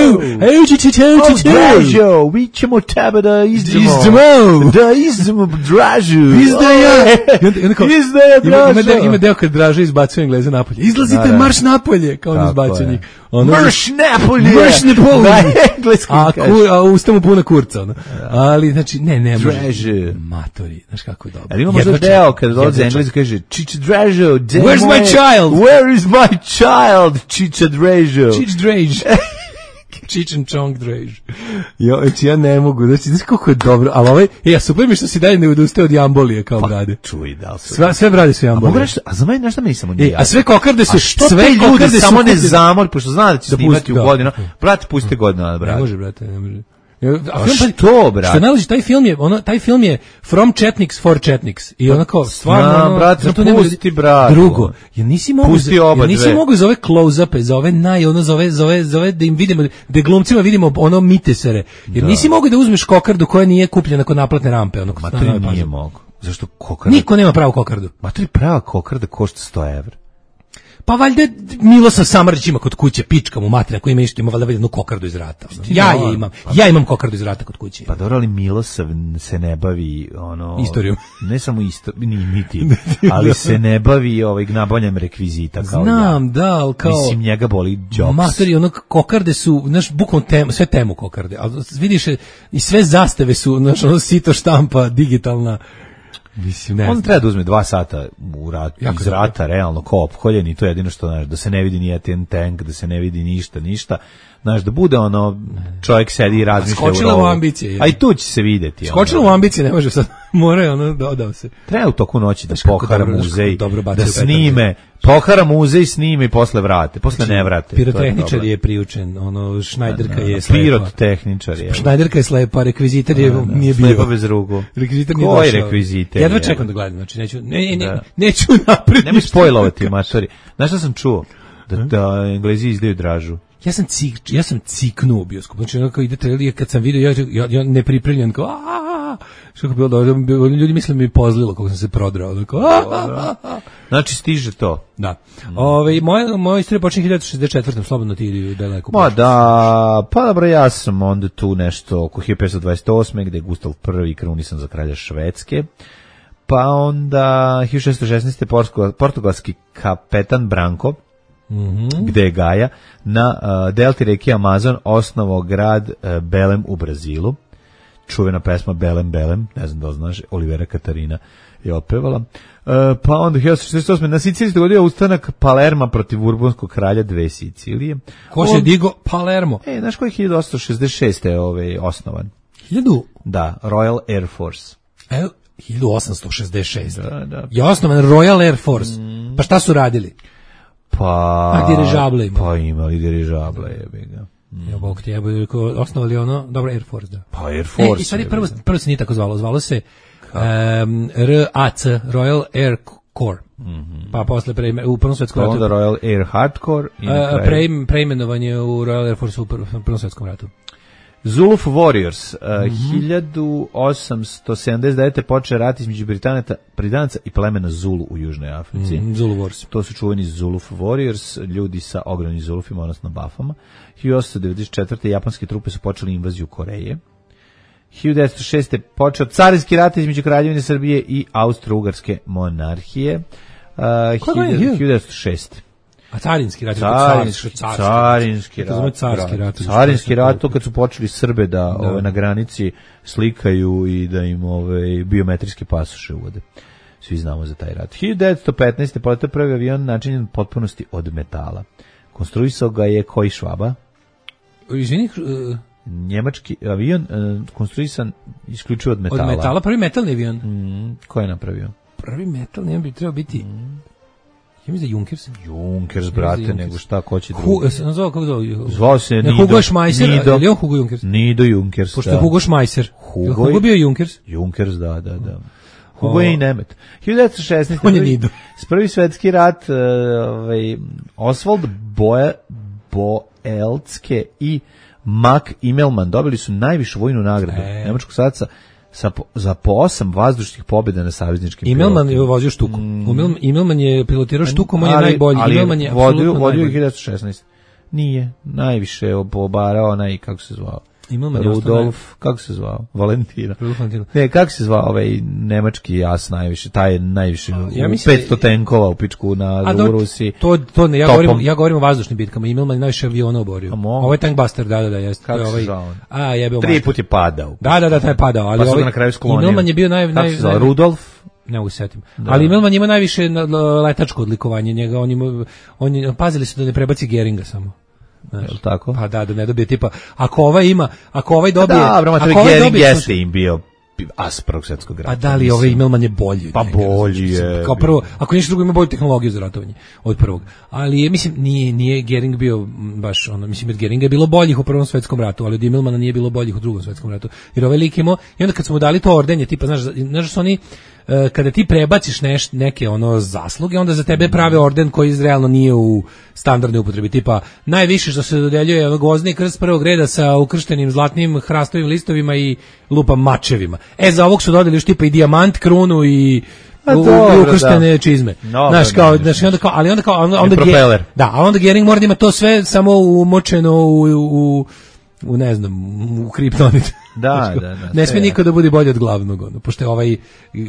a uči čau, uči čau. Dražo, mi ćemo tebe da izdemo. Izdemo. Da izdemo Dražu. Izdaja. Izdaja Dražo. Ima deo kad Dražo izbacuje Engleze napolje. Izlazite, marš napolje, kao on izbacuje njih. Marš napolje. Marš napolje. Engleski a, kur, a usta mu puna kurca. Ono. Ali, znači, ne, ne može. Dražo. Matori, znaš kako je dobro. Ali ima možda deo kad dolazi Englezi kaže Čiča Dražo. Where's my child? Where is my child? Čiča Dražo. Čič Draž. Čičen Chong Draž. Jo, znači ja ne mogu, znači znaš kako je dobro, ali ovaj, ja super mi što si dalje ne odustaje od jambolije kao pa, brade. Čuj, da li su. Sve, sve brade su jambolije. A, reći, a za mene nešto mi samo nije. E, a sve kokarde su, a što sve te ljude samo ne kupili... zamori, pošto zna da će da snimati pusti, u da. godinu. Brate, pusti godinu, brate. Ne može, brate, ne može. A, a film, što, brate? Što nalazi, taj film je, ono, taj film je From Chetniks for Chetniks. I ono kao, stvarno, ono, brate, pusti, brate. Drugo, ja nisi mogu, pusti oba ja nisi mogu za ove close-upe, za ove naj, ono, za ove, za ove, za ove da im vidimo, da glumcima vidimo ono mitesere. Jer da. Nisi mogu da uzmeš kokardu koja nije kupljena kod naplatne rampe. Ono, ma to nije mogu. Zašto kokarda? Niko nema pravu kokardu. Ma to je prava kokarda košta sto evra. Pa valjda Milosav Samardžić ima kod kuće, pička mu materina koji ima isto, ima valjda jednu kokardu iz rata. Ono. Ja je imam, ja imam kokardu iz rata kod kuće. Pa dobro, ali Milosav se ne bavi ono... Istorijom. Ne samo isto, ni niti, ali se ne bavi ovaj nabavljanjem rekvizita kao znam, ja. da, ali kao... Mislim, njega boli džoks. Matori, ono, kokarde su, znaš, bukvalno temu, sve temu kokarde, ali vidiš, i sve zastave su, znaš, ono, sito štampa, digitalna... Mislim, ne on treba da uzme dva sata u rat, iz rata, realno, ko opkoljen i to je jedino što, znaš, da se ne vidi nijedan tank, da se ne vidi ništa, ništa, znaš, da bude ono, čovjek sedi i razmišlja u rovu. Skočila u ambicije. A i tu će se vidjeti. Skočila ono. U ambicije, ne može sad, mora ono, dodao se. Treba u toku noći da pohara muzej, da snime, pohara muzej, snime i posle vrate, posle ne vrate. Pirotehničar je priučen, ono, Šnajderka je slepa. Pirotehničar je. Šnajderka je slepa, rekvizitar je nije bio. Slepa bez ruku. Rekvizitar nije došao. Koji rekvizitar? Jedva čekam da gledam, znači neću, ne, ne, neću napred. Nemoj spojlovati, matori. Znaš šta sam čuo? Da, da Englezi izdaju Dražu. Ja sam cik, ja sam ciknuo u bioskop. Znači onako ide trailer, kad sam vidio ja ja, ja nepripremljen kao a što je bilo dobro, ljudi misle mi pozlilo kako sam se prodrao, tako. Znači stiže to. Da. Mm. Ovaj moja moja istorija počinje hiljadu šezdeset četvrte slobodno ti idi daleko. Ma da, pa dobro, ja sam onda tu nešto oko hiljadu petsto dvadeset osme gde je Gustav prvi krunisan za kralja Švedske. Pa onda hiljadu šessto šesnaeste portugalski kapetan Branko, mm-hmm. gde je Gaja, na uh, delti reke Amazon osnovao grad uh, Belem u Brazilu. Čuvena pesma Belem Belem, ne znam da li znaš, Olivera Katarina je otpevala. Uh, pa onda hiljadu šessto šezdeset osme na Siciliji se dogodio ustanak Palerma protiv Urbonskog kralja dve Sicilije. Ko se digo Palermo? E, znaš koji je hiljadu osamsto šezdeset šeste je ovaj osnovan? Hiljadu? Da, Royal Air Force. E, hiljadu osamsto šezdeset šeste Da, da. Je osnovan Royal Air Force. Mm. Pa šta su radili? Pa... A dirižable imali. Pa imali dirižable, jebi ga. Mm. Ja bog ti jebo, osnovali ono, dobro, Air Force, da. Pa Air Force. E, i sad je prvo, prvo se nije tako zvalo, zvalo se um, R A C, Royal Air Corps. Mm-hmm. Pa posle preime, u Prvom svetskom pa ratu. Onda Royal Air Hardcore. I uh, pre, preimenovanje u Royal Air Force u Prvom svetskom ratu. Zuluf Warriors, uh, mm-hmm. hiljadu osamsto sedamdeset devete počeo rat između Britanaca, Britanaca i plemena Zulu u Južnoj Africi. Mm, Zulu Wars. To su čuveni Zuluf Warriors, ljudi sa ogromnim zulufima, odnosno bafama. hiljadu osamsto devedeset četvrte japanske trupe su počeli invaziju Koreje. hiljadu devetsto šeste počeo carinski rat između Kraljevine Srbije i Austro-Ugarske monarhije. Uh, hiljadu devetsto šeste A carinski rat, carinski, carinski, carinski rat, carski rat, carinski rat, to kad su počeli Srbe da, da. Ove, na granici slikaju i da im ove, biometrijske pasoše uvode. Svi znamo za taj rat. hiljadu devetsto petnaeste poletao prvi avion načinjen potpunosti od metala. Konstruisao ga je koji Švaba? Izvini, uh... njemački avion uh, konstruisan isključivo od metala. Od metala, prvi metalni avion. Mm, ko je napravio? Prvi metalni avion bi trebao biti... Mm. Ja mi za Junkers. Junkers, brate, Junkers. Nego šta, ko će drugi. Hu, se nazvao, kako zove? Zvao se Nido. Ne, Hugo Schmeisser, Nido. ili on Hugo Junkers? Nido Junkers, pošto da. je Hugo Schmeisser. Hugo, Hugo bio Junkers? Junkers, da, da, da. Hugo je i Nemet. hiljadu devetsto šesnaeste On je Nido. S prvi svetski rat, uh, ovaj, Oswald Boje, Boeltske i Mac Immelman dobili su najvišu vojnu nagradu e. nemačkog saveza sa po, za po osam vazdušnih pobjeda na savezničkim pilotima. Imelman je vozio Štukom. Mm. Imelman je pilotirao Štukom, on je ali, najbolji. Ali Imelman je vodio, apsolutno vodio najbolji. hiljadu šesnaest. Nije. Najviše obarao onaj, kako se zvao? Imelman Rudolf, kako se zvao? Valentina. Valentina. Ne, kako se zvao ovaj nemački jas najviše? Taj je najviše, ja mislim, petsto tenkova u pičku na a, u Rusiji. To, to ne, ja govorim, ja govorim o vazdušnim bitkama. Imelman je najviše aviona oborio. Ovo je tankbuster, da, da, da, jeste. Kako ovaj, se zvao? A, jebe Tri put je padao. Da, da, da, taj je padao. Ali pa ovaj, na kraju sklonio. Imelman je bio naj... Kako naj, se zvao? naj Rudolf? Ne mogu se setim. Da. Ali Imelman ima najviše letačko odlikovanje. Njega, on, ima, on je, pazili su da ne prebaci Geringa samo. Znaš, je li tako? Pa da, da ne dobije tipa, ako ovaj ima, ako ovaj dobije... Da, brama, ako ovaj Gering dobije, jeste im bio as prvog svjetskog rata. Pa da li ovaj Imelman je bolji? Pa bolji je. Kao prvo, ako ništa drugo ima bolju tehnologiju za ratovanje od prvog. Ali je, mislim, nije, nije Gering bio baš, ono, mislim, od Geringa je bilo boljih u prvom svjetskom ratu, ali od Imelmana nije bilo boljih u drugom svjetskom ratu. Jer ovaj lik imao, i onda kad smo mu dali to ordenje, tipa, znaš, znaš su oni, kada ti prebaciš neš, neke ono zasluge, onda za tebe prave orden koji realno nije u standardnoj upotrebi. Tipa, najviše što se dodeljuje je gvozdni krst prvog reda sa ukrštenim zlatnim hrastovim listovima i lupa mačevima. E, za ovog su dodali još tipa i dijamant, krunu i u, dobro, ukrštene da. čizme. No, znaš, kao, znaš, onda kao, ali onda kao, onda, onda Ge, da, a onda Gering mora da ima to sve samo umočeno u, u u ne znam, u kriptonit. Da, da, da. Ne smije niko da bude bolji od glavnog, ono, pošto je ovaj,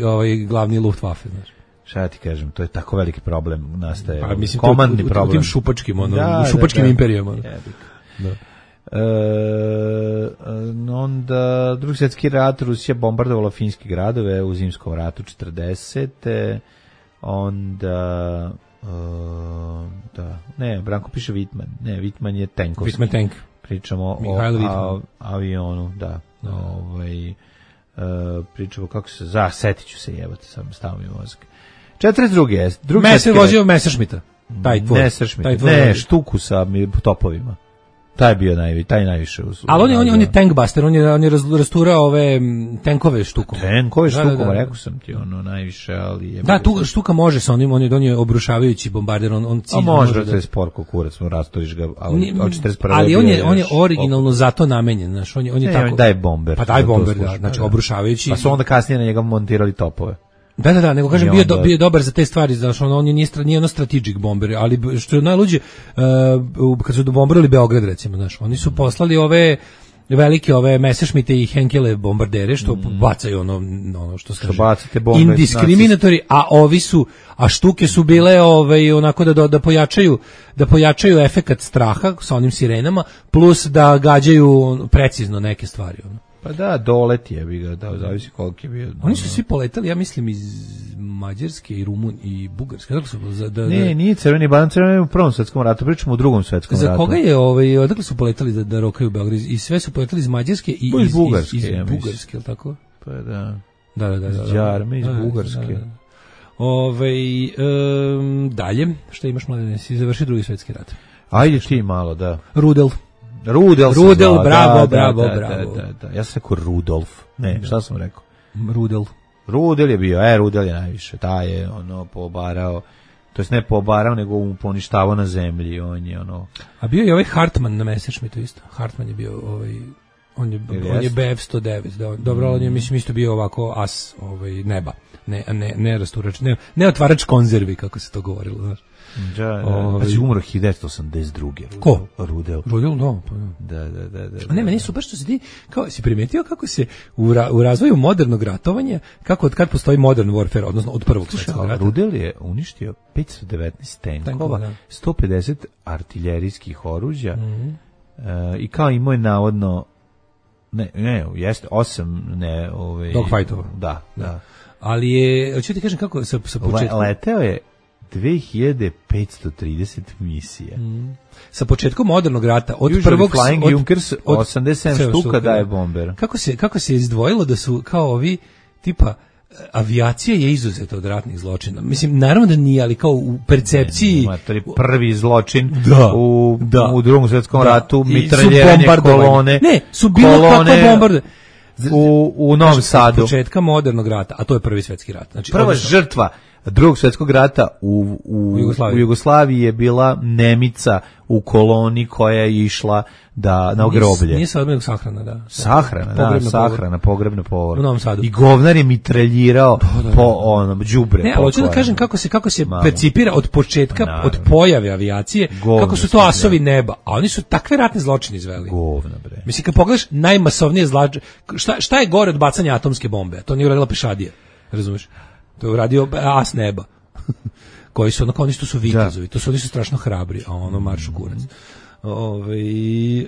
ovaj glavni Luftwaffe, znaš. Šta ja ti kažem, to je tako veliki problem, nastaje pa, mislim, komandni u, u, problem. U tim šupačkim, ono, da, u šupačkim da, da. imperijama. Ono. Da. E, onda, drugi svjetski rat, Rusija bombardovala finske gradove u zimskom ratu četrdesete onda... Uh, da, ne, Branko piše Vitman, ne, Vitman je tankovski. Vitman tank. Pričamo Mihajlo o a, avionu, da, da. Ovaj, uh, pričamo kako se, za, setit ću se jebati, sam stavim mi mozak. četrdeset druge drugi Messer vozio Messerschmitta. Taj tvoj. Messerschmitta, ne, štuku sa topovima. Taj je bio najvi, taj najviše uz. Ali on je on je on je tankbuster, on je on je rasturao ove tenkove štukom. Tenkove štukom, da, da, da. Rekao sam ti ono najviše, ali je. Da, tu štuka može sa onim, on je donio obrušavajući bombarder, on on cilj. A može da se sporko kurac, mu rasturiš ga, ali od četrdeset prve. Ali on je on je originalno zato namenjen, znaš, on je on je ne, tako. Daj bomber. Pa daj bomber, da, znači obrušavajući. Pa su onda kasnije na njega montirali topove. Da, da, da, nego kažem, bio, do, bio dobar za te stvari, znaš, on, on je nije, nije ono strategic bomber, ali što je najluđe, uh, kad su bombardirali Beograd, recimo, znaš, oni su poslali ove velike ove Messerschmitte i Henkele bombardere, što mm. bacaju ono, ono što se kaže, indiskriminatori, a ovi su, a štuke su bile ovaj, onako da, da pojačaju, da pojačaju efekat straha sa onim sirenama, plus da gađaju precizno neke stvari, ono. Pa da, dolet je bi ga, da, zavisi koliko je bio. Oni su svi poletali, ja mislim, iz Mađarske i Rumun i Bugarske. Dakle su, da, da, ne, nije crveni banan, crveni u prvom svetskom ratu, pričamo u drugom svetskom za ratu. Za koga je, ovaj, odakle su poletali da, da rokaju Beograd? I sve su poletali iz Mađarske i iz, iz Bugarske. Iz, iz ja Bugarske, je li tako? Pa da. Da, da, da. Iz Đarme, iz Bugarske. Da, da, da. Ove, um, dalje, šta imaš, mladine, si završi drugi svetski rat. Ajde ti malo, da. Rudel. Rudel, Rudel, zvao, bravo, da, bravo, da, bravo. Da, da, da. Ja sam rekao Rudolf. Ne, šta sam rekao? Rudel. Rudel je bio, e, Rudel je najviše. Taj je ono pobarao, to jest ne pobarao, nego mu poništavao na zemlji. On je ono... A bio je ovaj Hartmann na Messerschmittu isto. Hartmann je bio ovaj... On je, on je B F sto devet, da, dobro, on je, mislim, isto bio ovako as ovaj, neba. Ne, ne, ne rasturač, ne, ne otvarač konzervi, kako se to govorilo, znaš. Da, da, pa si umro hiljadu devetsto osamdeset druge. Ko? Rudel. Rudel, da. Pa, da, da, da, da. A ne, meni super što se ti, kao, si primetio kako se u, ra, u razvoju modernog ratovanja, kako od kad postoji modern warfare, odnosno od prvog svjetskog rata. Rudel je uništio petsto devetnaest tenkova, Tenkova da. sto pedeset artiljerijskih oruđa, mm-hmm. uh, i kao imao je navodno, ne, ne, jeste osam, ne, ovaj... Dogfightova. Da, da, da. Ali je, hoću ti kažem kako, sa, sa početkom... Leteo je dve hiljade petsto trideset misija. Mm. Sa početkom modernog rata, od Usually prvog... Flying od, Junkers, od, osamdeset sedam štuka daje bomber. Kako se, kako se izdvojilo da su, kao ovi, tipa, avijacija je izuzeta od ratnih zločina. Mislim, naravno da nije, ali kao u percepciji... Ne, ne, prvi zločin da, u, da, u drugom svjetskom da, ratu, mitraljiranje kolone. Ne, su bilo kakve bombarde. U, u Novom Sadu. Od početka modernog rata, a to je prvi svjetski rat. Znači, prva odnosno, žrtva drugog svjetskog rata u, u, u, Jugoslaviji. u Jugoslaviji je bila Nemica u koloni koja je išla da na groblje. Nije sad odmenog sahrana, da. Sahrana, da, pogrebna sahrana, pogrebna povor. U Novom Sadu. I govnar je mitraljirao da, da, da. po onom đubre. Ne, hoću da kažem kako se kako se percipira od početka, Naravno. od pojave avijacije, govna kako su to asovi neba, a oni su takve ratne zločine izveli. Govna, bre. Mislim, kad pogledaš najmasovnije zlače, šta, šta je gore od bacanja atomske bombe? To nije uradila pešadija, razumeš? To je uradio as neba. Koji su, onako, oni što su vitezovi, to su oni su strašno hrabri, a ono maršu kurac. Ove,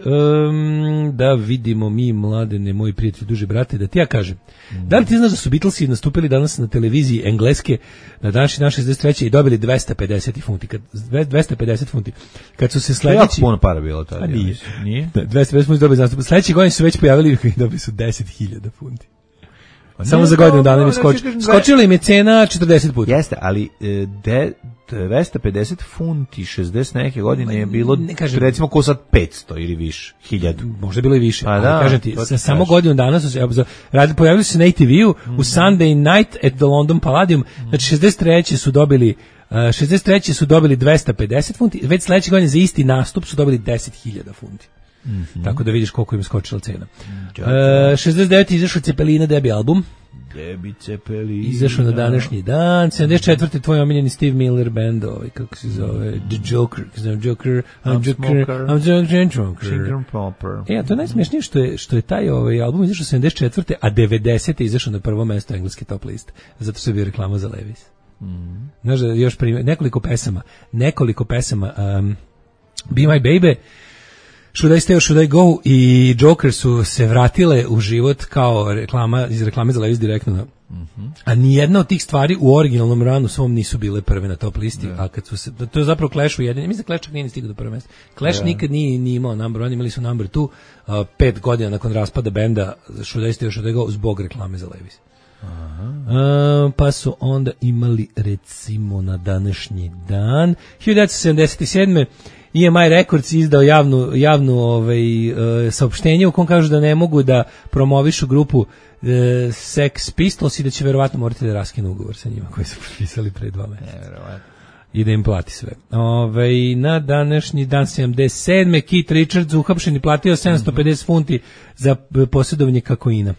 um, da vidimo mi, Mladene, moji prijatelji, duži brate, da ti ja kažem, da li ti znaš da su Beatlesi nastupili danas na televiziji engleske na današnji dan šezdeset treće i dobili dvesta pedeset funti, kad, dvesta pedeset funti, kad su se sledeći... Jako puno para bilo tada. A nije. Nije? Da, dvesta pedeset funti dobili nastup. Sledeći godin su već pojavili i dobili su deset hiljada funti. Samo za godinu dana im je skočilo. Skočila im je cena četrdeset puta. Jeste, ali de, dvesta pedeset funti šezdeset neke godine je bilo, ne kažem, recimo ko sad petsto ili više, hiljadu. Možda je bilo i više, pa ali da, kažem ti, sa samo godinu dana su se, radi, pojavili su se na A T V-u mm. u Sunday Night at the London Palladium, mm. znači šezdeset treće su dobili uh, šezdeset treće su dobili dvesta pedeset funti, već sledeće godine za isti nastup su dobili deset hiljada funti. Mm-hmm. Tako da vidiš koliko im skočila cena. Mm, uh, šezdeset devete izašao Cepelina debi album. Debi Cepelina. Izašao na današnji dan. sedamdeset četvrte tvoj omiljeni Steve Miller band, ovaj, kako se zove, The Joker, kako se zove, Joker, I'm, I'm Joker, I'm Joker. E, a to je najsmešnije što je, što je taj ovaj album izašao sedamdeset četvrte a devedesete izašao na prvo mesto engleske top liste. Zato što je bio reklama za Levi's. Mm. Znaš da još primjer, nekoliko pesama, nekoliko pesama, um, Be My Baby, Should I Stay or Should I Go i Joker su se vratile u život kao reklama, iz reklame za Levi's direktno na, mm-hmm. a nijedna od tih stvari u originalnom ranu svom nisu bile prve na top listi, yeah. a kad su se, to je zapravo Clash ujedinjeni, mislim da Clash čak nije ni stigao do prve mesta. Clash yeah. nikad nije, nije imao number one, imali su number two, uh, pet godina nakon raspada benda Should I Stay or Should I Go zbog reklame za Levi's. Uh, pa su onda imali recimo na današnji dan hiljadu devetsto sedamdeset sedme E M I Records izdao javnu, javnu ovaj, uh, saopštenje u kom kažu da ne mogu da promovišu grupu uh, Sex Pistols i da će verovatno morati da raskinu ugovor sa njima koji su potpisali pre dva meseca. I da im plati sve. Ove, na današnji dan sedamdeset sedme Keith Richards uhapšen i platio sedamsto pedeset funti za posjedovanje kakoina.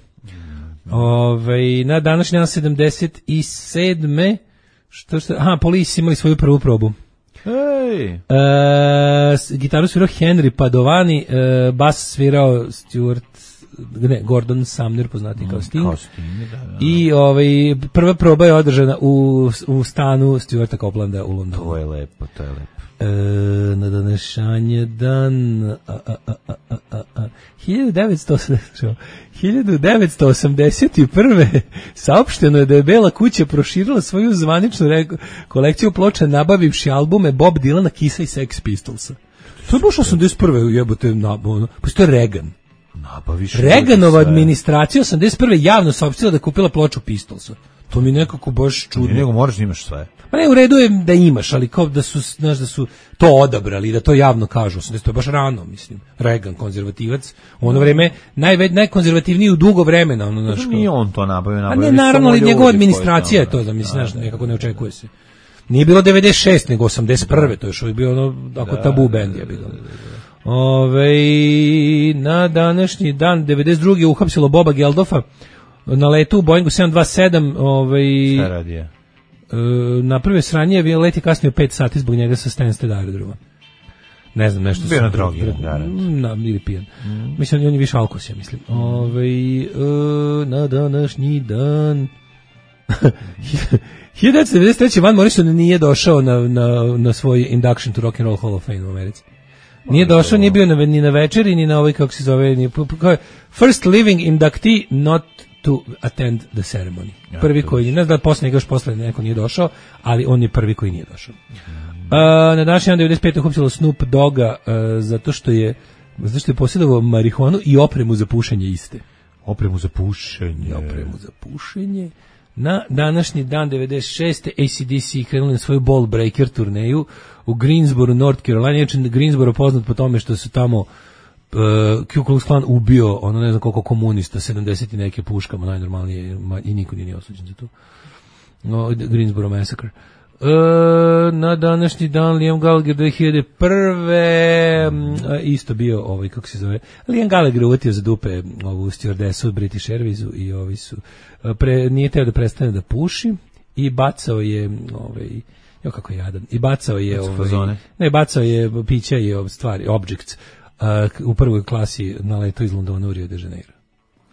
Ove, na današnji dan sedamdeset sedme što što aha, Police imali svoju prvu probu. Hej. E, gitaru svirao Henry Padovani, e, bas svirao Stuart ne, Gordon Sumner, poznati mm, kao Sting. Kao Sting da, da. I ovaj, prva proba je održana u, u stanu Stuarta Coplanda u Londonu. To je lepo, to je lepo. E, na današnji dan a, a, a, a, a, a, hiljadu devetsto osamdeset prve saopšteno je da je Bela kuća proširila svoju zvaničnu re- kolekciju ploča nabavivši albume Bob Dylana, Kissa i Sex Pistolsa. To je baš osamdeset prve jebote, ono, pa to je Reagan. Nabaviš Reaganova administracija osamdeset prve javno saopštila da je kupila ploču Pistolsa. To mi nekako baš čudno. Nego moraš da imaš sve. Pa ne, u redu je da imaš, ali kao da su, znaš, da su to odabrali, da to javno kažu. Da to je baš rano, mislim. Reagan, konzervativac. U ono vreme najve, najkonzervativniji u dugo vremena. Ono, znaš, kao... Nije on to nabavio, nabavio. A ne, naravno, ali njegova administracija je to, da mislim, znaš, nekako ne očekuje se. Nije bilo devedeset šest nego osamdeset prve to je što je bio ono, ako da, tabu bend je bilo. Ove, na današnji dan, devedeset druge uhapsilo Boba Geldofa na letu u Boeingu sedam dvadeset sedam, ovaj šta radi je? E, napravio sranje, avion let je kasnio pet sati zbog njega sa Stansted aerodroma. Ne znam, nešto bio na drogi, na ili pijan. Mm. Mislim on je više alkos, ja mislim. Mm. Ovaj e, na današnji dan hiljadu devetsto devedeset treće Van Morrison nije došao na, na, na svoj induction to Rock and Roll Hall of Fame u Americi. Nije došao, nije bio na, ni na večeri, ni na ovoj, kako se zove, ni, first living inductee not to attend the ceremony. Ja, prvi koji, ne znam da posle njega još posle neko nije došao, ali on je prvi koji nije došao. Mm. Uh, na današnji dan devedeset pete uhapsilo Snoop Dogga uh, zato što je zato što je posjedovao marihuanu i opremu za pušenje iste. Opremu za pušenje. Opremu za pušenje. Na današnji dan devedeset šeste A C D C krenuli na svoju Ball Breaker turneju u Greensboro, North Carolina. Znači, Greensboro poznat po tome što su tamo uh, Ku Klux Klan ubio, ono ne znam koliko komunista, sedamdeset i neke puškama, najnormalnije, i niko nije osuđen za to. No, Greensboro Massacre. Uh, na današnji dan Liam Gallagher dve hiljade prve uh, isto bio ovaj, kako se zove, Liam Gallagher uvatio za dupe ovu stewardessu od British Airwaysu i ovi su uh, pre, nije teo da prestane da puši i bacao je ovaj, jo kako je jadan, i bacao je ovaj, ne, bacao je pića i stvari, objects uh, u prvoj klasi na letu iz Londona u Rio de Janeiro.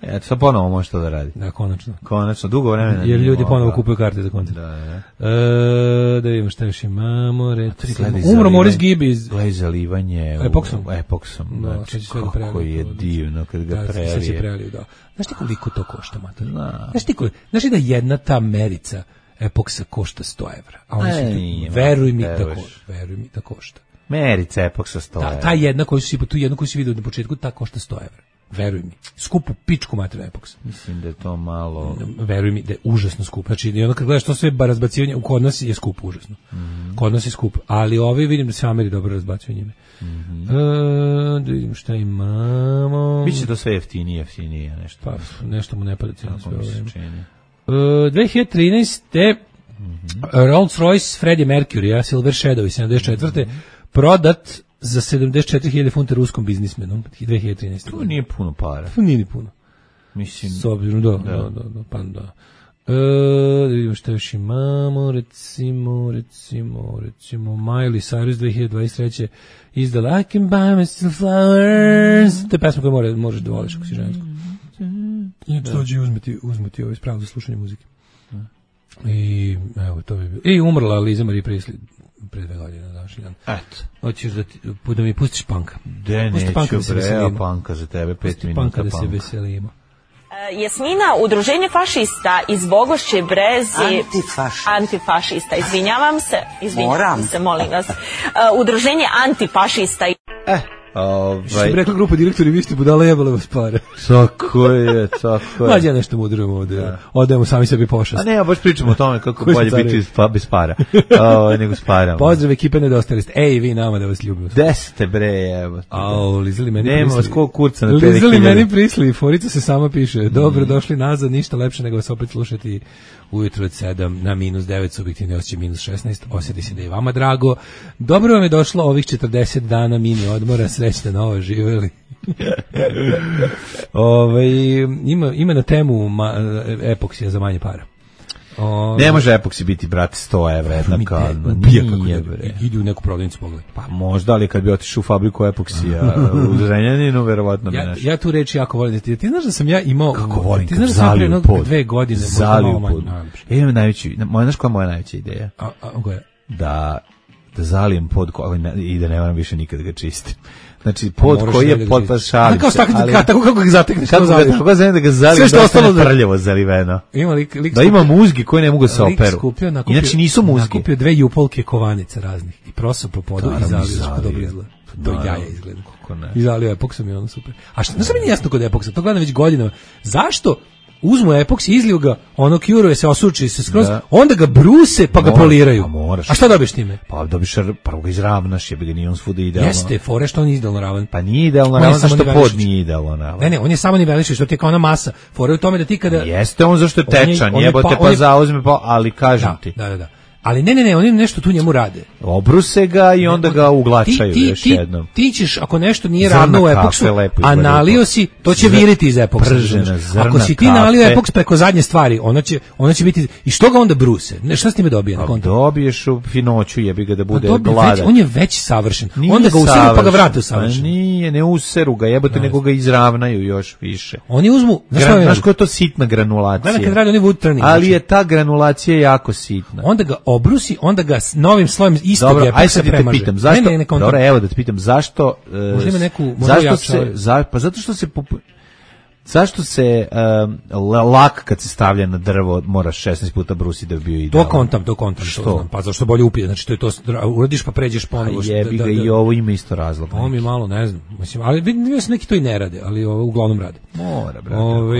Eto, sad ponovo može to da radi. Da, konačno. Konačno, dugo vremena. Jer ljudi ponovo kupuju karte za koncert. Da, da. E, da vidimo šta još imamo. Recimo, umro Morris Gibb iz... Gledaj zalivanje... Epoksom. Epoksom. No, znači, kako je divno kad ga da, prelije. Sad će preliju, da. Znaš ti koliko to košta, mater? Da. Znaš ti koliko... Znaš ti da jedna ta merica epoksa košta sto evra? A oni su tu, veruj mi da košta. Veruj mi da košta. Merica epoksa sto evra. Ta jedna koju si, tu jednu koju si vidio na početku, ta košta sto evra. Veruj mi, skupu pičku materiju epoksa. Mislim da je to malo... Veruj mi da je užasno skup. Znači, i onda kad gledaš to sve razbacivanje, kod nas je skup užasno. Mm-hmm. Kod nas je skup. Ali ovi vidim da se Ameri dobro razbacuju njime. Mm-hmm. E, da vidim šta imamo... Biće to sve jeftinije, jeftinije, nešto. Pa, nešto mu ne pada cijelo sve ovo vreme. E, dve hiljade trinaeste. Mm-hmm. Rolls Royce Freddie Mercury, Silver Shadow iz sedamdeset četvrte. Mm-hmm. prodat za sedamdeset četiri hiljade funta ruskom biznismenu dve hiljade trinaeste. To nije puno para. To nije ni puno. Mislim, s obzirom, da, da, da, da, pa da. E, da vidimo šta još imamo, recimo, recimo, recimo, Miley Cyrus dve hiljade dvadeset treće izdala I can buy me still flowers. To je pesma koju more, možeš da voliš ako si žensko. I to dođe uzmeti, uzmeti ovaj spravo za slušanje muzike. I, evo, to bi bilo. I umrla Liza Marie Presley pre dve godine na današnji dan. Eto. Hoćeš da, ti, da mi pustiš panka? De, neću, bre, a panka za tebe, pet minuta panka. Pusti panka da se veselimo. Uh, Jasmina, udruženje fašista iz Bogošće Brezi... Antifašista. Antifašista, izvinjavam se. Izvinjavam Moram. se, molim vas. Uh, udruženje antifašista... Eh. Ovaj. Što bi rekla grupa direktori, vi ste budala jebale vas pare. Tako je, tako je. Mađe ja nešto mudrujem ovde. Da. Odajemo sami sebi pošast. A ne, ja baš pričamo o tome kako bolje biti pa, bez para. O, nego s parama. Pozdrav ekipe nedostali ste. Ej, vi nama da vas ljubimo. Desete bre, evo. Au, lizali meni prisli. Nema vas ko kurca na pet hiljada. Lizali meni prisli, forica se sama piše. Dobro, došli nazad, ništa lepše nego vas opet slušati ujutro od sedam na minus devet, subjektivni osjećaj minus šesnaest, osjeti se da je vama drago. Dobro vam je došlo ovih četrdeset dana mini odmora, srećna nova, živjeli. Ove, ima, ima na temu ma, epoksija za manje para. O, ne može epoksi biti, brate, sto evra jedna kalma. Ubija kako je, idi u neku prodavnicu pogled. Pa možda, ali kad bi otišao u fabriku epoksija u Zrenjaninu, verovatno bi ja, nešto. ja tu reći jako volim. Ti, ti znaš da sam ja imao... Kako volim, ti znaš da sam pre dve godine... Zaliju pod. Ja imam najveći, znaš koja je moja najveća ideja? A, a, koja je? Da, da zalijem pod i da ne moram više nikad ga čistim. Znači, pod koji je pod pa šalim se. Ali tako kako ga zatekneš, kako ga kako znam da ga zalim, da ostalo prljavo zaliveno. Ima lik, lik da ima muzgi koji ne mogu se operu. Skupio, nakupio, inače nisu muzgi. Nakupio dve jupolke kovanica raznih i prosao po podu i zalio, što dobro izgleda. Do jaja izgleda. I zalio epoksom i ono super. A što, znaš mi nije jasno kod epoksa, to gledam već godinama. Zašto? Uzmu epoks, izliju ga, ono kjuruje se, osuči se skroz, da. Onda ga bruse pa ga Mora, poliraju. A, moraš, a šta dobiješ time? Pa dobiš, prvo ga izravnaš, jebi ga, nije on svuda idealno. Jeste, fore što on je idealno ravan. Pa nije idealno ravan, zašto pod nije idealno ravan. Ne, ne, on je samo niveliš, što ti je kao ona masa. Fore u tome da ti kada... Jeste on zašto je tečan, jebote, pa, pa je... zauzme, pa, ali kažem da, ti. Da, da, da. Ali ne, ne, ne, oni nešto tu njemu rade. Obruse ga i onda ga uglačaju ti, ti, još jednom. Ti ćeš, ako nešto nije ravno u epoksu, a nalio si, to će viriti iz epoksa. Pržena, zrna, ako si ti kafe. Nalio epoks preko zadnje stvari, ono će, ono će biti... I što ga onda bruse? Ne, šta s time dobije? Pa dobiješ u finoću, jebi ga da bude pa gladan. Već, on je već savršen. Nije onda ga useru pa ga vrate u savršen. Nije, ne useru ga, jebote, nego ga izravnaju još više. Oni uzmu... Znaš koja je to sitna granulacija? Kad radi oni vutrani. Ali je ta granulacija jako sitna. Onda ga obrusi, onda ga s novim slojem istog dobro, epoksa se premaže. Pitam, zašto, ne, ne, ne dobro, evo da te pitam, zašto... Možda ima neku... Zašto se, za, pa zato što se... Zašto se um, lak kad se stavlja na drvo mora šesnaest puta brusi da bi bio idealan? To kontam, to kontam. Što? To znam, pa zašto bolje upije, znači to je to, uradiš pa pređeš ponovo. A jebi ga da, da, i ovo ima isto razlog. Ovo mi malo, ne znam, mislim, ali vidim se neki to i ne rade, ali ovo uglavnom rade. Mora, brate. Ove,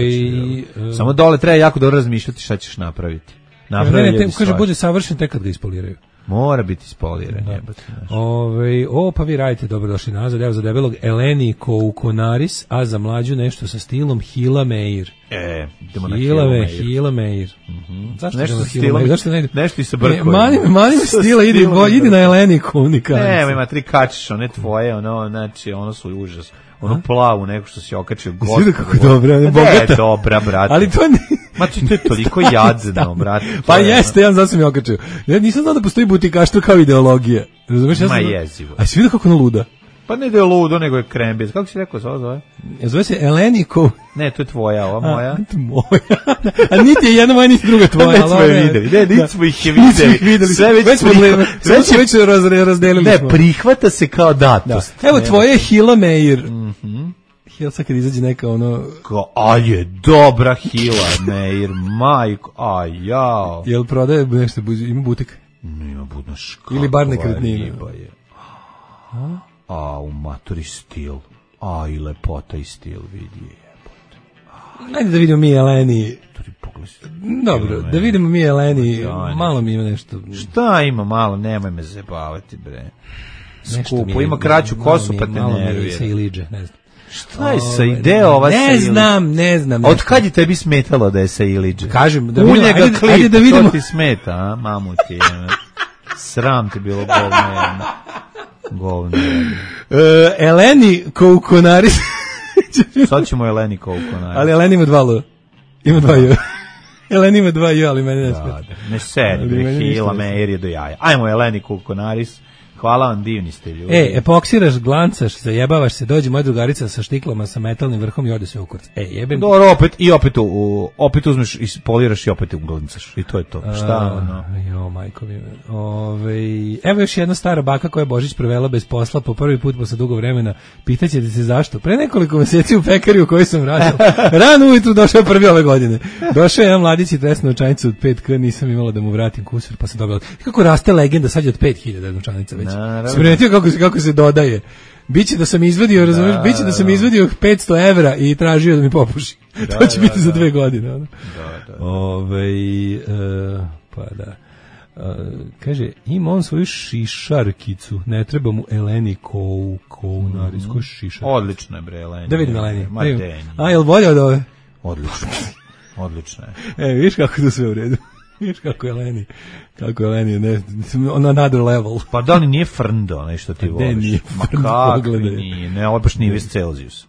hoće, samo dole treba jako dobro razmišljati šta ćeš napraviti. Ne, ne, ne, kaže, bude savršen tek kad ga ispoliraju. Mora biti ispoliran. Da. Ove, o, pa vi radite, dobrodošli nazad. Evo za debelog Eleni Koukonaris, a za mlađu nešto sa stilom Hila Meir. E, idemo na Hila Hila Meir. Meir. Hila Meir. Mm-hmm. Zašto nešto idemo sa Hila stilom, Meir? Zašto ne ide? Nešto i sa brkovima. Mani, mani mi stila, idi, bo, idi na Eleni Koukonaris. Ne, ima tri kačiš, one tvoje, ono, znači, ono su užas. Ono plavu, neko što si okačio. Sve kako dobra, ne, bogata. Ne, dobra, brate. Ali to ne... Ma to je toliko jadno, brate. Pa jeste, ja znam sam je okačio. Ja nisam znao da postoji butikaštvo kao ideologija. Razumeš? Ja Ma sam... jezivo. A si vidio kako ono luda? Pa ne da je ludo, nego je krembis. Kako si rekao, zove zove? Zove se Eleniko. Ne, to je tvoja, ova moja. A, moja. A niti je jedna moja, niti druga tvoja. Ne smo je videli, ne, niti smo ih je videli. Sve već, već smo sve smo već razdelili. Ne, smo. Prihvata se kao datost. Da. Evo, tvoje je Hila Meir. Mhm. Hila, sad kad izađe neka ono... Ko, a je dobra Hila Meir, majko, a jao. Jel prodaje nešto, ima butik? Nema budnaš. Ili bar nekretnina. Je. A? A, u maturi stil. A, i lepota i stil, vidi jebote. Ajde da vidimo mi Eleni. Dobro, Eleni. da vidimo mi Eleni. Da, malo mi ima nešto. Šta ima malo, nemoj me zebavati, bre. Skupo, je, ima kraću kosu, pa te nervira. Malo mi je nervira. sa Iliđe, ne znam. Šta je sa ideo ova sa Ne znam, ne znam. Od kad je tebi smetalo da je sa Iliđe? Kažem, da vidimo, ajde, klip, ajde da vidimo. To ti smeta, a? Mamu ti je. Sram ti bilo govno jedno. Govno jedno. Uh, Eleni Koukonaris. Sad ćemo Eleni Koukonaris. Ali Eleni ima dva L. Ima dva J. Eleni ima dva J, ali meni ne smeta. Ne seri, bre, Hila Meir je do jaja. Ajmo Eleni Koukonaris. Hvala vam, divni ste ljudi. E, epoksiraš, glancaš, zajebavaš se, dođe moja drugarica sa štiklama, sa metalnim vrhom i ode sve u kurac. E, jebem. Dobro, opet, i opet, u, opet uzmeš i poliraš i opet uglancaš. I to je to. Šta ono? Jo, majko mi. Ove, evo još jedna stara baka koja je Božić provela bez posla po prvi put posle dugo vremena. Pitaćete se zašto? Pre nekoliko meseci u pekari u kojoj sam radio. Rano ujutru došao je prvi ove godine. Došao je jedan mladić i tresnu novčanicu od pet ka, nisam imala da mu vratim kusur, pa sam dobila. Kako raste legenda, sad je od pet hiljada novčanica već. Se primetio kako se, kako se dodaje. Biće da sam izvadio, razumiješ, biće da sam izvadio petsto evra i tražio da mi popuši. Da, to će da, biti da. za dve godine. Ono. Da, da. Ove, uh, pa da. Uh, kaže, ima on svoju šišarkicu, ne treba mu Eleni Kou, Kounaris, mm-hmm. ko šišar. Odlično je, bre, Eleni. Da vidim Eleni. Ma denji. A, jel bolje od ove? Odlično. Odlično je. E, vidiš kako to sve u redu. Viš kako je Leni, kako je Leni, ne, on another level. Pa da li nije frndo, onaj što ti voliš? Ne, nije frndo, kakvi nije, ne, ovo baš Nives Celsius.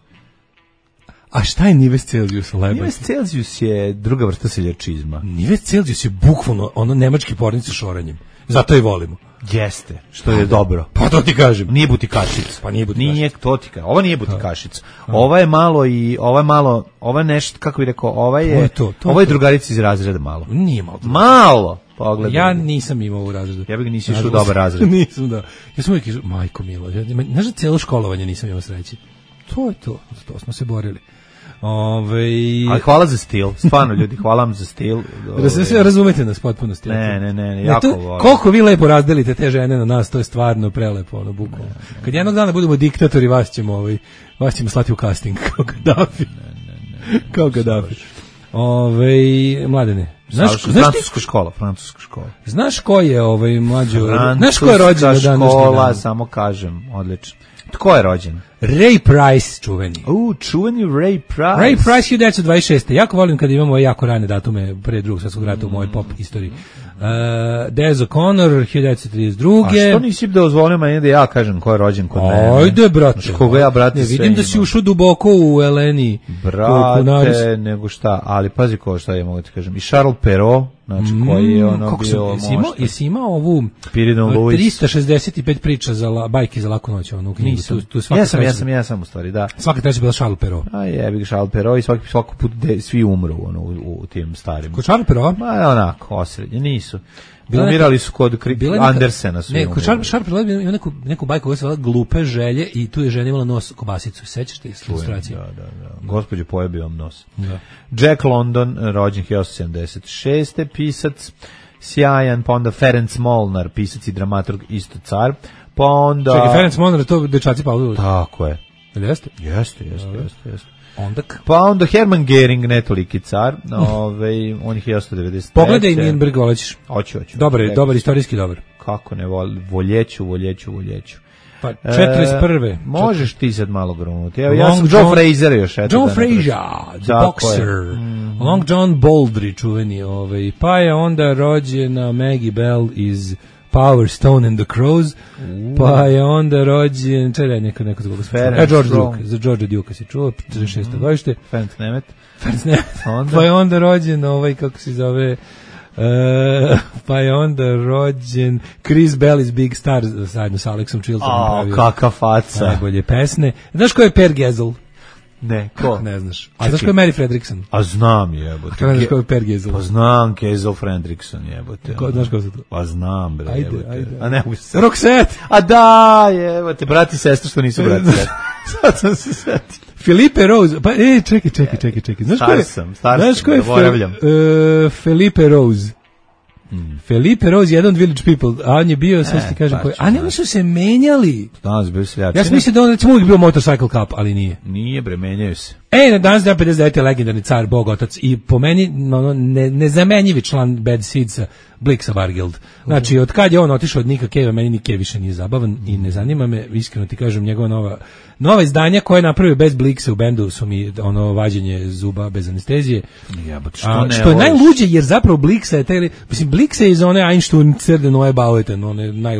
A šta je Nives Celsius? Nives Celsius je druga vrsta seljačizma. Nives Celsius je bukvalno ono nemački pornic sa šoranjem, zato je volimo. Jeste, što je dobro. Pa to ti kažem. Nije butikašica. Pa nije butikašica. Nije to ti kažem. Ova nije butikašica. Ova je malo i ova je malo, ova je nešto, kako bih rekao, ova je, je to, to, ova je to. drugarica iz razreda malo. Nije malo. Malo. Pogledaj. Ja nisam imao u razredu. Ja bih ga nisi išao u dobar razred. Nisam, da. Ja sam uvijek išao, majko milo. Znaš da cijelo školovanje nisam imao sreći. To je to. To smo se borili. Ove... Ali hvala za stil, stvarno ljudi, hvala vam za stil. Da se sve razumete nas potpuno stil. Ne, ne, ne, ne jako to, volim. Koliko vi lepo razdelite te žene na nas, to je stvarno prelepo, ono, bukvalno. Kad jednog dana budemo diktatori, vas ćemo, ovaj, vas ćemo slati u casting, kao Gaddafi. Ne, ne, ne. Kao Gaddafi. Ove, mladene. Znaš, znaš francuska škola, francuska škola. Znaš ko je ovaj mlađo? Znaš ko je rođen na današnji dan? Škola, samo kažem, odlično. Tko je rođen? Ray Price, čuveni. U, čuveni Ray Price. Ray Price hiljadu devetsto dvadeset šeste. Jako volim kad imamo jako rane datume pre drugog svjetskog rata u mojoj pop istoriji. Uh, Dez O'Connor, hiljadu devetsto trideset druge. A što nisi dozvolio meni da ja kažem ko je rođen kod mene? Ajde, brate. Znači, koga ja, brate, ne, sve vidim da si ušao duboko u Eleni. Brate, nego šta, ali pazi ko šta je mogu ti kažem. I Charles Perrault, znači mm, koji je ono kako bio jesi imao, jesi imao ovu Piridon Lewis. trista šezdeset pet priča za la, bajke za laku noć, onu knjigu. Tu, tu ja sam, ja sam, ja sam u stvari, da. Svaka treća bila Charles Perrault. A jebi ga Charles Perrault i svaki, svaki put de, svi umru ono, u, u tim starim. Kod Charles Perrault? Ma onako, osrednje, nisu. Umirali su kod Kri- Andersena svi. Ne, kod Charles Perrault ima neku, neku bajku koja se zvala Glupe želje i tu je žena imala nos kobasicu. Sećaš te ilustracije? Da, da, da. Gospođo, pojebi vam nos. Da. Jack London, rođen hiljadu osamsto sedamdeset šeste, pisac, sjajan, pa onda Ferenc Molnar, pisac i dramaturg, isto car, pa onda... Čekaj, Ferenc Molnar, to dečaci Pavlović. Tako je. Ili jeste? Jeste, jeste, jeste, jeste. Ondak. Pa onda Hermann Göring, ne toliki car, ovaj, on je hiljadu osamsto devedeset treće. Pogledaj Nürnberg, volećeš. Hoću, hoću. Dobar je, dobar, istorijski dobar. kako ne, voljeću, voljeću, voljeću. Pa četrdeset prve E, možeš ti sad malo grunuti. Evo, ja sam Joe John, Frazier još. Eto, Joe Frazier, the boxer. Mm. Long John Baldry, čuveni. Ovaj. Pa je onda rođena Maggie Bell iz Power Stone and the Crows, uh. pa je onda rođen, čekaj, neko, neko za koga sam čuo. E, George Duke, za George Duke si čuo, četrdeset šesto godište. Ferenc Nemet. Ferenc Nemet. Pa je onda rođen, ovaj, kako se zove, uh, pa je onda rođen Chris Bell iz Big Star, zajedno sa Alexom Chiltonom oh, pravio. Kaka faca. Najbolje pesne. Znaš ko je Per Gezel? Ne, ko? Ne znaš. A znaš ko je Mary Fredrickson? A znam, jebote. A znaš ko je Per Gezel? Pa znam Gezel Fredrickson, jebote. Ko, znaš ko se to? Pa znam, bre, ajde, jebote. Ajde, A ne mogu se... Roxette! A da, jebote, brati i sestra što nisu brati sestra. Sad sam se setio. Felipe Rose, pa e, čekaj, čekaj, čekaj, čekaj. Znaš star ko je? sam, star znaš sam, ko je zaboravljam. Fe, uh, Felipe Rose. Mm. Felipe Rose, jedan od Village People, a on je bio, sve što ti kažem, koji, a ne, oni su se menjali. Danas bio seljači. Ja sam mislio da on recimo uvijek bio Motorcycle Cup, ali nije. Nije, bre, menjaju se. E, na danas dan pedeset devete je legendarni car, bog, otac i po meni no, ne, nezamenjivi član Bad Seedsa, Blixa Bargild. Znači, od kad je on otišao od Nika Cave, meni Nick Cave više nije zabavan mm. i ne zanima me, iskreno ti kažem, njegova nova nova izdanja koje je napravio bez Blixa u bendu su mi ono vađenje zuba bez anestezije. Ja, što, A, ne što je najluđe, jer zapravo Blixa je taj, mislim, Blixa je iz one Einstein Cerde Noe Bauten, one naj,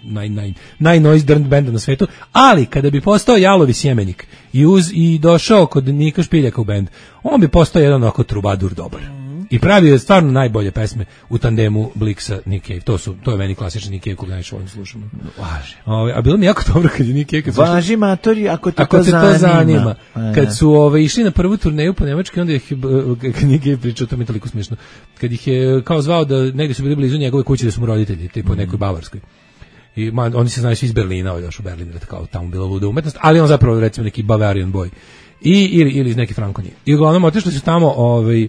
naj, naj, naj noise durned benda na svetu, ali kada bi postao jalovi sjemenik i, uz, i došao kod Nika Špiljaka u bend, on bi postao jedan onako trubadur dobar. I pravio je stvarno najbolje pesme u tandemu Blixa Nick Cave. To su to je meni klasični Nick Cave kog najviše volim slušati. Važi. Ove, a bilo mi jako dobro kad je Nick Cave kad važi matori ako te ako to, te zanima. to zanima. Kad su ove išli na prvu turneju po Nemačkoj, onda je kad Nick Cave pričao, to mi je toliko smiješno. Kad ih je kao zvao da negdje su bili blizu njegove kuće da su mu roditelji, tipa u mm. nekoj Bavarskoj. I man, oni se znaju svi iz Berlina, ovaj došao u Berlin, kao tamo bila luda umetnost, ali on zapravo recimo neki Bavarian boy. I ili ili iz neke Frankonije. I uglavnom otišli su tamo, ovaj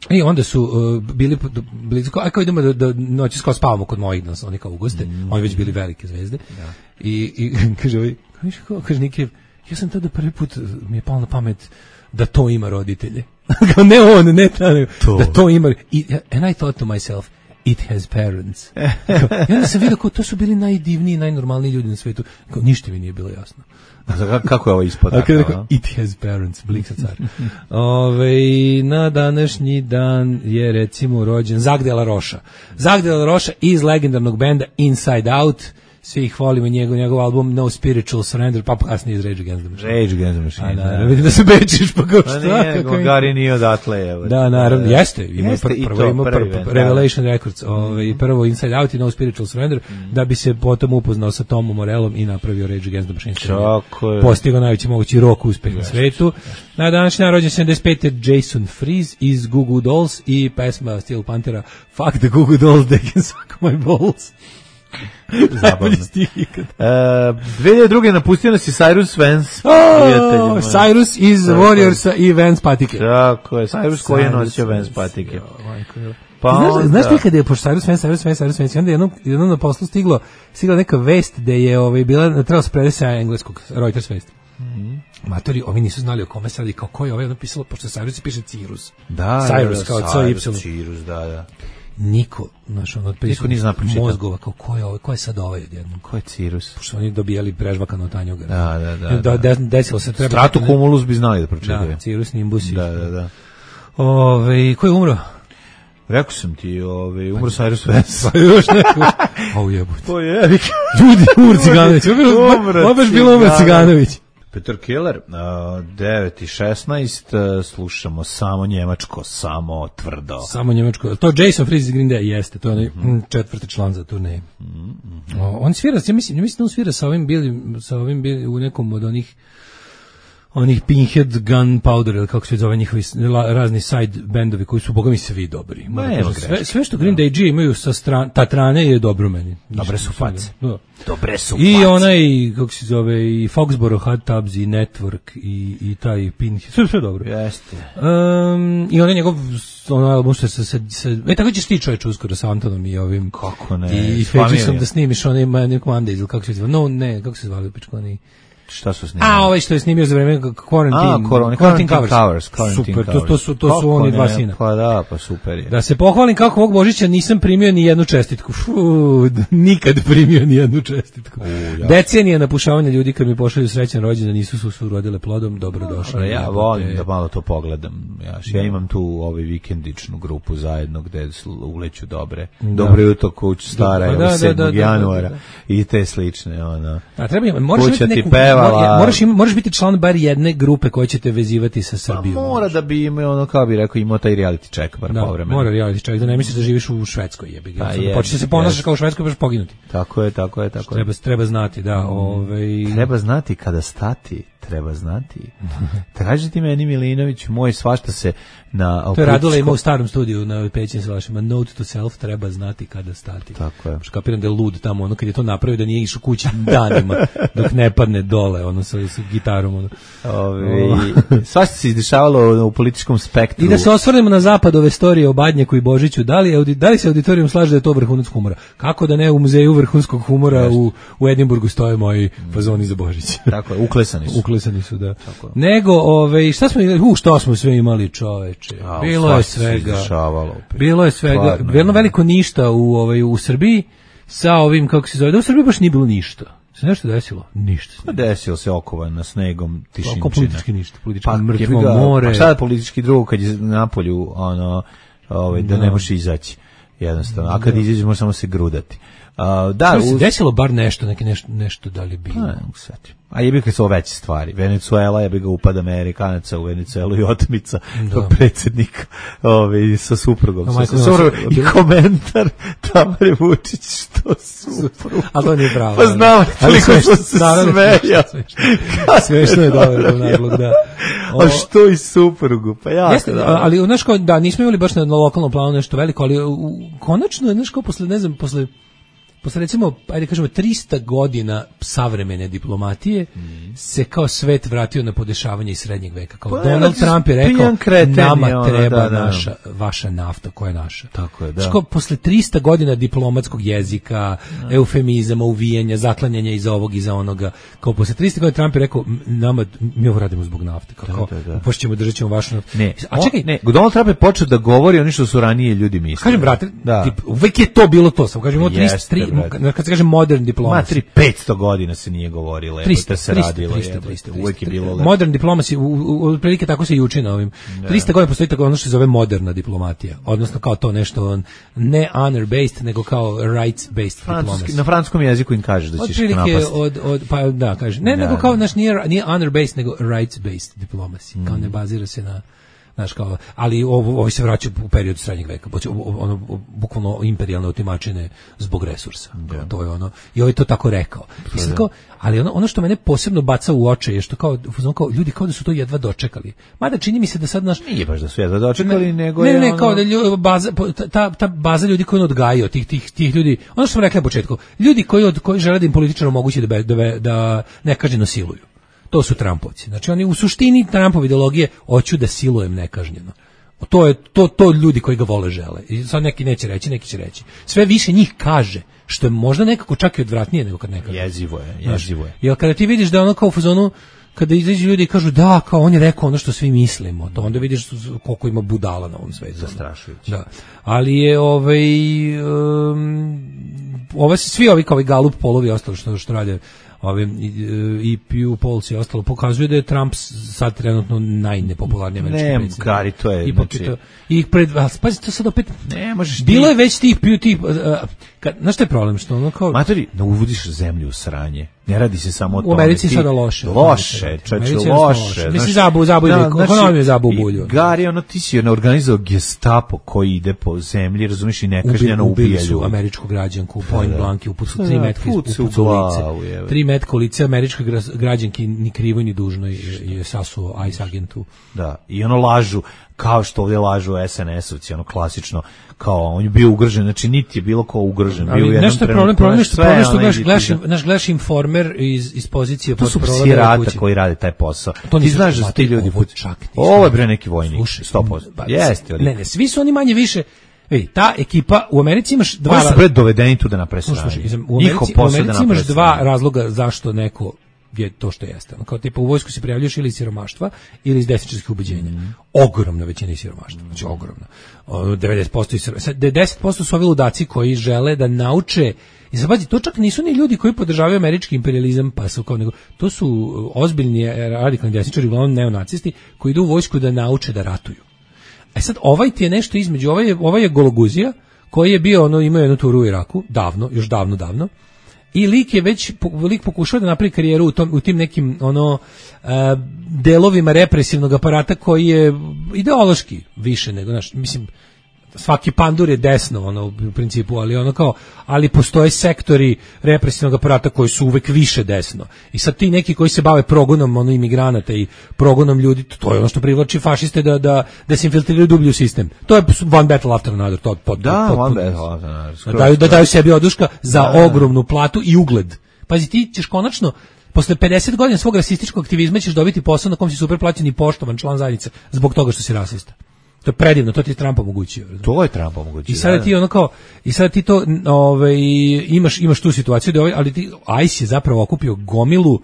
i onda su uh, bili blizu, aj kao idemo da, da noći kao spavamo kod mojih nas, oni kao u goste, mm. oni već bili velike zvezde. Da. I, i kaže ovaj, kaže Nike, ja sam tada prvi put mi je palo na pamet da to ima roditelje. Ne on, ne ta, to. Da to ima. I, and I thought to myself, it has parents. I onda sam vidio kao to su bili najdivniji, najnormalniji ljudi na svetu. Kao, ništa mi nije bilo jasno. Kako je ovo ispod? It has parents, Blixa car. Ove, na današnji dan je recimo rođen Zak de la Rocha. Zak de la Rocha iz legendarnog benda Inside Out. Svi ih volimo, njegov, njegov album No Spiritual Surrender, pa kasnije iz Rage Against the Machine. Rage Against the Machine, da. da. Vidim da se bečiš, pa kao šta? Nije, nego Gari nije odatle. Evo. Da, naravno, da, jeste. Ima jeste pr, prvo, ima pr, pr, pr, Revelation da. Records, ovaj, prvo Inside Out i No Spiritual Surrender, mm. da bi se potom upoznao sa Tomom Morellom i napravio Rage Against the Machine. Čako je. Postigao najveći mogući rock uspeh na svetu. Na današnji dan rođen sedamdeset pete Jason Freeze iz Goo Goo Dolls i pesma Steel Panthera Fuck the Goo Goo Dolls, they can suck my balls. Zabavno. Uh, dve hiljade druge napustio nas i Cyrus Vance. Oh, Cyrus iz Warriorsa i Vance patike. Tako je, Cyrus koji je nosio Vance patike. Pa znaš, znaš ti kada je po Cyrus Vance, Cyrus Vance, Cyrus Vance, onda jednom, jednom na poslu stiglo, stigla neka vest da je ovaj, bila, trebalo se prede sa engleskog, Reuters vest. Mm-hmm. Matori, ovi nisu znali o kome se radi, kao ko je ovaj napisalo, pošto Cyrus piše Cirus. Da, Cyrus, da, kao Cyrus, Cirus, da, da. Niko, znaš, ono, niko nije zna pročitati. Mozgova, kao ko je, ovaj, ko je sad ovaj odjednom? Ko je Cirus? Pošto oni dobijali prežvakano tanjuga. Da, da, da. da, da. Desilo se treba... Stratu Cumulus bi znali da pročitaju. Da, Cirus, Nimbus. Da, da, da. Ove, ko je umro? Rekao sam ti, ove, umro Cyrus Vance. Pa još neko. Au jebut. To je Erik. Ljudi, umro Ciganović. Ovo baš bilo umro Ciganović. Peter Keller, uh, devet i šesnaest, uh, slušamo samo njemačko, samo tvrdo. Samo njemačko. To Jason Freeze iz Green Day jeste, to je onaj mm-hmm. četvrti član za turneju. Mm-hmm. On svira, ja mislim, ja mislim da on svira sa ovim bili, sa ovim bili u nekom od onih onih Pinhead, Gunpowder, ili kako se zove njihovi razni side bendovi koji su, boga mi, svi dobri. Sve, sve što Green Day imaju sa stran, Tatrane je dobro meni. Dobre su face. Da. Dobre su I face. onaj, kako se zove, i Foxborough Hot Tubs, i Network, i, i taj Pinhead, sve, sve dobro. Jeste. Um, I onaj njegov, onaj album što se, se, se e, tako ćeš ti čovječ uskoro sa Antonom i ovim. Kako ne. I Feđisom da snimiš onaj Manic Mondays, ili kako se zove, no, ne, kako se zvali, pičko, onaj. šta su snimali? A, ovaj što je snimio za vreme Quarantine, A, Quarantine, Quarantine Covers. Covers, Quarantine Super, Covers. to, to su, to su oni dva sina. Pa da, pa super je. Da se pohvalim kako ovog Božića nisam primio ni jednu čestitku. Fu, nikad primio ni jednu čestitku. U, ja. Decenija napušavanja ljudi kad mi pošalju srećan rođendan, nisu su se urodile plodom, dobrodošli. Ja volim da malo to pogledam. Ja, ja imam tu ovaj vikendičnu grupu zajedno gde uleću dobre. Da. Dobro jutro kuć stara, da, evo da, da, sedmog da, januara da, da, da. i te slične. Ono. A treba ima, moraš, Kuća neku, ti pevala. moraš, ima, moraš biti član bar jedne grupe koja će te vezivati sa Srbijom. Pa mora da bi imao, ono, kao bi rekao, imao taj reality check bar da, povremeno. Mora reality check, da ne misliš da živiš u Švedskoj, jebi ga. Pa je, počneš se ponašaš kao u Švedskoj, baš poginuti. Tako je, tako je, tako treba, je. Treba znati, da. Ovaj... Treba znati kada stati, treba znati. Traži ti meni, Milinović, moj svašta se na... To je Radula ima u starom studiju na Pećim Salašima. Note to self, treba znati kada stati. Tako je. Kapiram da je lud tamo, ono kad je to napravio, da nije išao kući danima, dok ne padne dole, ono sa, sa gitarom. Ono. Ove, svašta se izdešavalo u političkom spektru. I da se osvrnemo na zapad ove storije o Badnjaku i Božiću, da li, je, da li se auditorijum slaže da je to vrhunac humora? Kako da ne u muzeju vrhunskog humora u, u Edinburgu stoje moji fazoni za Božić? Tako je, uklesani su. Uklesani su, da. Nego, ove, šta smo, u, šta smo sve imali, čoveče? A, bilo je svega. Bilo je svega. Stvarno, jedno veliko ništa u, ovaj, u Srbiji sa ovim, kako se zove, da u Srbiji baš nije bilo ništa. Se nešto desilo? Ništa. Pa desilo se okovan na snegom tišinčina. Oko politički ništa. Politički pa, mrtvo ga, more. Pa šta je politički drugo kad je na polju, ono, ovaj, da no. ne može izaći jednostavno. A kad no. izađe može samo se grudati. Uh, da, se desilo bar nešto, neki nešto, nešto da li bilo. Ne, a je bi kad su veće stvari. Venezuela, je bi ga upad Amerikanaca u Venezuelu i otmica predsjednika ovaj, sa suprugom. No, sa, sa suprugom. I komentar Tamare Vučić, što suprugu. A to nije pravo. Pa znam, toliko što se smeja. Smešno je dobro, naglog, da. A što i suprugu? Pa ja. Jeste, ali, znaš kao, da, nismo imali baš na, na lokalnom planu nešto veliko, ali u, konačno, znaš kao, posle, ne znam, posle posle recimo, ajde kažemo, trista godina savremene diplomatije mm. se kao svet vratio na podešavanje iz srednjeg veka. Kao pa, Donald Trump je rekao, nama je ono, treba da, da. naša, vaša nafta, koja je naša. Tako je, da. Što posle trista godina diplomatskog jezika, mm. eufemizama, uvijanja, zaklanjanja iza ovog, iza onoga, kao posle trista godina Trump je rekao, nama, mi ovo radimo zbog nafte. Kao, da, da, da. Pošćemo, držat ćemo vašu naftu. Ne, a čekaj, ne, Donald Trump je počeo da govori oni što su ranije ljudi mislili. Kažem, brate, da. tip, uvek je to bilo to. Sam kažem, trista, kad se kaže modern diplomacy. Ma, petsto godina se nije govorilo, trista se radilo. trista, trista, uvek je bilo lepo. Modern diplomacy, u prilike tako se i uči na ovim. trista godina postoji tako ono što se zove moderna diplomatija. Odnosno kao to nešto ne honor-based, nego kao rights-based diplomacy. Na francuskom jeziku im kažeš da ćeš napasti. Od, od, pa da, kaže. Ne, nego kao, naš, nije, nije honor-based, nego rights-based diplomacy. Kao ne bazira se na znaš kao, ali ovo, ovo se vraća u period srednjeg veka, ono, bukvalno imperijalne otimačine zbog resursa. Yeah. To je ono, i ovo je to tako rekao. Mislim, kao, ali ono, ono što mene posebno baca u oči je što kao, kao ljudi kao da su to jedva dočekali. Mada čini mi se da sad naš... Nije baš da su jedva dočekali, ne, nego ne, je ne, ono... kao da ljudi, baza, ta, ta baza ljudi koji on odgajao, tih, tih, tih ljudi, ono što sam rekla na početku, ljudi koji, od, koji žele da im političar omogući da, da, da nekažnjeno siluju. To su Trumpovci. Znači oni u suštini Trumpove ideologije hoću da silujem nekažnjeno. To je to to ljudi koji ga vole žele. I sad neki neće reći, neki će reći. Sve više njih kaže, što je možda nekako čak i odvratnije nego kad ne kaže. Jezivo je, jezivo je. Jer kada ti vidiš da ono kao u fazonu, kada izađu ljudi i kažu da, kao on je rekao ono što svi mislimo, to onda vidiš koliko ima budala na ovom svetu. Zastrašujuće. Da. Ali je ovaj um, ova svi ovi kao i Galup polovi ostalo što što rade ove i Pew Polls i ostalo pokazuje da je Trump sad trenutno najnepopularniji američki predsjednik. Ne, Kari, to je... I, znači... I pred... Pazi, to sad opet... Ne, možeš... Bilo je već tih Pew, tih... Uh, kad, znaš što je problem? Što ono kao... Matori, ne uvodiš zemlju u sranje. Ne radi se samo o tome. U Americi je sada loše. Loše, čeče, loše. Mislim, zabu, zabu, ekonomiju zabu u bulju. Gari, ono, ti si ono organizao Gestapo koji ide po zemlji, razumiješ, i nekažnjeno ubija ljudi. Ubili su američku građanku, point blank, upucu tri metke, upucu lice. Tri metke lice američke građanki, ni krivo ni dužno je, je sasuo ice agentu. Da, i ono lažu, kao što ovdje lažu es en es-ovci, ono klasično, kao on je bio ugržen, znači niti je bilo ko ugržen. Ali bio nešto je problem, problem je što, problem što gledaš, gledaš, naš gledaš Informer iz, iz pozicije to su psi rata koji rade taj posao. To ti znaš da su ti ljudi ovo čak ovo je bre neki vojnik, sto posto. Jeste. Ne, ne, svi su oni manje više. Ej, ta ekipa u Americi imaš dva su pred dovedeni tu da naprave sranje. U Americi, u Americi imaš dva razloga zašto neko je to što jeste. Kao tipa u vojsku se prijavljuješ ili iz siromaštva ili iz desničarskih ubeđenja. Mm. Ogromna većina iz siromaštva, znači ogromna. devedeset posto iz siromaštva. devedeset posto su ovi ludaci koji žele da nauče. I sad pazi, to čak nisu ni ljudi koji podržavaju američki imperializam, pa su kao nego, to su ozbiljni radikalni desničari, uglavnom neonacisti, koji idu u vojsku da nauče da ratuju. E sad, ovaj ti je nešto između, ovaj je, ovaj je gologuzija, koji je bio, ono, imao jednu turu u Iraku, davno, još davno, davno, i lik je već, lik pokušao da napravi karijeru u, tom, u tim nekim, ono, uh, delovima represivnog aparata koji je ideološki više nego, znaš, mislim, svaki pandur je desno, ono, u principu, ali ono kao, ali postoje sektori represivnog aparata koji su uvek više desno. I sad ti neki koji se bave progonom, ono, imigranata i progonom ljudi, to je ono što privlači fašiste da, da, da se infiltriraju dublje u sistem. To je one battle after another. To, pod, da, pod, one pod, battle after another. Da daju, da daju sebi oduška za da, ogromnu platu i ugled. Pazi, ti ćeš konačno, posle pedeset godina svog rasističkog aktivizma ćeš dobiti posao na kom si super plaćen i poštovan član zajednice zbog toga što si rasista. To je predivno, to ti je Trump omogućio. To je Trump omogućio. I sada ti ono kao, i sada ti to, ovaj, imaš, imaš tu situaciju, da ovaj, ali ti, I C E je zapravo okupio gomilu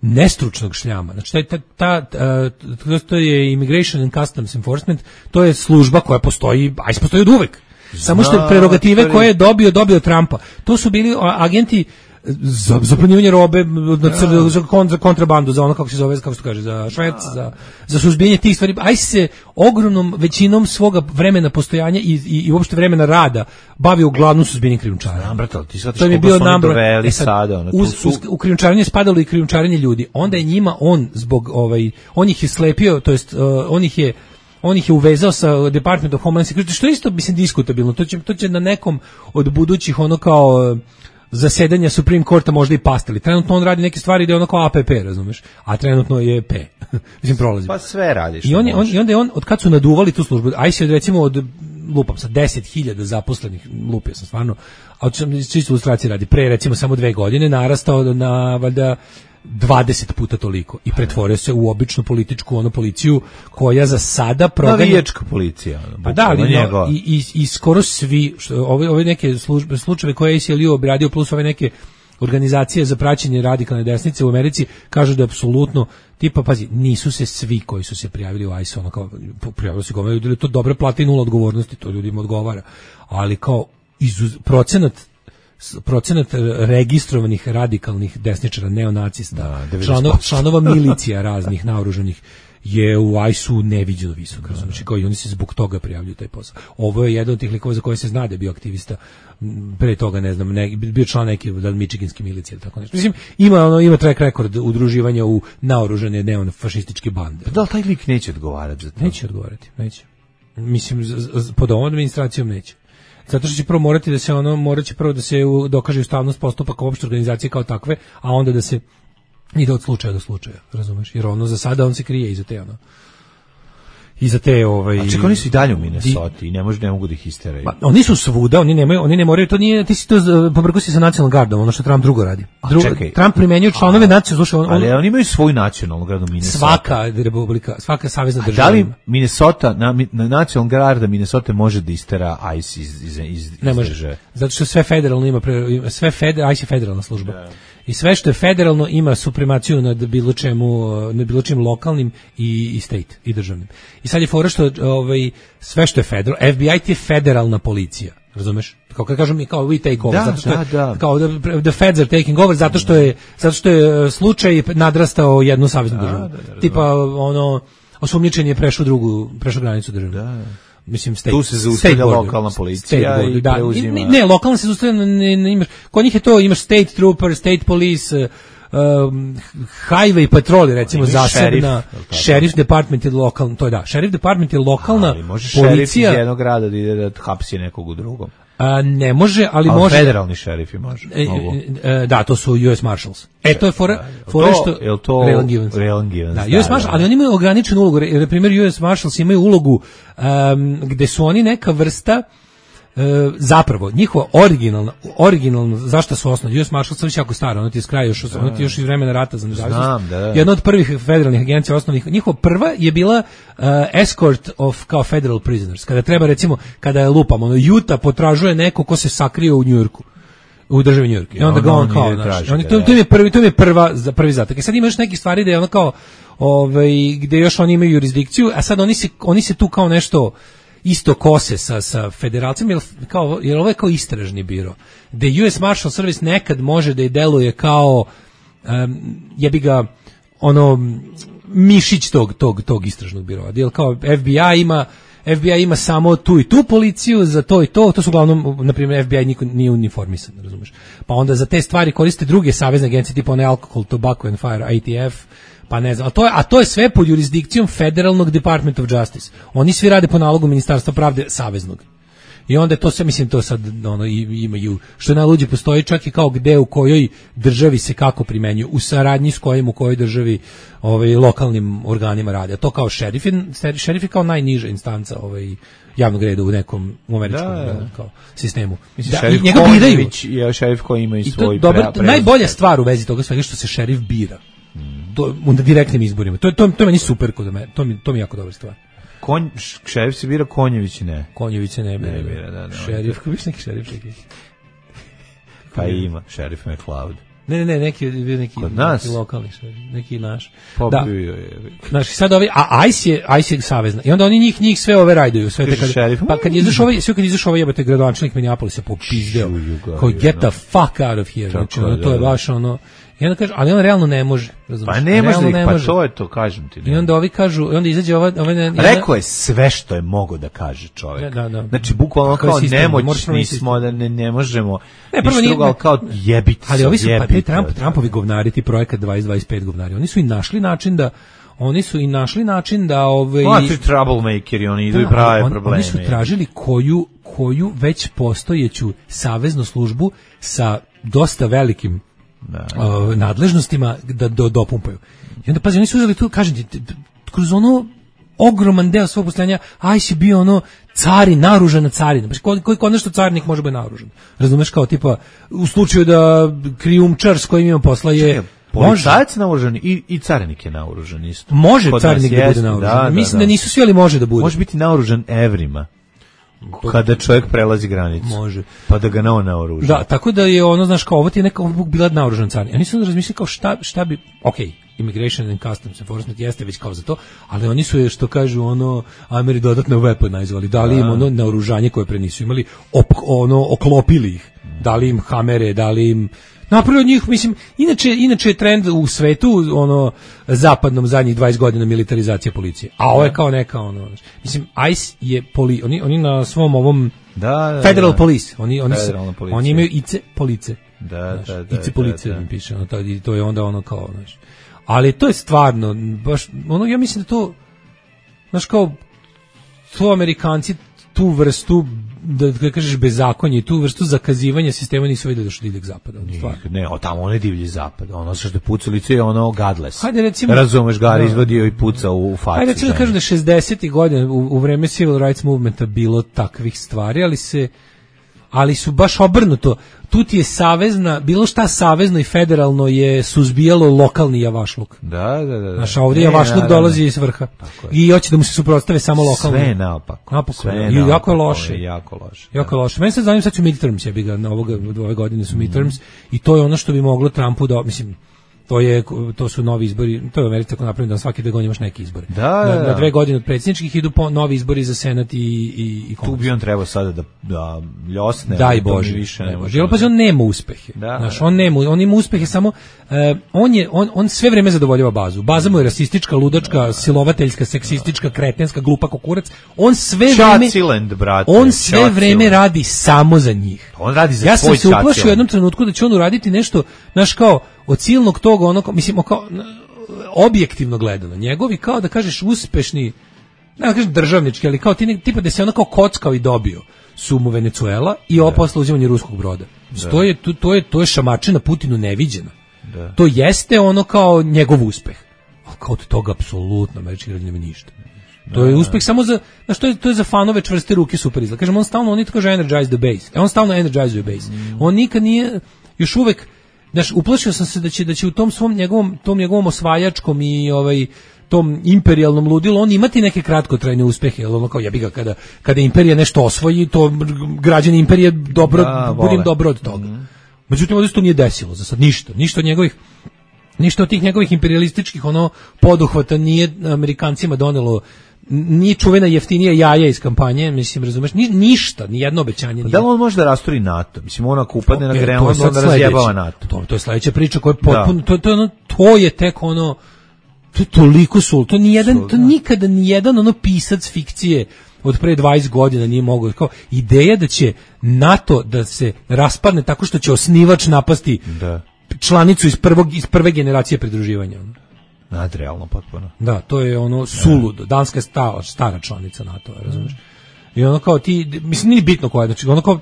nestručnog šljama. Znači, ta, ta, ta, ta, to je Immigration and Customs Enforcement, to je služba koja postoji, I C E postoji od uvek. Samo što je prerogative koje je dobio, dobio Trumpa. To su bili agenti za zaplenjivanje robe na crno, za, kon, za kontrabandu, za ono kako se zove, kako se kaže, za šverc, za, za suzbijanje tih stvari. Aj se ogromnom većinom svoga vremena postojanja i, i, i uopšte vremena rada bavio uglavnom suzbijanjem krijumčarenja. Znam, brate, ti sad to je bio nambro. E sad, sada, ono, uz, su... uz, u krijumčarenje spadalo i krijumčarenje ljudi. Onda je njima on zbog ovaj on ih je slepio, to jest uh, on ih je on ih je uvezao sa Department of Homeland Security, što je isto mislim diskutabilno. To će to će na nekom od budućih ono kao zasedanja Supreme Courta možda i pastili. Trenutno on radi neke stvari da je ono kao A P P, razumeš? A trenutno je P. Mislim, prolazi. Pa sve radiš. I, on je, on, I onda je on, od kad su naduvali tu službu, aj se recimo od, lupam sa deset hiljada zaposlenih, lupio sam stvarno, a od čisto ilustracije radi, pre recimo samo dve godine narastao na, valjda, dvadeset puta toliko i pretvorio se u običnu političku ono policiju koja za sada proganja navijačka policija. Pa da, ali no, i, i, i skoro svi što, ove, ove neke službe, slučajeve koje je A C L U obradio plus ove neke organizacije za praćenje radikalne desnice u Americi kažu da je apsolutno tipa, pazi, nisu se svi koji su se prijavili u I C E, ono kao prijavili se gome ljudi, to dobre plate i nula odgovornosti, to ljudima odgovara, ali kao izuz, procenat procenat registrovanih radikalnih desničara, neonacista, da, članova, članova milicija raznih naoružanih je u I C E-u neviđeno visok, da, znači kao i oni se zbog toga prijavljuju taj posao. Ovo je jedan od tih likova za koje se zna da je bio aktivista, pre toga ne znam, ne, bio član neke da mičiganske milicije ili tako nešto. Mislim, ima ono ima track record udruživanja u naoružane neofašističke bande. Pa da li taj lik neće odgovarati za to? Neće odgovarati, neće. Mislim, z, z, pod ovom administracijom neće. Zato što će prvo morati da se ono, morat će prvo da se dokaže ustavnost postupaka opšte organizacije kao takve, a onda da se ide od slučaja do slučaja, razumeš? Jer ono za sada on se krije iza te ono. Iza te ovaj. A čekaj, oni su i dalje u Minnesota i ne može ne mogu da ih isteraju. Pa, oni su svuda, oni nemaju, oni ne moraju, to nije, ti si to pobrkao si sa nacionalnom gardom, ono što Trump drugo radi. Drugo, Trump primenjuje članove nacionalne, slušaj, on, ali oni imaju svoju nacionalnu gardu Minnesota. Svaka republika, svaka savezna država. Da li Minnesota na, na nacionalnom garda Minnesota može da istera I C E iz iz iz, iz ne može, države? Zato što sve federalno ima, pre, sve feder, I C E federalna služba. Da. I sve što je federalno ima supremaciju nad bilo čemu, nad bilo čim lokalnim i, i state i državnim. I sad je fora što ovaj sve što je federal, F B I ti je federalna policija, razumeš? Kao kad kažem mi kao we take over, da, zato što da, je, da. kao the, the feds are taking over zato što je zato što je slučaj nadrastao jednu saveznu državu. Da, da, da, tipa ono osumnjičen je prešao drugu, prešao granicu države. Da. Mislim, state, tu se zaustavlja lokalna policija border, i da, preuzima. Ne, ne, lokalna se zaustavlja, ne, ne imaš, kod njih je to, imaš state trooper, state police, um, highway patrol, recimo zasebna, sheriff department je lokalna, to je da, sheriff department je lokalna ali može policija. Šerif iz jednog grada da ide da hapsi nekog u drugom. A, ne može, ali, ali može. Federalni šerifi može. E, e, da, to su U S Marshals. E, to je fora, fora što... Je to Raylan Givens? Raylan Givens, da, U S Marshals, ali oni imaju ograničenu ulogu. Na primjer, U S Marshals imaju ulogu um, gde su oni neka vrsta Uh, zapravo njihova originalna originalna zašto su osnovani U S Marshals već jako stara, ono ti je s kraja još ono ti još iz vremena rata za nezavisnost. Da, da. Jedna od prvih federalnih agencija osnovnih, njihova prva je bila uh, escort of kao federal prisoners. Kada treba recimo kada je lupam, ono Utah potražuje neko ko se sakrio u Njujorku. u državi New York. I onda ga on kao, znaš, on, to, to mi je prvi, to mi je prva, za prvi zatak. I sad imaš neke stvari da je ono kao, ovaj, gde još oni imaju jurisdikciju, a sad oni se, oni se tu kao nešto isto kose sa, sa federalcem, jer, kao, jer ovo je kao istražni biro, gde U S Marshal Service nekad može da je deluje kao, um, jebi ga, ono, mišić tog, tog, tog istražnog biroa. Jer kao F B I ima F B I ima samo tu i tu policiju, za to i to, to su uglavnom, na primjer, F B I niko nije uniformisan, razumeš. Pa onda za te stvari koriste druge savezne agencije, tipa one Alcohol, Tobacco and Fire, A T F, pa ne znam, a to je, a to je sve pod jurisdikcijom Federalnog Department of Justice. Oni svi rade po nalogu Ministarstva pravde saveznog. I onda to sve, mislim, to sad ono, imaju, što najluđe postoji čak i kao gde, u kojoj državi se kako primenjuju, u saradnji s kojim, u kojoj državi ovaj, lokalnim organima rade. A to kao šerif je, šerif je kao najniža instanca ovaj, javnog reda u nekom u američkom da, kao, sistemu. Mislim, da, šerif Konjević je šerif koji ima i, i svoj pre, pre, najbolja stvar u vezi toga svega što se šerif bira. Mm. To, u direktnim izborima. To, to, to je meni super kod me, to mi, to mi je jako dobra stvar. Konj, šerif se bira, Konjević ne. Konjević se ne bira. Ne bira, da, da. Šerif, kako biš neki šerif neki? Pa ima, šerif McCloud. Ne, ne, ne, neki, neki, kod nas? Neki lokalni šerif, neki naš. Pa da. bio je. Znači, sad ovi, a ICE je, ICE je savezna. I onda oni njih, njih sve ove rajduju. Sve te kad, pa kad je izašao ovaj, sve kad je izašao ovaj jebate gradonačelnik Minneapolisa popizdeo. Koji get the fuck out of here. Znači, ono, to je baš ono... I onda kaže, ali on realno ne može, razumiješ? Pa ne može, ne pa može. To je to, kažem ti. Ne. I onda ovi kažu, onda izađe ova... ova ne, rekao je sve što je mogo da kaže čovjek. Da, da. Znači, bukvalno kao nemoćni smo, da ne, ne možemo, ne, prvo ništa drugo, kao jebiti se, ali ovi su, jebiti, pa, Trump, Trumpovi govnari, ti projekat dvadeset dvadeset pet govnari, oni su i našli način da oni su i našli način da ovaj Mati troublemaker i oni idu da, i prave on, probleme. Oni su tražili koju koju već postojeću saveznu službu sa dosta velikim da, uh, nadležnostima da do, dopumpaju. I onda pazi, oni su uzeli tu, kažem ti, kroz ono ogroman deo svog postojanja, aj si bio ono cari, naoružana carina. Baš koji, koji kod nešto carnik može biti naoružan. Razumeš, kao tipa, u slučaju da krijumčar s kojim ima posla je... Čekaj, policajac naoružan i, i carinik je naoružan isto. Može kod carinik da bude naoružan. Da, mislim da, da. da nisu svi, ali može da bude. Može biti naoružan evrima. Kada čovjek prelazi granicu. Može. Pa da ga ne on naoruža. Da, tako da je ono, znaš, kao ovo ti je neka bila naoružan carnik. Oni su razmišljali kao šta, šta bi, okej, okay, Immigration and Customs Enforcement jeste već kao za to, ali oni su je, što kažu, ono, Ameri dodatno weaponizovali, dali im ono naoružanje koje pre nisu imali, op, ono, oklopili ih, dali im hamere, dali im, napravili od njih, mislim, inače, inače je trend u svetu, ono, zapadnom zadnjih dvadeset godina militarizacija policije, a ovo je kao neka, ono, mislim, ICE je, poli, oni, oni na svom ovom, da, da, Federal da. Police, oni, oni, se, oni imaju I C E police, da, znaš, da, da, I C E police, da, da. piše, ono, to, i to je onda ono kao, znaš, ali to je stvarno, baš, ono, ja mislim da to, znaš, kao, to Amerikanci, tu vrstu, da, da kažeš bezakonje, tu vrstu zakazivanja sistema nisu vidjeli došli divljeg zapada. Ne, o tamo on je divlji zapad, ono što je puca lice je ono godless. Hajde recimo, razumeš, Gari izvadio i puca u facu. Hajde recimo da kažem da šezdesetih godina u, u vreme Civil Rights Movementa bilo takvih stvari, ali se ali su baš obrnuto. Tu ti je savezna, bilo šta savezno i federalno je suzbijalo lokalni javašluk. Da, da, da. Znaš, ovdje javašluk dolazi iz vrha. I hoće da mu se suprotstave samo lokalno. Sve je naopako. Naopako. Sve je naopako. I jako je loše. Je jako loše. Jako je loše. Meni se zanima, sad su midterms, ja bi ga, na ovoga, ove godine su midterms, mm. i to je ono što bi moglo Trumpu da, mislim, to je to su novi izbori, to je Amerika tako napravljeno da svake dve godine imaš neki izbori. Da, da, da. Na, na dve godine od predsjedničkih idu po novi izbori za senat i i i tu bi on trebao sada da da ljosne, daj Bože, više ne može. Jel pa on nema uspehe. Da, znaš, on nema, on ima uspehe samo uh, on je on on sve vrijeme zadovoljava bazu. Baza mu je rasistička, ludačka, da, silovateljska, seksistička, kretenska, glupa kukurac. On sve vrijeme brate, on sve vrijeme radi samo za njih. On radi za ja svoj sam se uplašio u jednom trenutku da će on uraditi nešto, znaš, kao od silnog toga, ono, mislim, kao, objektivno gledano, njegovi, kao da kažeš, uspešni, ne da kažem državnički, ali kao ti, tipa da se ono kao kockao i dobio su mu Venezuela i ovo posle uzimanje ruskog broda. To je, to, to je, to je šamačina Putinu neviđena. Da. To jeste ono kao njegov uspeh. Ali kao od toga apsolutno američki građani nema ništa. To je uspeh samo za, znaš, to je, to je za fanove čvrste ruke super izgleda. Kažem, on stalno, on nije kaže energize the base. E, on stalno energizuje base. Mm. On nikad nije, još uvek, znaš, uplašio sam se da će da će u tom svom njegovom tom njegovom osvajačkom i ovaj tom imperijalnom ludilu on imati neke kratkotrajne uspehe, al ono kao jebi ga kada kada imperija nešto osvoji, to građani imperije dobro, da, budim dobro od toga. Mm. Međutim, ovdje se to nije desilo, za sad ništa, ništa od njegovih ništa od tih njegovih imperialističkih ono poduhvata nije Amerikancima donelo, nije čuvena jeftinija jaja iz kampanje, mislim, razumeš, ni, ništa, ni jedno obećanje nije. Da li on može da rasturi NATO? Mislim, on ako upadne na Grenland, onda razjebava NATO. To, to je sledeća priča koja je potpuno, to, to, ono, to je tek ono, to je toliko sul, to, nijedan, sul, to nikada nijedan ono pisac fikcije od pre dvadeset godina nije mogao, kao ideja da će NATO da se raspadne tako što će osnivač napasti da. članicu iz prvog iz prve generacije pridruživanja. Nadrealno potpuno. Da, to je ono suludo. Danska je stara, stara članica NATO, razumiješ? I ono kao ti, mislim, nije bitno koja, znači ono kao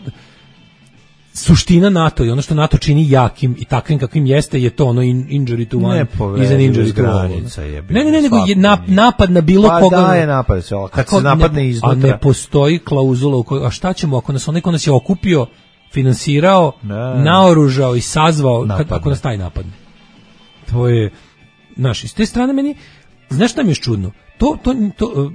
suština NATO i ono što NATO čini jakim i takvim kakvim jeste je to ono in, injury to one is an injury to all. Ne, ne, ne, nego je na, napad na bilo pa koga. Pa da je napad, kad se napadne ne, iznutra. A ne postoji klauzula u kojoj, a šta ćemo ako nas onaj ko nas je okupio, finansirao, ne. naoružao i sazvao, kad, ako nas taj napadne. To je, znaš, iz te strane meni, znaš šta mi je čudno? To, to, to, uh,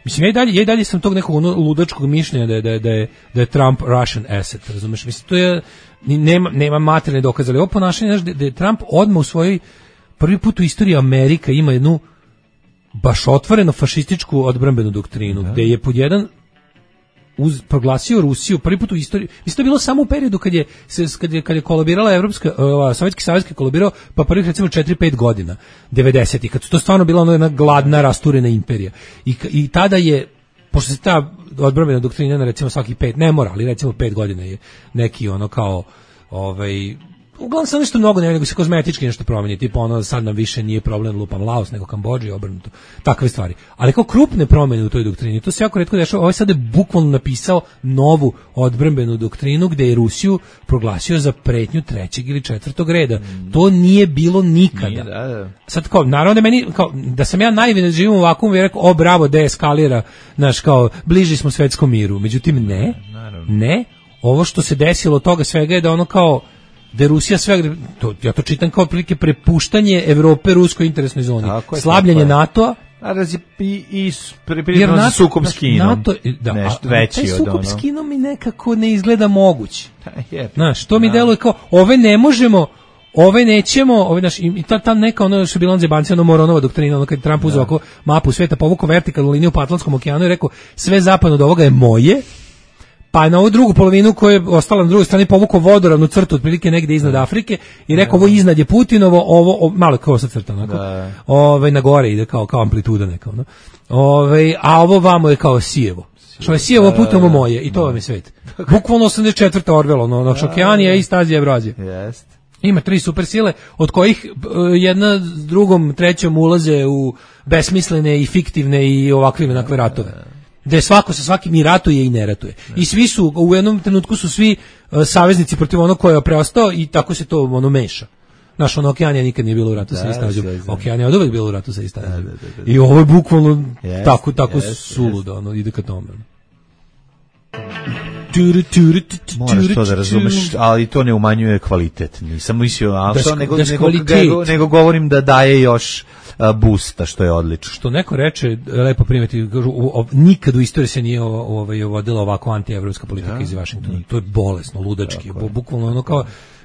mislim, ja i dalje, ja i dalje sam tog nekog ono ludačkog mišljenja da je, da je, da je, da je Trump Russian asset, razumeš? Mislim, to je, nema, nema materijalne dokaze, ali ovo ponašanje, znaš, da, da je Trump odmah u svojoj, prvi put u istoriji Amerika ima jednu baš otvoreno fašističku odbrambenu doktrinu, da. gde je pod jedan uz proglasio Rusiju prvi put u istoriji. Mislim, to je bilo samo u periodu kad je se kad je kad je kolabirala evropska uh, Sovjetski savez je kolabirao, pa prvih recimo četiri pet godina devedesetih, kad su to stvarno bila ona jedna gladna rasturena imperija. I i tada je, pošto se ta odbrambena doktrina recimo svaki pet, ne mora, ali recimo pet godina je neki ono kao ovaj uglavnom sam nešto mnogo ne, nego se kozmetički nešto promeni, tipa ono sad nam više nije problem lupam Laos nego Kambodži, obrnuto, takve stvari. Ali kao krupne promene u toj doktrini, to se jako retko dešava. Ovaj sad je bukvalno napisao novu odbrambenu doktrinu gde je Rusiju proglasio za pretnju trećeg ili četvrtog reda. Mm. To nije bilo nikada. Nije, da, da. Sad kao, naravno da meni, kao, da sam ja naivno da živim u ovakvom, bih rekao, o bravo, deeskalira, znaš, kao, bliži smo svetskom miru. Međutim, ne, ne, ovo što se desilo od toga svega je da ono kao, da je Rusija sve, to, ja to čitam kao prilike prepuštanje Evrope ruskoj interesnoj zoni, je, slabljenje NATO-a, a razi i, i pripremno za sukob s Kinom, NATO, da, nešto veći od ono. Sukob s Kinom mi nekako ne izgleda moguć. Znaš, to mi da. deluje kao, ove ne možemo, ove nećemo, ove, znaš, i ta, ta neka ono što je bila on zebancija, ono Moronova doktrina, ono kad je Trump uzeo mapu sveta, povukao vertikalnu liniju po Atlantskom okeanu i rekao, sve zapadno od ovoga je moje, pa na ovu drugu polovinu koja je ostala na drugoj strani povukao vodoravnu crtu otprilike negde iznad Afrike i rekao ovo iznad je Putinovo, ovo, ovo malo kao sa crta, onako. Ovaj na gore ide kao kao amplituda neka, ono. Ovaj a ovo vamo je kao Sijevo. Što je Sijevo Putinovo moje i to vam je svet. Bukvalno osamdeset četvrta Orwell, ono, ono Okeanija i Stazija Evrazija. Jest. Ima tri supersile, od kojih jedna s drugom, trećom ulaze u besmislene i fiktivne i ovakve onakve ratove. Da svako sa svakim i ratuje i ne ratuje. I svi su, u jednom trenutku su svi uh, saveznici protiv onog koji je preostao i tako se to ono meša. Naš ono Okeanija nikad nije bilo u ratu da, sa Istazijom. Okeanija je uvek bilo u ratu sa Istazijom. I ovo je bukvalno yes, tako, tako yes, suludo, yes. ono, ide ka tome. Moraš to da razumeš, ali to ne umanjuje kvalitet. Nisam mislio, a što, nego, nego, nego, nego govorim da daje još boosta, što je odlično. Što neko reče, lepo primeti, nikad u istoriji se nije ovaj vodila ovako antievropska politika ja, iz Vašingtona. To je bolesno, ludački, ja, bukvalno ono kao,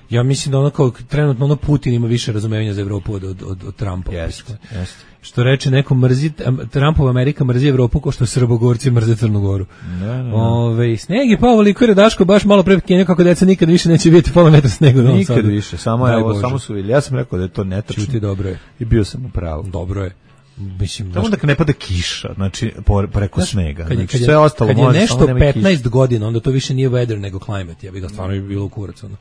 ja mislim da ono kao trenutno ono Putin ima više razumevanja za Evropu od, od, od, od Trumpa. Jeste, jeste. Što reče neko, mrzi, Trumpova Amerika mrzi Evropu kao što Srbogorci mrze Crnu Goru. Ne, ne, ne. Ove, sneg je pao veliko je Daško baš malo pre Kenja kako deca nikad više neće vidjeti pola metra snega. Nikad više, samo, je, ovo, samo su vidjeli. Ja sam rekao da je to netačno. Čuti, dobro je. I bio sam u pravu. Dobro je. Mislim, samo da ne pada kiša, znači preko znaš, snega. Kad je, znači, kad je, sve ostalo kad je može, nešto petnaest godina, onda to više nije weather nego climate. Ja bih ga stvarno bi bilo u kurac. Ono.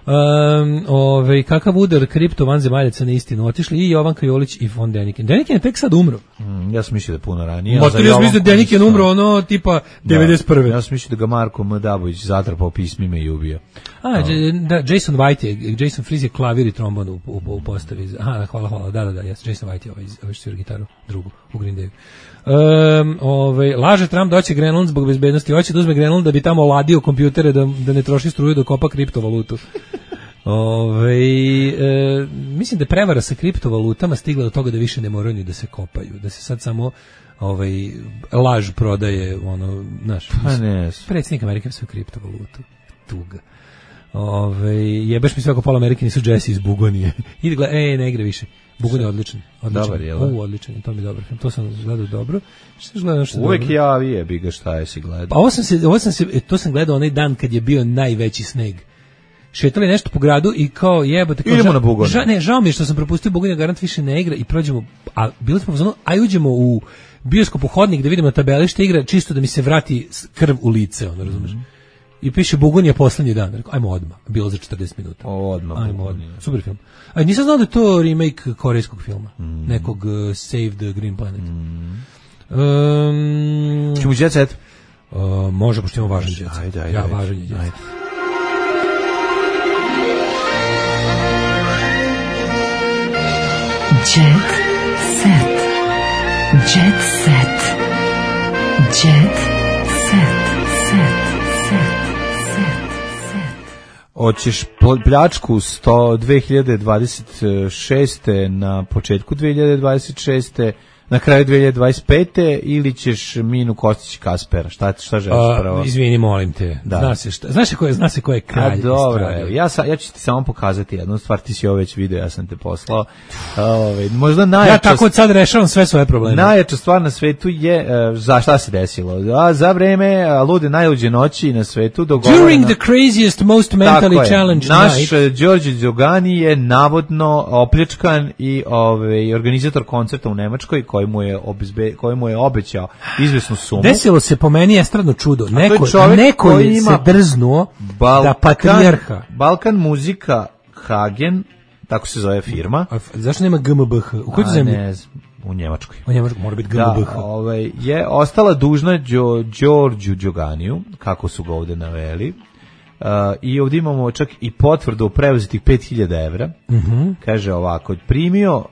Um, ovaj kakav udar kripto vanzemaljaca na istinu otišli i Jovanka Jolić i von Deniken. Deniken je tek sad umro. Mm, ja sam mislio da puno ranije. Ja sam mislio da Deniken umro ono tipa devedeset prve. Da, ja sam mislio da ga Marko M. Dabović zatrpao pismima i ubio. A, um. da, Jason White je, Jason Freeze je klavir i trombon u, u, u postavi. Aha, hvala, hvala, da, da, da, ja, Jason White je ovaj, ovaj svira gitaru, drugu, u Green Day. Um, ovaj, laže Trump da hoće Grenland zbog bezbednosti, hoće da uzme Grenland da bi tamo oladio kompjutere, da, da ne troši struju, da kopa kriptovalutu. Ove, e, mislim da je prevara sa kriptovalutama stigla do toga da više ne moraju ni da se kopaju, da se sad samo ovaj, laž prodaje, ono, znaš, pa ne, predsjednik Amerike sve kriptovalutu, tuga. Ove, jebeš mi sve ako pola Amerike nisu Jesse iz Bugonije. Ide gleda, e, ne igra više. Bugon je odličan. Odličan. Dobar je, U, odličan, to mi je dobro. To sam gledao dobro. Šta gledao što uvek dobro? ja je bi ga šta je si gledao. Pa ovo sam se, ovo sam se, to sam gledao onaj dan kad je bio najveći sneg. Šetali nešto po gradu i kao jebote, kao idemo na Bugon. Ža, ne, žao mi je što sam propustio Bugon, garant više ne igra i prođemo, a bili smo pozvano, aj uđemo u bioskop u hodnik da vidimo na tabeli šta igra, čisto da mi se vrati krv u lice, ono, razumeš? Mm. I piše Bugon je poslednji dan. Rekao, ajmo odmah. Bilo za četrdeset minuta. O, odmah. Ajmo odmah. Super film. A nisam znao da je to remake korejskog filma. Mm. Nekog uh, Save the Green Planet. Mm. Um, Čemo Jet Set? Uh, može, pošto imamo važan Jet Set. Ajde, ajde. Ja, važan je Jet Set. Jet Set. Jet Set. Jet Set. Set. Hoćeš pljačku sto dve hiljade dvadeset šeste na početku dve hiljade dvadeset šeste na kraju dve hiljade dvadeset pete ili ćeš Minu Kostić Kaspera? Šta šta želiš prvo? Izvini, molim te. Da. Zna se šta. Znaš ko je, zna se ko je kralj. A dobro, evo, ja sa, ja ću ti samo pokazati jednu stvar, ti si ovo već video, ja sam te poslao. Ove, možda najjača. Ja tako sad rešavam sve svoje probleme. Najjača stvar na svetu je uh, za šta se desilo? A za vreme uh, lude najluđe noći na svetu dogovoreno. During the craziest most mentally challenged naš night. Naš Đorđe Đogani je navodno opljačkan i ovaj organizator koncerta u Nemačkoj koji mu je obezbe, koji mu je obećao izvesnu sumu. Desilo se po meni estradno čudo. A Neko neko je se drznuo Balkan, da patrijarha. Balkan muzika Hagen, tako se zove firma. A, zašto nema G M B H? U kojoj zemlji? Ne znam. U Njemačkoj. U Njemačkoj mora biti G M B H. Da, ovaj, je ostala dužna Đo, Đorđu Đoganiju, kako su ga ovde naveli. Uh, i ovdje imamo čak i potvrdu o preuzetih pet hiljada evra. Uh-huh. Kaže ovako, primio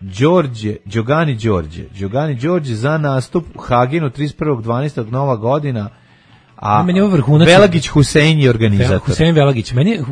Đorđe, Đogani Đorđe, Đogani Đorđe za nastup u Hagenu trideset prvog decembra nova godina, a meni je ovo vrhunac. Velagić Husein je organizator. Husein Velagić, meni je,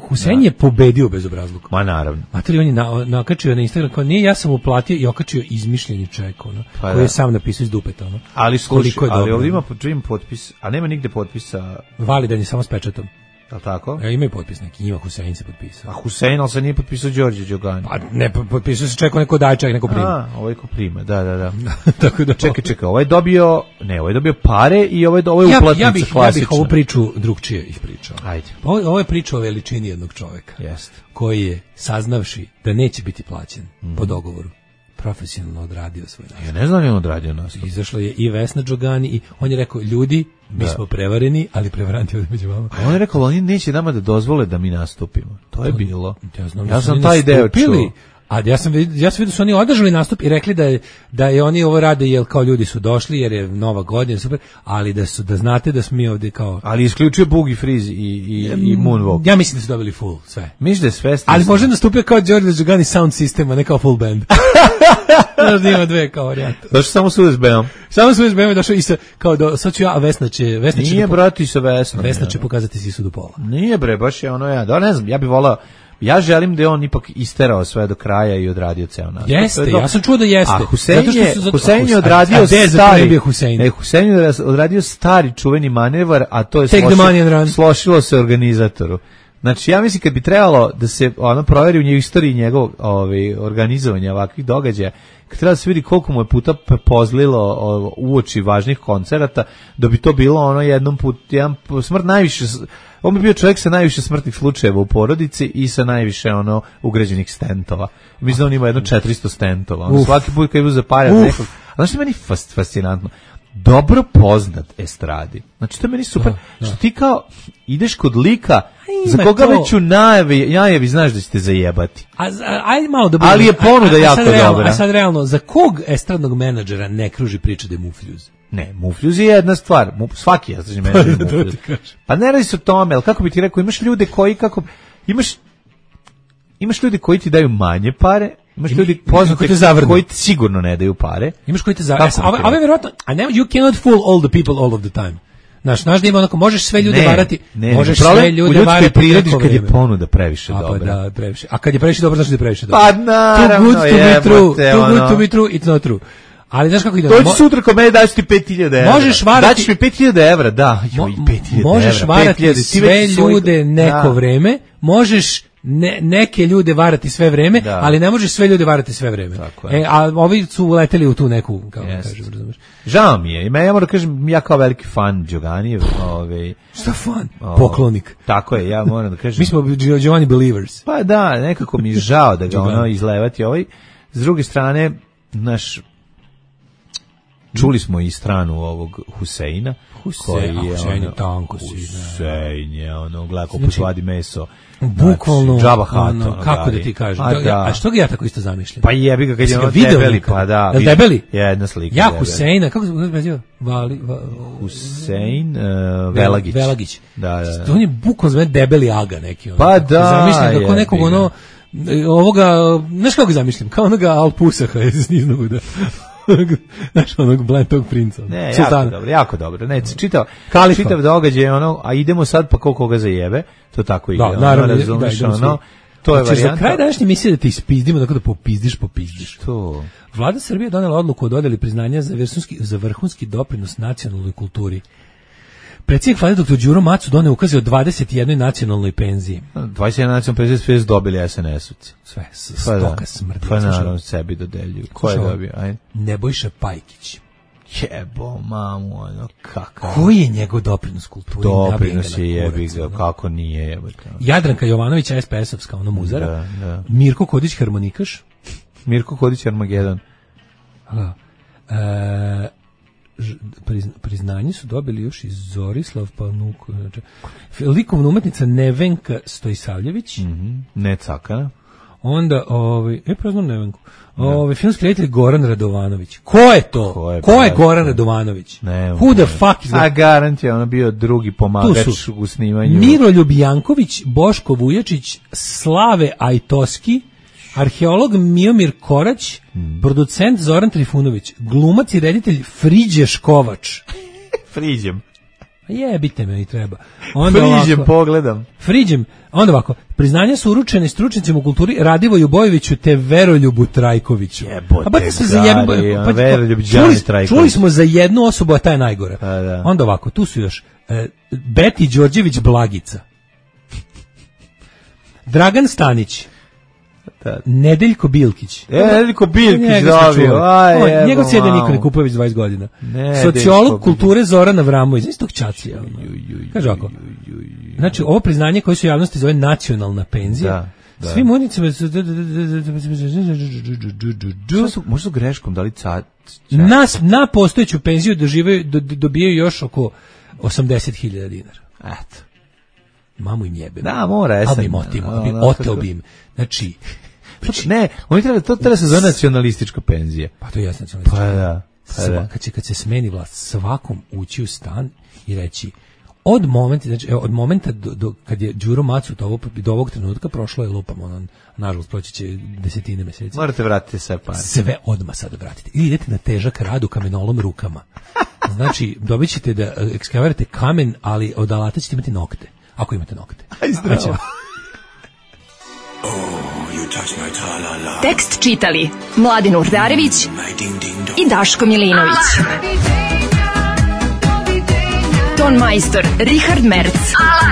Husein je pobedio bez obrazluka. Ma naravno. Materi, on je na, nakačio na Instagram, kao nije, ja sam uplatio i okačio izmišljeni ček, ono, pa koji je sam napisao iz dupeta, ono. Ali slušaj, ali ovdje ima potpis, a nema nigde potpisa. Validan je samo s pečatom. Jel' tako? Ja, imaju potpis neki, ima Husein se potpisao. A Husein, ali se nije potpisao Đorđe Đogani. Pa ne, potpisao se čekao neko daje, ček neko prima. A, ovaj ko prima, da, da, da. Tako da čekaj, čekaj, ovaj je dobio, ne, ovaj je dobio pare i ovaj, ovaj je uplatnica ja, ja bih, klasična. Ja bih ovu priču drugčije ih pričao. Ajde. Ovo, ovo je priča o veličini jednog čoveka. Jeste. Koji je, saznavši da neće biti plaćen mm. po dogovoru, profesionalno odradio svoj nastup. Ja ne znam je on odradio nastup. Izašla je i Vesna Đogani i on je rekao, ljudi, mi da. smo prevareni, ali prevaranti ovdje među vama. A on je rekao, oni neće nama da dozvole da mi nastupimo. To je bilo. Ja, znam, ja sam taj deo čuo. A ja sam ja sam vidio su oni održali nastup i rekli da je da je oni ovo rade jer kao ljudi su došli jer je nova godina super, ali da su da znate da smo mi ovdje kao ali isključio Boogie Freeze i i um, i Moonwalk. Ja mislim da su dobili full sve. Misliš da je sve? Ali može nastupio kao Đorđe Đogani sound system, a ne kao full band. Znaš da ima dve kao varijante. Došao samo s U S B-om. Samo s U S B-om je došao i sa, kao do, sad ću ja, a Vesna će... Vesna Nije, će brati, sa Vesnom. Vesna će pokazati sisu do pola. Nije, bre, baš je ono ja. Da, ne znam, ja bih volao, ja želim da je on ipak isterao sve do kraja i odradio ceo nastup. Jeste, ja sam čuo da jeste. A Husein je, zato, Husein je odradio a, a stari... Husein? Ne, Husein je odradio stari čuveni manevar, a to je sloši, slošilo se organizatoru. Znači, ja mislim kad bi trebalo da se ono proveri u njegov istoriji njegovog ovaj, organizovanja ovakvih događaja, kad treba da se vidi koliko mu je puta pozlilo uoči važnih koncerata, da bi to bilo ono jednom put, jedan smrt najviše, on bi bio čovjek sa najviše smrtnih slučajeva u porodici i sa najviše ono ugrađenih stentova. Mislim da on ima jedno četiristo stentova. Ono, svaki put kad je uzeo pare od nekog. A znaš što je meni fascinantno? Dobro poznat estradi. Znači, to je meni super. Da, da. Što ti kao ideš kod lika za koga to... već u najavi, najavi znaš da ćete zajebati. A, a, ajde malo da budem, ali je ponuda a, a, jako realno, dobra. A sad realno, za kog estradnog menadžera ne kruži priča da je mufljuz? Ne, mufljuz je jedna stvar. Svaki estradni menadžer je mufljuz. Pa ne radi se o tome, ali kako bi ti rekao, imaš ljude koji, kako, imaš, imaš ljude koji ti daju manje pare, imaš Ima, ljudi poznate koji ti sigurno ne daju pare. Imaš koji te zavrnu. Ove, ove vjerojatno, a ne, you cannot fool all the people all of the time. Znaš, znaš da ima onako, možeš sve ljude ne, varati, ne, možeš problem, sve ljude varati. U ljudskoj prirodi kad je ponuda previše a, dobra. Pa da, previše. A kad je previše dobro, znaš da je previše dobro. Pa naravno, too good to be true, too good to be true, it's not true. Ali znaš kako ide? Dođi sutra kod mene, daš ti pet hiljada evra. Možeš varati... Daćeš mi pet hiljada evra, da. Joj, pet hiljada evra. Možeš varati sve ljude neko vreme, možeš ne, neke ljude varati sve vreme, da. Ali ne možeš sve ljude varati sve vreme. E, a ovi su uleteli u tu neku, kako yes. kažem, razumiješ. Žao mi je. Ja moram kažem, ja kao veliki fan Đogani, ove, šta fan? O, poklonik. Tako je, ja moram da kažem. Mi smo Giovanni believers. Pa da, nekako mi je žao da ga ono izlevati ovaj. S druge strane, naš čuli smo i stranu ovog Huseina, Husein, koji je Husein ono, tanko si, Husein je ono, gleda kako posvadi meso. Bukvalno, džaba hata, ono, ono, kako da ti kažem, a, da. a što ga ja tako isto zamišljam? Pa jebi ga kad je ono debeli, pa da. Je debeli? Jedna slika. Ja Huseina, kako se zove? Vali, va, Husein uh, Velagić. Velagić. Da, da, da. On je bukvalno zove debeli aga neki. Ono, pa da. Zamišljam kako nekog ono, ovoga, znaš kako ga zamišljam? Kao onoga Alpusaha iz Niznovuda. Znaš, onog blentog princa. Ne, sultana. Jako dobro, jako dobro. Ne, čitav, čitav događaj, ono, a idemo sad pa koliko ga zajebe, to tako ide. Da, naravno, ono, razumiješ, da, ono, to je znači, varijanta. Za kraj današnje misije da te ispizdimo, tako da popizdiš, popizdiš. To. Vlada Srbije donela odluku o dodeli priznanja za, vrhunski, za vrhunski doprinos nacionalnoj kulturi. Predsjednik Vlade doktor Đuro Macu doneo ukaze o dvadeset jednoj nacionalnoj penziji. dvadeset jedna nacionalna penzija sve dobili es en es-ovci. Sve, stoka smrdi. Pa naravno sebi dodeljuju. Ko je dobio? Ajde. Nebojša Pajkić. Jebo, mamu, ono, kakav. Koji je njegov doprinos kulturi? Doprinos je jebi ga, kako nije jebata. Jadranka Jovanović, es pe es-ovska, ono muzara. Da, da. Mirko Kodić, harmonikaš. Mirko Kodić, Armagedon. Da. E, priznanje su dobili još i Zorislav Panuk, znači, likovna umetnica Nevenka Stojsavljević, mm-hmm. ne Cakana, onda ovaj e praznam Nevenku, ovaj filmski reditelj Goran Radovanović. Ko je to? Ko je, Ko je Goran Radovanović? Ne, Who the fuck is that? A garant je ono bio drugi pomagač u snimanju. Miroljub Janković, Boško Vujačić, Slave Ajtoski, arheolog Miomir Korać, hmm. producent Zoran Trifunović, glumac i reditelj Friđe Škovač. Friđem. Jebite me i treba. Onda Friđem ovako, pogledam. Friđem, onda ovako, priznanja su uručene stručnicima u kulturi Radivoju Bojoviću te Veroljubu Trajkoviću. Jebote, a pa se za jednu, pa, Veroljub Đani Trajković. Čuli smo za jednu osobu, a ta je najgora. A, da. Onda ovako, tu su još e, Beti Đorđević Blagica, Dragan Stanić, da. Nedeljko Bilkić. E, Nedeljko Bilkić dobio. Aj, njegov sjede Niko Nekupović dvadeset godina. Ne, sociolog kulture Zoran Avramović. Znaš tog čacija? Kaže ovako. Znači, ovo priznanje koje su javnosti zove nacionalna penzija. Da, da. Svim unicama su... Možda su greškom dali cat. Nas, na postojeću penziju doživaju, do, dobijaju još oko osamdeset hiljada dinara. Eto. Mamu im jebe. Da, mora. Ali bi motimo, oteo bi im. Znači... Znači, ne, oni treba, to treba se zove nacionalistička penzija. Pa to je jasno nacionalistička. Pa da. Pa Sva, da. kad, će, kad se smeni vlast, svakom ući u stan i reći, od momenta, znači, evo, od momenta do, do, kad je Đuro Macu do ovog, do ovog trenutka prošlo je lupam, on, nažalost, proći će desetine meseci. Morate vratiti sve pare. Sve odmah sad vratite. Ili idete na težak rad u kamenolom rukama. Znači, dobit ćete da ekskavirate kamen, ali od alata ćete imati nokte. Ako imate nokte. Aj, zdravo. Tekst čitali Mladin Urdarević i Daško Milinović. Ton majstor Richard Merc.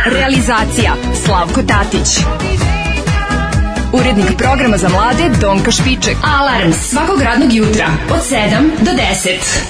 Realizacija Slavko Tatić. Urednik programa za mlade Donka Špiček. Alarms svakog radnog jutra od sedam do deset.